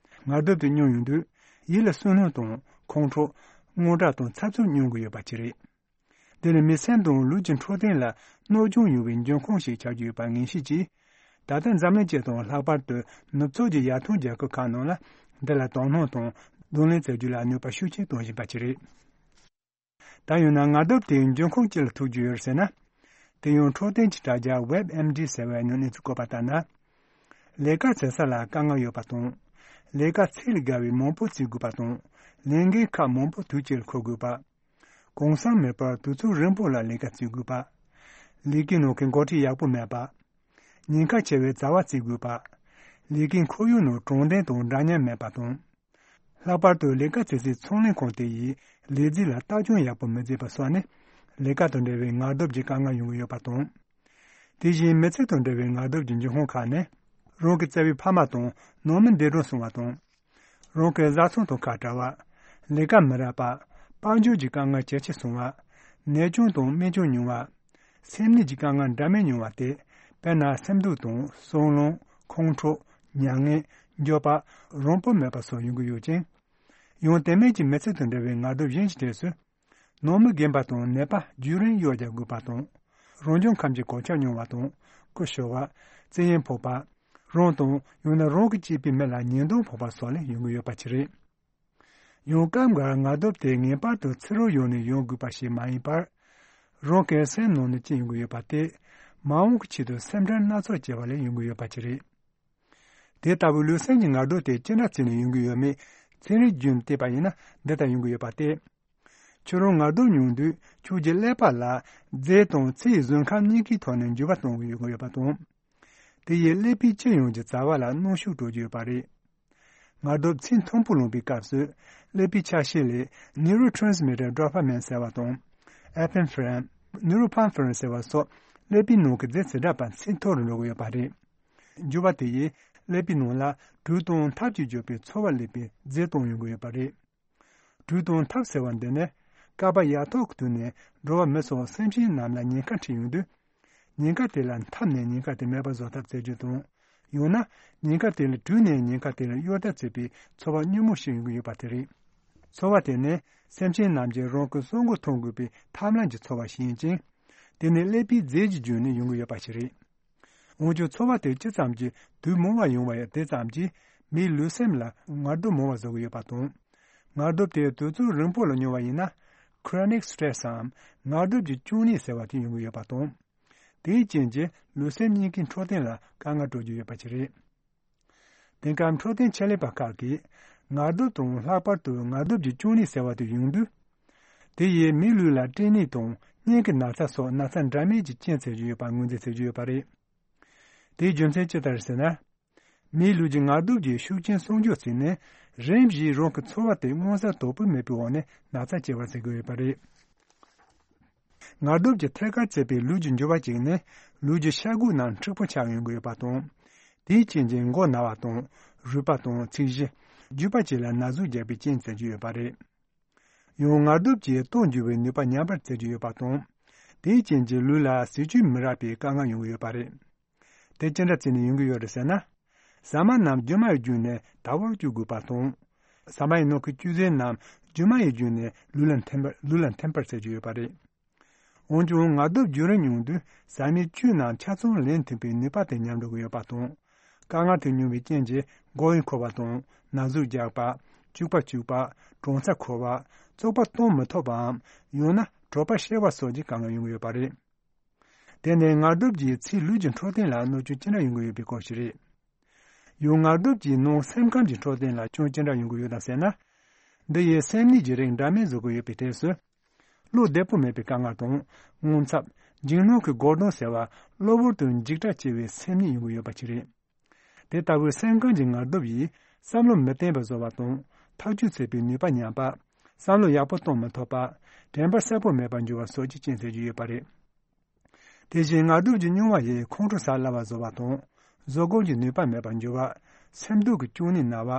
ངལ་དུབ་དེ་མྱོང་ཡོང་དུས་ཡིད་ལ་བསོད་ནམས་དང་ཁོང་ཁྲོ། དངངས་སྐྲག་དང་འཚབ་འཚུབ་མྱོང་གི་ཡོད་པ་ཅིག་རེད། འདི་ནི་མི་སེམས་དང་ལུས་ཀྱི་འཕྲོད་བསྟེན་ལ་གནོད་སྐྱོན་ཡོང་བའི་འབྱུང་ཁུངས་ཤིག་ཆགས་ཀྱི་ཡོད་པ་ངེས་ཤེས་ཀྱིས། ད་ལྟ་འཛམ་གླིང་སྤྱི་དང་ལྷག་པར་དུ་ནུབ་ཕྱོགས་ཀྱི་ཡར་ཐོན་རྒྱལ་ཁབ་ཁག་ནང་ལ་འདི་ལ་དོ་སྣང་དང་གདོང་ལེན་བྱ་རྒྱུ་ལ་ནུས་པ་ཤུགས་ཆེན་གཏོང་བཞིན་པ་ཅིག་རེད། ད་ཡང་ན་ངལ་དུབ་དེའི་འབྱུང་ཁུངས་ཅི་ལ་ཐུག་རྒྱུ་ཡོད་ཟེར་ན། དེ་ཡང་འཕྲོད་བསྟེན་གྱི་དྲ་རྒྱ་WebMD་ཟེར་བའི་ནང་གནས་ཚུལ་བཀོད་པ་ལྟར་ན། ལས་ཀ་བྱེད་ས་ལ་དཀའ་ངལ་ཡོད་པ་དང་། ལས་ཀ་ཚད་ལས་བརྒལ་བའི་མང་པོ་བྱེད་དགོས་པ་དང་། ལས་འགན་ཁག་མང་པོ་དུས་གཅིག་ལ་འཁུར་དགོས་པ། གུང་སེང་མེད་པར་དུས་ཚོད་རིང་པོ་ལ་ལས་ཀ་བྱེད་དགོས་པ། ལས་ཀའི་ནང་གི་འགོ་ཁྲིད་ཡག་པོ་མེད་པ། ཉེན་ཁ་ཆེ་བའི་བྱ་བ་བྱེད་དགོས་པ། ལས་ཀའི་ཁོར་ཡུག་ནང་དྲང་བདེན་དང་འདྲ་མཉམ་མེད་པ་དང་། ལྷག་པར་དུ་ལས་ཀ་བྱེད་སའི་ཚོང་ལས་ཁང་དེ་ཡིས་ལས་རྫས་ལ་ལྟ་སྐྱོང་ཡག་པོ་མི་བྱེད་པ་སོགས་ནི་ལས་ཀ་དང་འབྲེལ་བའི་ངལ་དུབ་ཀྱི་དཀའ་ངལ་ཡོང་གི་ཡོད་པ་དང་། དེ་བཞིན་མི་ཚེ་དང་འབྲེལ་བའི་ངལ་དུབ་ཀྱི་འབྱུང་ཁུངས་ཁག་ནི། རང་གི་བརྩེ་བའི་ཕ་མ་དང་ནང་མི་འདས་གྲོངས་སོང་བ་དང་། རང་གི་བཟའ་ཚང་དང་ཁ་བྲལ་བ། ལས་ཀ་མི་རག་པ། དཔལ་འབྱོར་གྱི་དཀའ་ངལ་ཇེ་ཆེ་སོང་བ། ནད་སྐྱོན་དང་རྨས་སྐྱོན་མྱོང་བ། སེམས་ནད་ཀྱི་དཀའ་ངལ་འདྲ་མིན་མྱོང་བ་སྟེ། དཔེར་ན་སེམས་སྡུག་དང་སྲུང་ལངས། ཁོང་ཁྲོ། མྱ་ངན། འགྱོད་པ། རང་དབང་མེད་པ་སོགས་ཡོང་གི་ཡོད་ཅིང་། ཡང་དེ་མིན་གྱི་མི་ཚེ་དང་འབྲེལ་བའི་ངལ་དུབ་གཞན་གྱི་གྲས་སུ། ནང་མི་རྒན་པ་དང་ནད་པ་རྒྱུན་རིང་གཡོག་རྒྱག་དགོས་པ་དང་། རང་བྱུང་ཁམས་ཀྱི་གོད་ཆག་མྱོང་བ་དང་། སྐུ་ཤོར་བ། བཙན་གཡེམ་ཕོག་པ། རང་དང་ཡང་ན་རང་གི་གཅེས་པའི་མི་ལ་ཉེས་རྡུང་ཕོག་པ་སོགས་ལས་ཡོང་གི་ཡོད་པ་ཅིག་རེད། ཡང་སྐབས་འགར་ངལ་དུབ་དེ་ངེས་པར་དུ་ཚུར་རོལ་ཡོང་ནས་ཡོང་དགོས་པ་ཞིག་མ་ཡིན་པར། རང་གི་སེམས་ནང་ནས་སྐྱེ་ཡོང་གི་ཡོད་པ་སྟེ། མ་འོངས་ཀྱི་ཆེད་དུ་སེམས་ཁྲལ་སྣ་ཚོགས་བྱས་པ་ལས་ཡོང་གི་ཡོད་པ་ཅིག་རེད། དེ་ལྟ་བུའི་ལུས་སེམས་ཀྱི་ངལ་དུབ་དེ་ཅི་འདྲ་བྱས་ནས་ཡོང་གི་ཡོད་མེད་ཚན་རིག་བརྒྱུད་ནས་བལྟས་པ་ཡིན་ན་འདི་ལྟར་ཡོང་གི་ཡོད་པ་སྟེ། ཁྱོད་རང་ངལ་དུབ་མྱོང་དུས་ཁྱོད་ཀྱི་ཀླད་པ་ལ་རྫས་དང་ཚེ་ཡི་བཟོད་ཁམས་གཉིས་ཀའི་ཐོག་ནས་འགྱུར་བ་གཏོང་གི་ཡོང་གི་ཡོད་པ་དང་། དེ་ཡིས་ཀླད་པའི་སྤྱི་ཡོངས་ཀྱི་རྩ་བ་ལ་གནོན་ཤུགས་སྤྲོད་ཀྱི་ཡོད་པ་རེད། ངལ་དུབ་ཚད་མཐོན་པོ་ལངས་པའི་སྐབས་སུ། ཀླད་པའི་ཆ་ཤས་ལས་neurotransmitter dopamine ཟེར་བ་དང་། epinephrine, norepinephrine ཟེར་བ་སོགས་ཀླད་པའི་ནང་གི་རྫས་ཚེ་སྒྲ་བ་ཚད་མཐོ་རུ་འགྲོ་གི་ཡོད་པ་རེད། འགྱུར་བ་དེ་ཡིས་ཀླད་པའི་ནང་ལ་དྲོད་དང་འཐབ་ཀྱིས་བསྒྱུར་བའི་ཚོར་བ་སླེབས་པའི་རྫས་གཏོང་ཡོང་གི་ཡོད་པ་རེད། དྲོད་དང་འཐབ་ཟེར་བ་འདི་ནི། ཀ་པ་ཡ་ཐོག་གི་དུས་ནས་འགྲོ་བ་མི་སོགས་སེམས་ཅན་རྣམས་ལ་ཉེན་ཁ་འཕྲད་ཡོང་དུས། ཉེན་ཁ་དེ་ལ་འཐབ་ནས་ཉེན་ཁ་དེ་མེད་པར་བཟོ་ཐབས་བྱེད་རྒྱུ་དང་། ཡང་ན། ཉེན་ཁ་དེ་ལ་དྲོས་ནས་ཉེན་ཁ་དེ་ལ་གཡོལ་ཐབས་བྱེད་པའི་ཚོར་བ་སྙན་མོ་ཞིག་ཡོང་གི་ཡོད་པ་དེ་རེད། ཚོར་བ་དེ་ནི། སེམས་ཅན་རྣམས་ཀྱིས་རང་གི་སྲོག་མགོ་ཐོན་དགོས་པའི་ཐབས་ལམ་གྱི་ཚོར་བ་ཞིག་ཡིན་ཅིང་། དེ་ནི་ཀླད་པའི་རྫས་ཀྱི་བརྒྱུད་ནས་ཡོང་གི་ཡོད་པ་ཞིག་རེད། འོན་ཀྱང་ཚོར་བ་དེ་ཅི་ཙམ་གྱིས་དུས་མང་བ་ཡོང་བ་ཡང་དེ་ཙམ་གྱིས་མིའི་ལུས་སེམས་ལ་ངལ་དུབ་མང་བ་བཟོ་གི་ཡོད་པ་དང་། ངལ་དུབ་དེ་དུས་ཚོད་རིང་པོ་ལ་མྱོང་བ་ཡིན་ན། chronic stress འམ་ངལ་དུབ་ཀྱི་གཅུང་ནད་ཟེར་བ་དེ་ཡོང་གི་ཡོད་པ་དང་། དེའི་རྐྱེན་གྱིས་ལུས་སེམས་གཉིས་ཀའི་འཕྲོད་བསྟེན་ལ་དཀའ་ངལ་འཕྲད་ཀྱི་ཡོད་པ་ཞིག་རེད། དེང་སྐབས་འཕྲོད་བསྟེན་ཆེད་ལས་པ་ཁག་གིས་ངལ་དུབ་དང་ལྷག་པར་དུ་ངལ་དུབ་ཀྱི་གཅུང་ནད་ཟེར་བ་དེ་ཡོང་དུས། དེ་ཡིས་མིའི་ལུས་ལ་སྐྲན་ནད་དང་སྙིང་གི་ན་ཚ་སོགས་ན་ཚ་འདྲ་མིན་གྱི་རྐྱེན་བྱེད་ཀྱི་ཡོད་པ་ངོས་འཛིན་བྱེད་ཀྱི་ཡོད་པ་རེད། དེའི་རྒྱུ་མཚན་ཅི་ལྟར་ཟེར་ན། མིའི་ལུས་ཀྱི་ངལ་དུབ་ཀྱི་ཤུགས་རྐྱེན་སྲུང་སྐྱོབ་བྱས་ནས་རིམ་བཞིན་རང་གི་ཚོར་བ་དེ་མངོན་གསལ་དོད་པོ་མེད་པའི་འོག་ནས་ན་ཚ་སྐྱེ་བར་བྱེད་ཀྱི་ཡོད་པ་རེད། ངལ་དུབ་ཀྱི་ཐད་ཀར་བྱེད་པའི་ལུས་ཀྱི་འགྱུར་བ་གཅིག་ནི་ལུས་ཀྱི་ཤ་དགུ་རྣམས་མཁྲེགས་པོ་ཆགས་ཡོང་གི་ཡོད་པ་དང་། དེའི་རྐྱེན་གྱིས་མགོ་ན་བ་དང་རུས་པ་དང་ཚིགས་གཞི། རྒྱུས་པ་བཅས་ལ་ན་ཟུག་རྒྱག་པའི་རྐྱེན་བྱེད་ཀྱི་ཡོད་པ་རེད། ཡང་ངལ་དུབ་ཀྱིས་ལྟོ་འགྱུར་བའི་ནུས་པ་ཉམས་པར་བྱེད་ཀྱི་ཡོད་པ་དང་། དེའི་རྐྱེན་གྱིས་ལུས་ལ་ཟས་བཅུད་མི་རག་པའི་དཀའ་ངལ་ཡོང་གི་ཡོད་པ་རེད། དེ་ཅི་འདྲ་བྱས་ནས་ཡོང་གི་ཡོད་རེད་ཟེར་ན། ཟ་མ་རྣམས་རྒྱུ་མ་ཡི་བརྒྱུད་ནས་དལ་བུར་སྐྱུག་དགོས་པ་དང་། ཟ་མ་ཡི་ནང་གི་བཅུད་ཟས་རྣམས་རྒྱུ་མ་ཡི་བརྒྱུད་ནས་ལུས་ལ་འཐེན་པར་ལུས་ལ་འཐེན་པར་བྱེད་ཀྱི་ཡོད་པ་རེད། འོན་ཀྱང་ངལ་དུབ་རྒྱུན་རིང་མྱོང་དུས་ཟ་མའི་བཅུད་རྣམས་ཆ་ཚང་ལེན་ཐུབ་པའི་ནུས་པ་དེ་ཉམས་འགྲོ་གི་ཡོད་པ་དང་། དཀའ་ངལ་དེ་མྱོང་བའི་རྐྱེན་གྱིས་མགོ་ཡང་འཁོར་བ་དང་ན་ཟུག་རྒྱག་པ། སྐྱུག་པ་སྐྱུག་པ། གྲང་ཚ་འཁོལ་བ། བཙོག་པ་གཏོང་མི་ཐུབ་པའམ། ཡང་ན་གྲོད་པ་བཤལ་བ་སོགས་ཀྱི་དཀའ་ངལ་ཡོང་གི་ཡོད་པ་རེད། དེ་ནི་ངལ་དུབ་ཀྱིས་ཚེའི་ལུས་ཀྱི་འཕྲོད་བསྟེན་ལ་གནོད་སྐྱོན་ཅི་འདྲ་ཡོང་གི་ཡོད་པའི་སྐོར་ཞིག་རེད། ཡང་ངལ་དུབ་ཀྱིས་ནང་སེམས་ཁམས་ཀྱི་འཕྲོད་བསྟེན་ལ་སྐྱོན་ཅི་འདྲ་ཡོང་གི་ཡོད་དམ་ཟེར་ན། འདི་ཡིས་སེམས་ནད་ཀྱི་རིགས་འདྲ་མིན་བཟོ་གི་ཡོད་པའི་གྲས་སུ། བློ་བདེ་པོ་མེད་པའི་དཀའ་ངལ་དང་། རྔུལ་ཚབས། འཇིགས་སྣང་གི་འགོག་སྡང་ཟེར་བ་གློ་བུར་དུ་འཇིགས་སྐྲག་སྐྱེ་བའི་སེམས་ནད་ཡོང་གི་ཡོད་པ་ཞིག་རེད། དེ་ལྟ་བུའི་སེམས་ཁམས་ཀྱི་ངལ་དུབ་ཡིས་བསམ་བློ་མི་བརྟན་པ་བཟོ་བ་དང་། ཐག་གཅོད་བྱེད་པའི་ནུས་པ་ཉམས་པ། བསམ་བློ་ཡག་པོ་གཏོང་མི་ཐུབ་པ། དྲན་པ་གསལ་པོ་མེད་པར་འགྱུར་བ་སོགས་ཀྱི་རྐྱེན་བྱེད་ཀྱི་ཡོད་པ་རེད། དེ་བཞིན་ངལ་དུབ་ཀྱི་མྱོང་བ་ཡིས་ཁོང་ཁྲོ་ཟ་སླ་བ་བཟོ་བ་དང་། བཟོད་སྒོམ་གྱི་ནུས་པ་མེད་པར་འགྱུར་བ། སེམས་སྡུག་གི་གཅུང་ནད་ན་བ།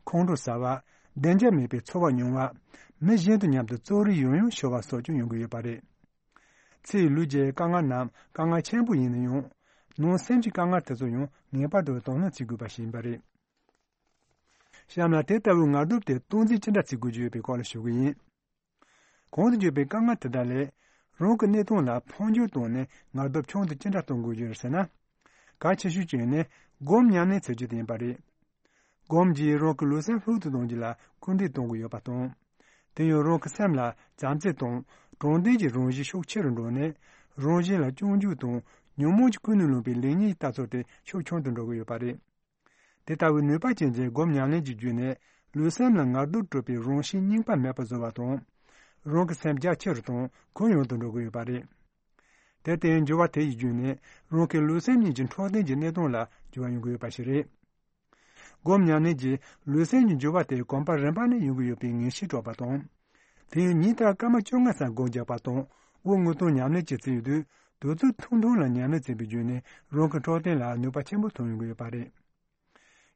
ཁོང་ཁྲོ་ཟ་བ། བདེ་འཇགས་མེད་པའི་ཚོར་བ་མྱོང་བ། མི་གཞན་དང་མཉམ་དུ་རྩོད་རེས་ཡང་ཡང་ཤོར་བ་སོགས་ཀྱང་ཡོང་གི་ཡོད་པ་རེད། ཚེའི་ལུས་ཀྱི་དཀའ་ངལ་རྣམས་དཀའ་ངལ་ཆེན་པོ་ཡིན་ན་ཡང་། ནང་སེམས་ཀྱི་དཀའ་ངལ་དེ་ཚོ་ཡང་ངེས་པར་དུ་དོ་སྣང་བྱེད་དགོས་པ་ཞིག་ཡིན་པ་རེད། གཤམ་ལ་དེ་ལྟ་བུའི་ངལ་དུབ་དེ་སྟངས་འཛིན་ཅི་འདྲ་བྱེད་དགོས་ཀྱི་ཡོད་པའི་སྐོར་ལ་ཞུ་གི་ཡིན། གོང་དུ་བརྗོད་པའི་དཀའ་ངལ་དེ་དག་ལས་རང་གི་གནས་སྟངས་ལ་འཕོ་འགྱུར་བཏང་ནས་ངལ་དུབ་ཆུང་དུ་ཅི་འདྲ་གཏོང་དགོས་ཀྱི་རེད་ཟེར་ན། གལ་ཆེ་ཤོས་གཅིག་ནི་སྒོམ་ཉམས་ལེན་བྱེད་རྒྱུ་དེ་ཡིན་པ་རེད། སྒོམ་གྱིས་རང་གི་ལུས་སེམས་ལྷུག་ཏུ་གཏོང་རྒྱུ་ལ་སྐུལ་འདེད་གཏོང་གི་ཡོད་པ་དང་། དེ་ཡང་རང་གི་སེམས་ལ་བྱམས་བརྩེ་དང་དྲང་བདེན་གྱི་རང་བཞིན་ཤུགས་ཆེ་རུ་འགྲོ་ནས། རང་གཞན་ལ་སྐྱོན་བརྗོད་དང་ཉོན་མོངས་ཀྱིས་ཀུན་ནས་བསླངས་པའི་ལེགས་ཉེས་ཀྱི་ལྟ་ཚུལ་དེ་ཤུགས་ཆུང་དུ་འགྲོ་གི་ཡོད་པ་རེད། དེ་ལྟ་བུའི་ནུས་པ་ཅན་གྱི་སྒོམ་ཉམས་ལེན་གྱི་བརྒྱུད་ནས་ལུས་སེམས་ལ་ངལ་དུབ་སྤྲོད་པའི་རང་བཞིན་རྙིང་པ་མེད་པར་བཟོ་བ་དང་། རང་གི་སེམས་རྒྱ་ཆེ་རུ་དང་གུ་ཡངས་དུ་འགྲོ་གི་ཡོད་པ་རེད། དེར་བརྟེན་འགྱུར་བ་དེ་ཡི་བརྒྱུད་ནས་རང་གི་ལུས་སེམས་གཉིས་ཀྱི་འཕྲོད་བསྟེན་གྱི་གནས་སྟངས་ལ་འགྱུར་བ་ཡོང་གི་ཡོད་པ་ཞིག་རེད། སྒོམ་ཉམས་ལེན་གྱིས་ལུས་སེམས་ཀྱི་འགྱུར་བ་དེ་གོམ་པ་རིམ་པ་ནས་ཡོང་གི་ཡོད་པའི་ངེས་ཤེས་སྤྲོད་པ་དང་། དེ་ཡང་ཉིན་ལྟར་སྐར་མ་བཅོ་ལྔ་ཙམ་སྒོམ་རྒྱག་པ་དང་དབུགས་དངོས་གཏོང་ཉམས་ལེན་བྱེད་རྩིས་ཡོད་དུས། དུས་ཚོད་ཐུང་ཐུང་ལ་ཉམས་ལེན་བྱས་པའི་བརྒྱུད་ནས་རང་གི་འཕྲོད་བསྟེན་ལ་ནུས་པ་ཆེན་པོ་ཐོན་ཡོང་གི་ཡོད་པ་རེད།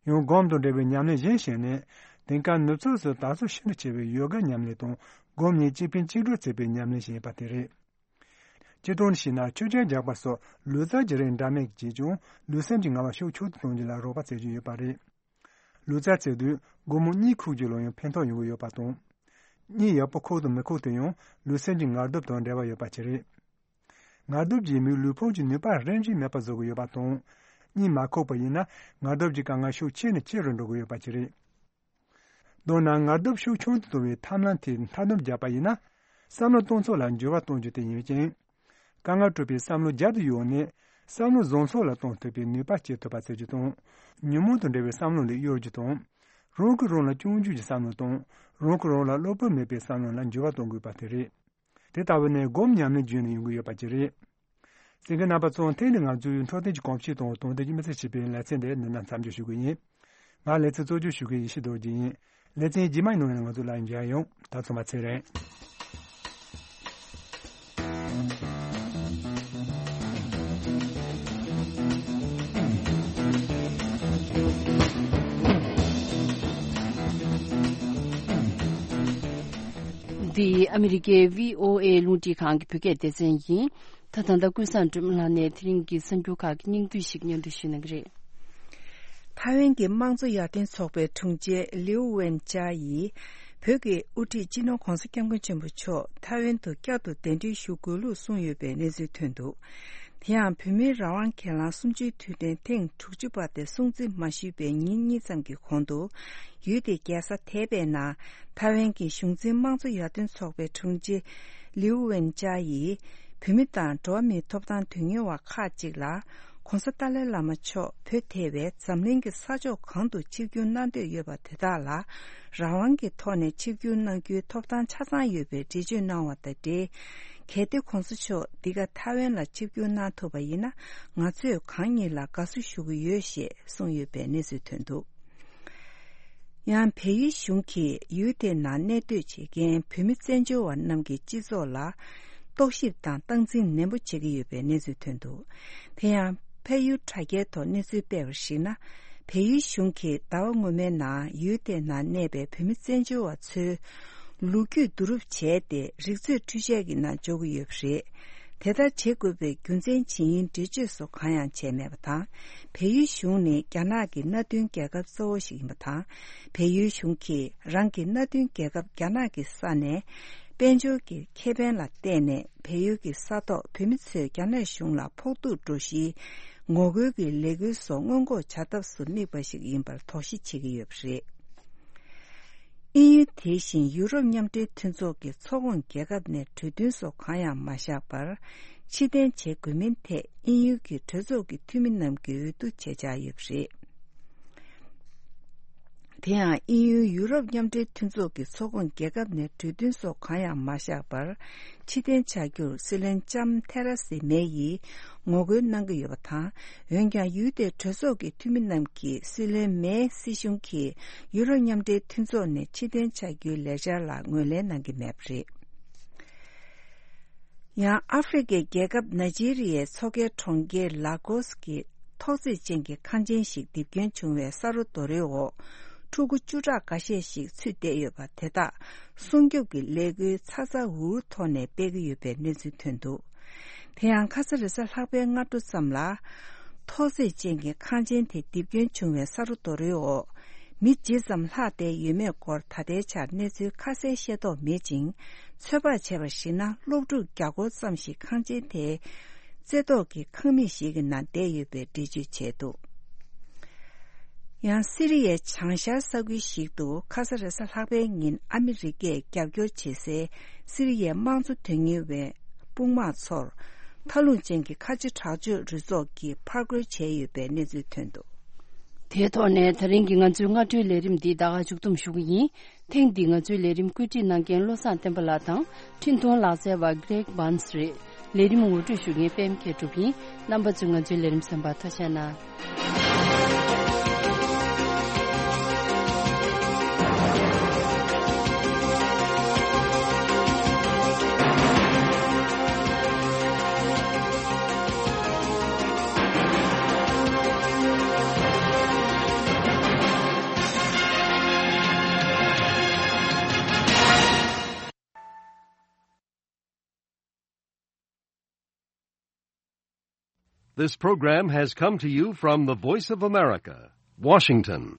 ཡང་སྒོམ་དང་འབྲེལ་བའི་ཉམས་ལེན་གཞན་ཞིག་ནི། དེང་སྐབས་ནུབ་ཕྱོགས་སུ་དར་སྲོལ་ཤིན་ཏུ་ཆེ་བའི་ཡོ་ག་ཉམས་ལེན་དང་སྒོམ་གཉིས་གཅིག་ཕན་གཅིག་གྲོགས་བྱེད་པའི་ཉམས་ལེན་ཞིག་ཡིན་པ་དེ་རེད། སྤྱིར་བཏང་ནས་བཤད་ན་མཆོད་ཆང་རྒྱག་པ་སོགས་ལུས་རྩལ་གྱི་རིགས་འདྲ་མིན་བྱས་ཀྱང་ལུས་སེམས་ཀྱི་ངལ་བ་ཤུགས་ཆུང་དུ་གཏོང་རྒྱུ་ལ་རོགས་པ་བྱེད་ཀྱི་ཡོད་པ་རེད། ལུས་རྩལ་རྩེ་དུས་སྒོར་མོ་གཉིས་ཁུག་རྒྱུ་ལ་ཡང་ཕན་ཐོགས་ཡོང་གི་ཡོད་པ་དང་། གཉིད་ཡག་པོ་ཁུག་དང་མི་ཁུག་དེ་ཡང་ལུས་སེམས་ཀྱི་ངལ་དུབ་དང་འབྲེལ་བ་ཡོད་པ་ཅིག་རེད། ངལ་དུབ་ཀྱིས་མིའི་ལུས་ཕུང་གི་ནུས་པ་རིམ་བཞིན་མེད་པར་བཟོ་གི་ཡོད་པ་དང་། གཉིད་མ་ཁུག་པ་ཡིན་ན་ངལ་དུབ་ཀྱི་དཀའ་ངལ་ཤུགས་ཆེ་ནས་ཆེ་རུ་འགྲོ་གི་ཡོད་པ་ཅིག་རེད། མདོར་ན་ངལ་དུབ་ཤུགས་ཆུང་དུ་གཏོང་བའི་ཐབས་ལམ་དེ་མཐའ་སྡོམ་བརྒྱབ་པ་ཡིན་ན། བསམ་བློ་གཏོང་ཕྱོགས་ལ་འགྱུར་བ་གཏོང་རྒྱུ་དེ་ཡིན་ཅིང་། དཀའ་ངལ་འཕྲད་པའི་བསམ་བློ་རྒྱབ་ཏུ་གཡུགས་ནས་བསམ་བློ་བཟང་ཕྱོགས་ལ་གཏོང་ཐུབ་པའི་ནུས་པ་སྐྱེ་ཐུབ་པ་བྱེད་རྒྱུ་དང་། ཉོན་མོངས་དང་འབྲེལ་བའི་བསམ་བློ་ལས་གཡོལ་རྒྱུ་དང་། རང་གིས་རང་ལ་སྐྱོན་བརྗོད་ཀྱི་བསམ་བློ་དང་། རང་གིས་རང་ལ་བློ་ཕམ་མེད་པའི་བསམ་བློ་ལ་འགྱུར་བ་གཏོང་དགོས་པ་དེ་རེད། དེ་ལྟ་བུ་ནི་སྒོམ་ཉམས་ལེན་བརྒྱུད་ནས་ཡོང་གི་ཡོད་པ་ཅིག་རེད། གསན་མཁན་རྣམ་པ་ཚོ་ཐེངས་འདིའི་ང་ཚོའི་འཕྲོད་བསྟེན་གྱི་གོམས་གཤིས་དང་དོན་ལྡན་གྱི་མི་ཚེ་ཞེས་པའི་ལེ་ཚན་འདི་འདི་ན་མཚམས་འཇོག་ཞུ་གི་ཡིན། ང་ལེ་ཚན་གཙོ་སྐྱོང་ཞུ་མཁན་ཡེ་ཤེས་རྡོ་རྗེ་ཡིན། ལེ་ཚན་རྗེས་མའི་ནང་ནས་ང་ཚོ་ལ་མཇལ་ཡོང་། ད་ཚང་མ་ཚེ་རིང་། འདི་ཨ་མི་རི་ཀའི་བྷི་ཨོ་ཨེ་རླུང་འཕྲིན་ཁང་གི་བོད་སྐད་སྡེ་ཚན་ཡིན། ད་ད་ལྟ་ཀུན་བཟང་སྒྲོལ་མ་ལགས་ནས་དེ་རིང་གི་གསར་འགྱུར་ཁག་གི་སྙིང་བསྡུས་ཤིག་སྙན་སྒྲོན་ཞུ་གནང་གི་རེད། ཐའེ་ཝན་གྱི་དམངས་གཙོ་ཡར་ཐོན་ཚོགས་པའི་དྲུང་ཆེ་ལིའུ་ཝེན་ཅཱ་ཡིས་བོད་ཀྱི་དབུ་ཁྲིད་སྤྱི་ནོར་༧གོང་ས་༧སྐྱབས་མགོན་ཆེན་པོ་མཆོག་ཐའེ་ཝན་དུ་བསྐྱར་དུ་གདན་འདྲེན་ཞུ་དགོས་ལུགས་གསུངས་ཡོད་པའི་གནས་ཚུལ་ཐོན་འདུག་དེ་ཡང་བོད་མིའི་རང་དབང་སྒེར་ལངས་གསུམ་བཅུའི་དུས་དྲན་ཐེངས་དྲུག་ཅུ་པ་དེ་སྲུང་བརྩི་མ་ཞུས་པའི་ཉིན་གཉིས་ཙམ་གྱི་གོང་དུ། ཡུལ་དེའི་རྒྱལ་ས་ཐའེ་པེ་ནང་ཐའེ་ཝན་གྱི་གཞུང་འཛིན་དམངས་གཙོ་ཡར་ཐོན་ཚོགས་པའི་དྲུང་ཆེ་ལིའུ་ཝེན་ཅཱ་ཡིས་བོད་མི་དང་འགྲོ་བ་མིའི་ཐོབ་ཐང་དོན་གཉེར་བ་ཁག་ཅིག་ལ་༧གོང་ས་ཏཱ་ལའི་བླ་མ་མཆོག་བོད་ཐེ་བའི་འཛམ་གླིང་གི་ས་ཕྱོགས་གང་དུ་ཆིབས་བསྒྱུར་གནང་འདོད་ཡོད་པ་དེ་དག་ལ་རང་དབང་གི་ཐོག་ནས་ཆིབས་བསྒྱུར་གནང་རྒྱུའི་ཐོབ་ཐང་ཆ་ཚང་ཡོད་པའི་འགྲེལ་བརྗོད་གནང་བ་དང་འབྲེལ། གལ་ཏེ་༧གོང་ས་མཆོག་འདི་ག་ཐའེ་ཝན་ལ་ཆིབས་བསྒྱུར་གནང་ཐུབ་པ་ཡིན་ན་ང་ཚོས་གང་ཉིད་ལ་དགའ་བསུ་ཞུ་གི་ཡོད་ཞེས་གསུངས་ཡོད་པའི་གནས་ཚུལ་ཐོན་འདུག་ཡང་བལ་ཡུལ་གཞུང་གིས་ཡུལ་དེའི་ནང་གནས་སྡོད་བྱེད་མཁན་བོད་མི་བཙན་བྱོལ་བ་རྣམས་ཀྱི་སྤྱི་ཚོགས་ལ་རྟོག་ཞིབ་དང་སྟངས་འཛིན་ནན་པོ་བྱེད་ཀྱི་ཡོད་པའི་གནས་ཚུལ་ཐོན་འདུག་དེ་ཡང་བལ་ཡུལ་དྲ་རྒྱའི་ཐོག་གནས་ཚུལ་སྤེལ་བར་གཞིགས་ན། བལ་ཡུལ་གཞུང་གིས་ཟླ་བ་སྔོན་མའི་ནང་ཡུལ་དེའི་ནང་གནས་པའི་བོད་མི་བཙན་བྱོལ་བ་ཚོའི་ལོ་རྒྱུས་བསྡུ་རུབ་བྱས་ཏེ་རིག་མཛོད་འཕྲུལ་ཆས་ཀྱི་ནང་འཇོག་གི་ཡོད་པ་རེད། དེ་ལྟར་བྱེད་དགོས་པའི་རྒྱུ་མཚན་ཇི་ཡིན་འགྲེལ་བརྗོད་སོགས་གང་ཡང་བྱས་མེད་པ་དང་། བལ་ཡུལ་གཞུང་ནི་རྒྱ་ནག་གི་མནའ་མཐུན་རྒྱལ་ཁབ་གཙོ་བོ་ཞིག་ཡིན་པ་དང་། བལ་ཡུལ་གཞུང་གིས་རང་གི་མནའ་མཐུན་རྒྱལ་ཁབ་རྒྱ་ནག་གི་ས་ནས་དཔལ་འབྱོར་གྱི་ཁེ་ཕན་ལ་བརྟེན་ནས་བལ་ཡུལ་གྱི་ས་ཐོག་བོད་མི་ཚོས་རྒྱ་ནག་གཞུང་ལ་ཕོག་ཐུག་འགྲོ་གཞིའི་ངོ་རྒོལ་གྱི་ལས་འགུལ་སོགས་སྔོན་འགོག་བྱ་ཐབས་སུ་དམིགས་པ་ཞིག་ཡིན་པར་དོགས་གཞི་བྱེད་ཀྱི་ཡོད་པ་རེད། དབྱིན་ཡུལ་དེ་བཞིན་ཡུ་རོབ་མཉམ་འབྲེལ་མཐུན་ཚོགས་ཀྱི་ཚོགས་ཁོངས་རྒྱལ་ཁབ་ནས་གྲོས་མཐུན་སོགས་གང་ཡང་མ་བཞག་པར་ཕྱིར་འཐེན་བྱེད་དགོས་མིན་ཐད་དབྱིན་ཡུལ་གྱི་གྲོས་ཚོགས་ཀྱི་འཐུས་མི་རྣམས་ཀྱིས་འོས་བསྡུ་བྱེད་འཆར་ཡོད་པ་རེད། དེ་ཡང་དབྱིན་ཡུལ་ཡུ་རོབ་མཉམ་འབྲེལ་མཐུན་ཚོགས་ཀྱི་ཚོགས་ཁོངས་རྒྱལ་ཁབ་ནས་གྲོས་མཐུན་སོགས་གང་ཡང་མ་བཞག་པར་ཕྱིར་འཐེན་བྱ་རྒྱུར་སྲིད་བློན་ལྕམ་ཐེ་རེ་སེ་མེ་ཡིས་ངོ་རྒོལ་གནང་གི་ཡོད་པ་དང་། འོན་ཀྱང་ཡུལ་དེའི་གྲོས་ཚོགས་ཀྱི་འཐུས་མི་རྣམས་ཀྱིས་སྲིད་བློན་མེའི་སྲིད་གཞུང་གིས་ཡུ་རོབ་མཉམ་འབྲེལ་མཐུན་ཚོགས་ནས་ཕྱིར་འཐེན་བྱ་རྒྱུའི་ལས་འཆར་ལ་ངོས་ལེན་གནང་གི་མེད་པ་རེད། ཡང་ཨ་ཧྥེ་རི་ཁའི་རྒྱལ་ཁབ་ནཱི་ཇི་རི་ཡའི་མཚོ་ཁའི་གྲོང་ཁྱེར་ལ་གོས་ཀྱི་ཐོག་བརྩེགས་ཅན་གྱི་ཁང་ཆེན་ཞིག་རྡིབ་སྐྱོན་བྱུང་བའི་ས་རོ་རྡོ་རོའི་འོག་ཕྲུ་གུ་བཅུ་ཕྲག་འགའ་ཤས་ཤིག་ཚུད་བསྡད་ཡོད་པ་དེ་དག་སྲུང་སྐྱོབ་ཀྱི་ལས་འགུལ་ཚ་ཚ་འུར་འུར་ཐོག་ནས་སྤེལ་གྱི་ཡོད་པའི་གནས་ཚུལ་ཐོན་འདུག་དེ་ཡང་ཁ་ས་རེས་གཟའ་ལྷག་པའི་སྔ་དྲོ་ཙམ་ལ། ཐོག་བརྩེགས་ཅན་གྱི་ཁང་ཆེན་དེ་རྡིབ་སྐྱོན་བྱུང་བའི་ས་རོ་རྡོ་རོའི་འོག་མི་ཇི་ཙམ་ལྷག་བསྡད་ཡོད་མེད་སྐོར་ད་ལྟའི་ཆར་གནས་ཚུལ་ཁ་གསལ་ཤེས་རྟོགས་མེད་ཅིང་། ཚོད་དཔག་བྱས་པར་གཞིགས་ན་སློབ་ཕྲུག་བརྒྱ་སྐོར་ཙམ་ཞིག་ཁང་ཆེན་དེའི་རྩེ་ཐོག་གི་ཁང་མིག་ཞིག་གི་ནང་བསྡད་ཡོད་པའི་འགྲེལ་བརྗོད་བྱས་འདུག་ཡང་སི་རི་ཡའི་བྱང་ཤར་ས་ཁུལ་ཞིག་ཏུ་ཁ་ས་རེས་གཟའ་ལྷག་པའི་ཉིན་ཨ་མི་རི་ཀས་རྒྱབ་སྐྱོར་བྱེད་སའི་སི་རི་ཡའི་དམངས་གཙོ་དོན་གཉེར་བའི་དཔུང་དམག་ཚོར་མཐའ་ལྷུང་ཅན་གྱི་ཁ་ཆེ་དྲག་སྤྱོད་རུ་ཚོགས་ཀྱིས་ཕར་རྒོལ་བྱས་ཡོད་པའི་གནས་ཚུལ་ཐོན་འདུག་དེའི་ཐོག་ནས་ད་རིང་གི་ང་ཚོའི་སྔ་དྲོའི་ལས་རིམ་འདི་ད་ག་མཇུག་བསྡོམས་ཞུ་གི་ཡིན། ཐེངས་འདིའི་ང་ཚོའི་ལས་རིམ་བཀོད་སྒྲིག་གནང་མཁན་བློ་བཟང་བསྟན་པ་ལགས་དང་འཕྲིན་གཏོང་ལག་རྩལ་བ་Greg Barnes་རེད། ལས་རིམ་ངོ་སྤྲོད་ཞུ་མཁན་པད་མ་མཁས་གྲུབ་ཡིན། རྣམ་པ་ཚོས་ང་ཚོའི་ལས་རིམ་གསན་པར་ཐུགས་རྗེ་གནང་། This program has come to you from the Voice of America, Washington.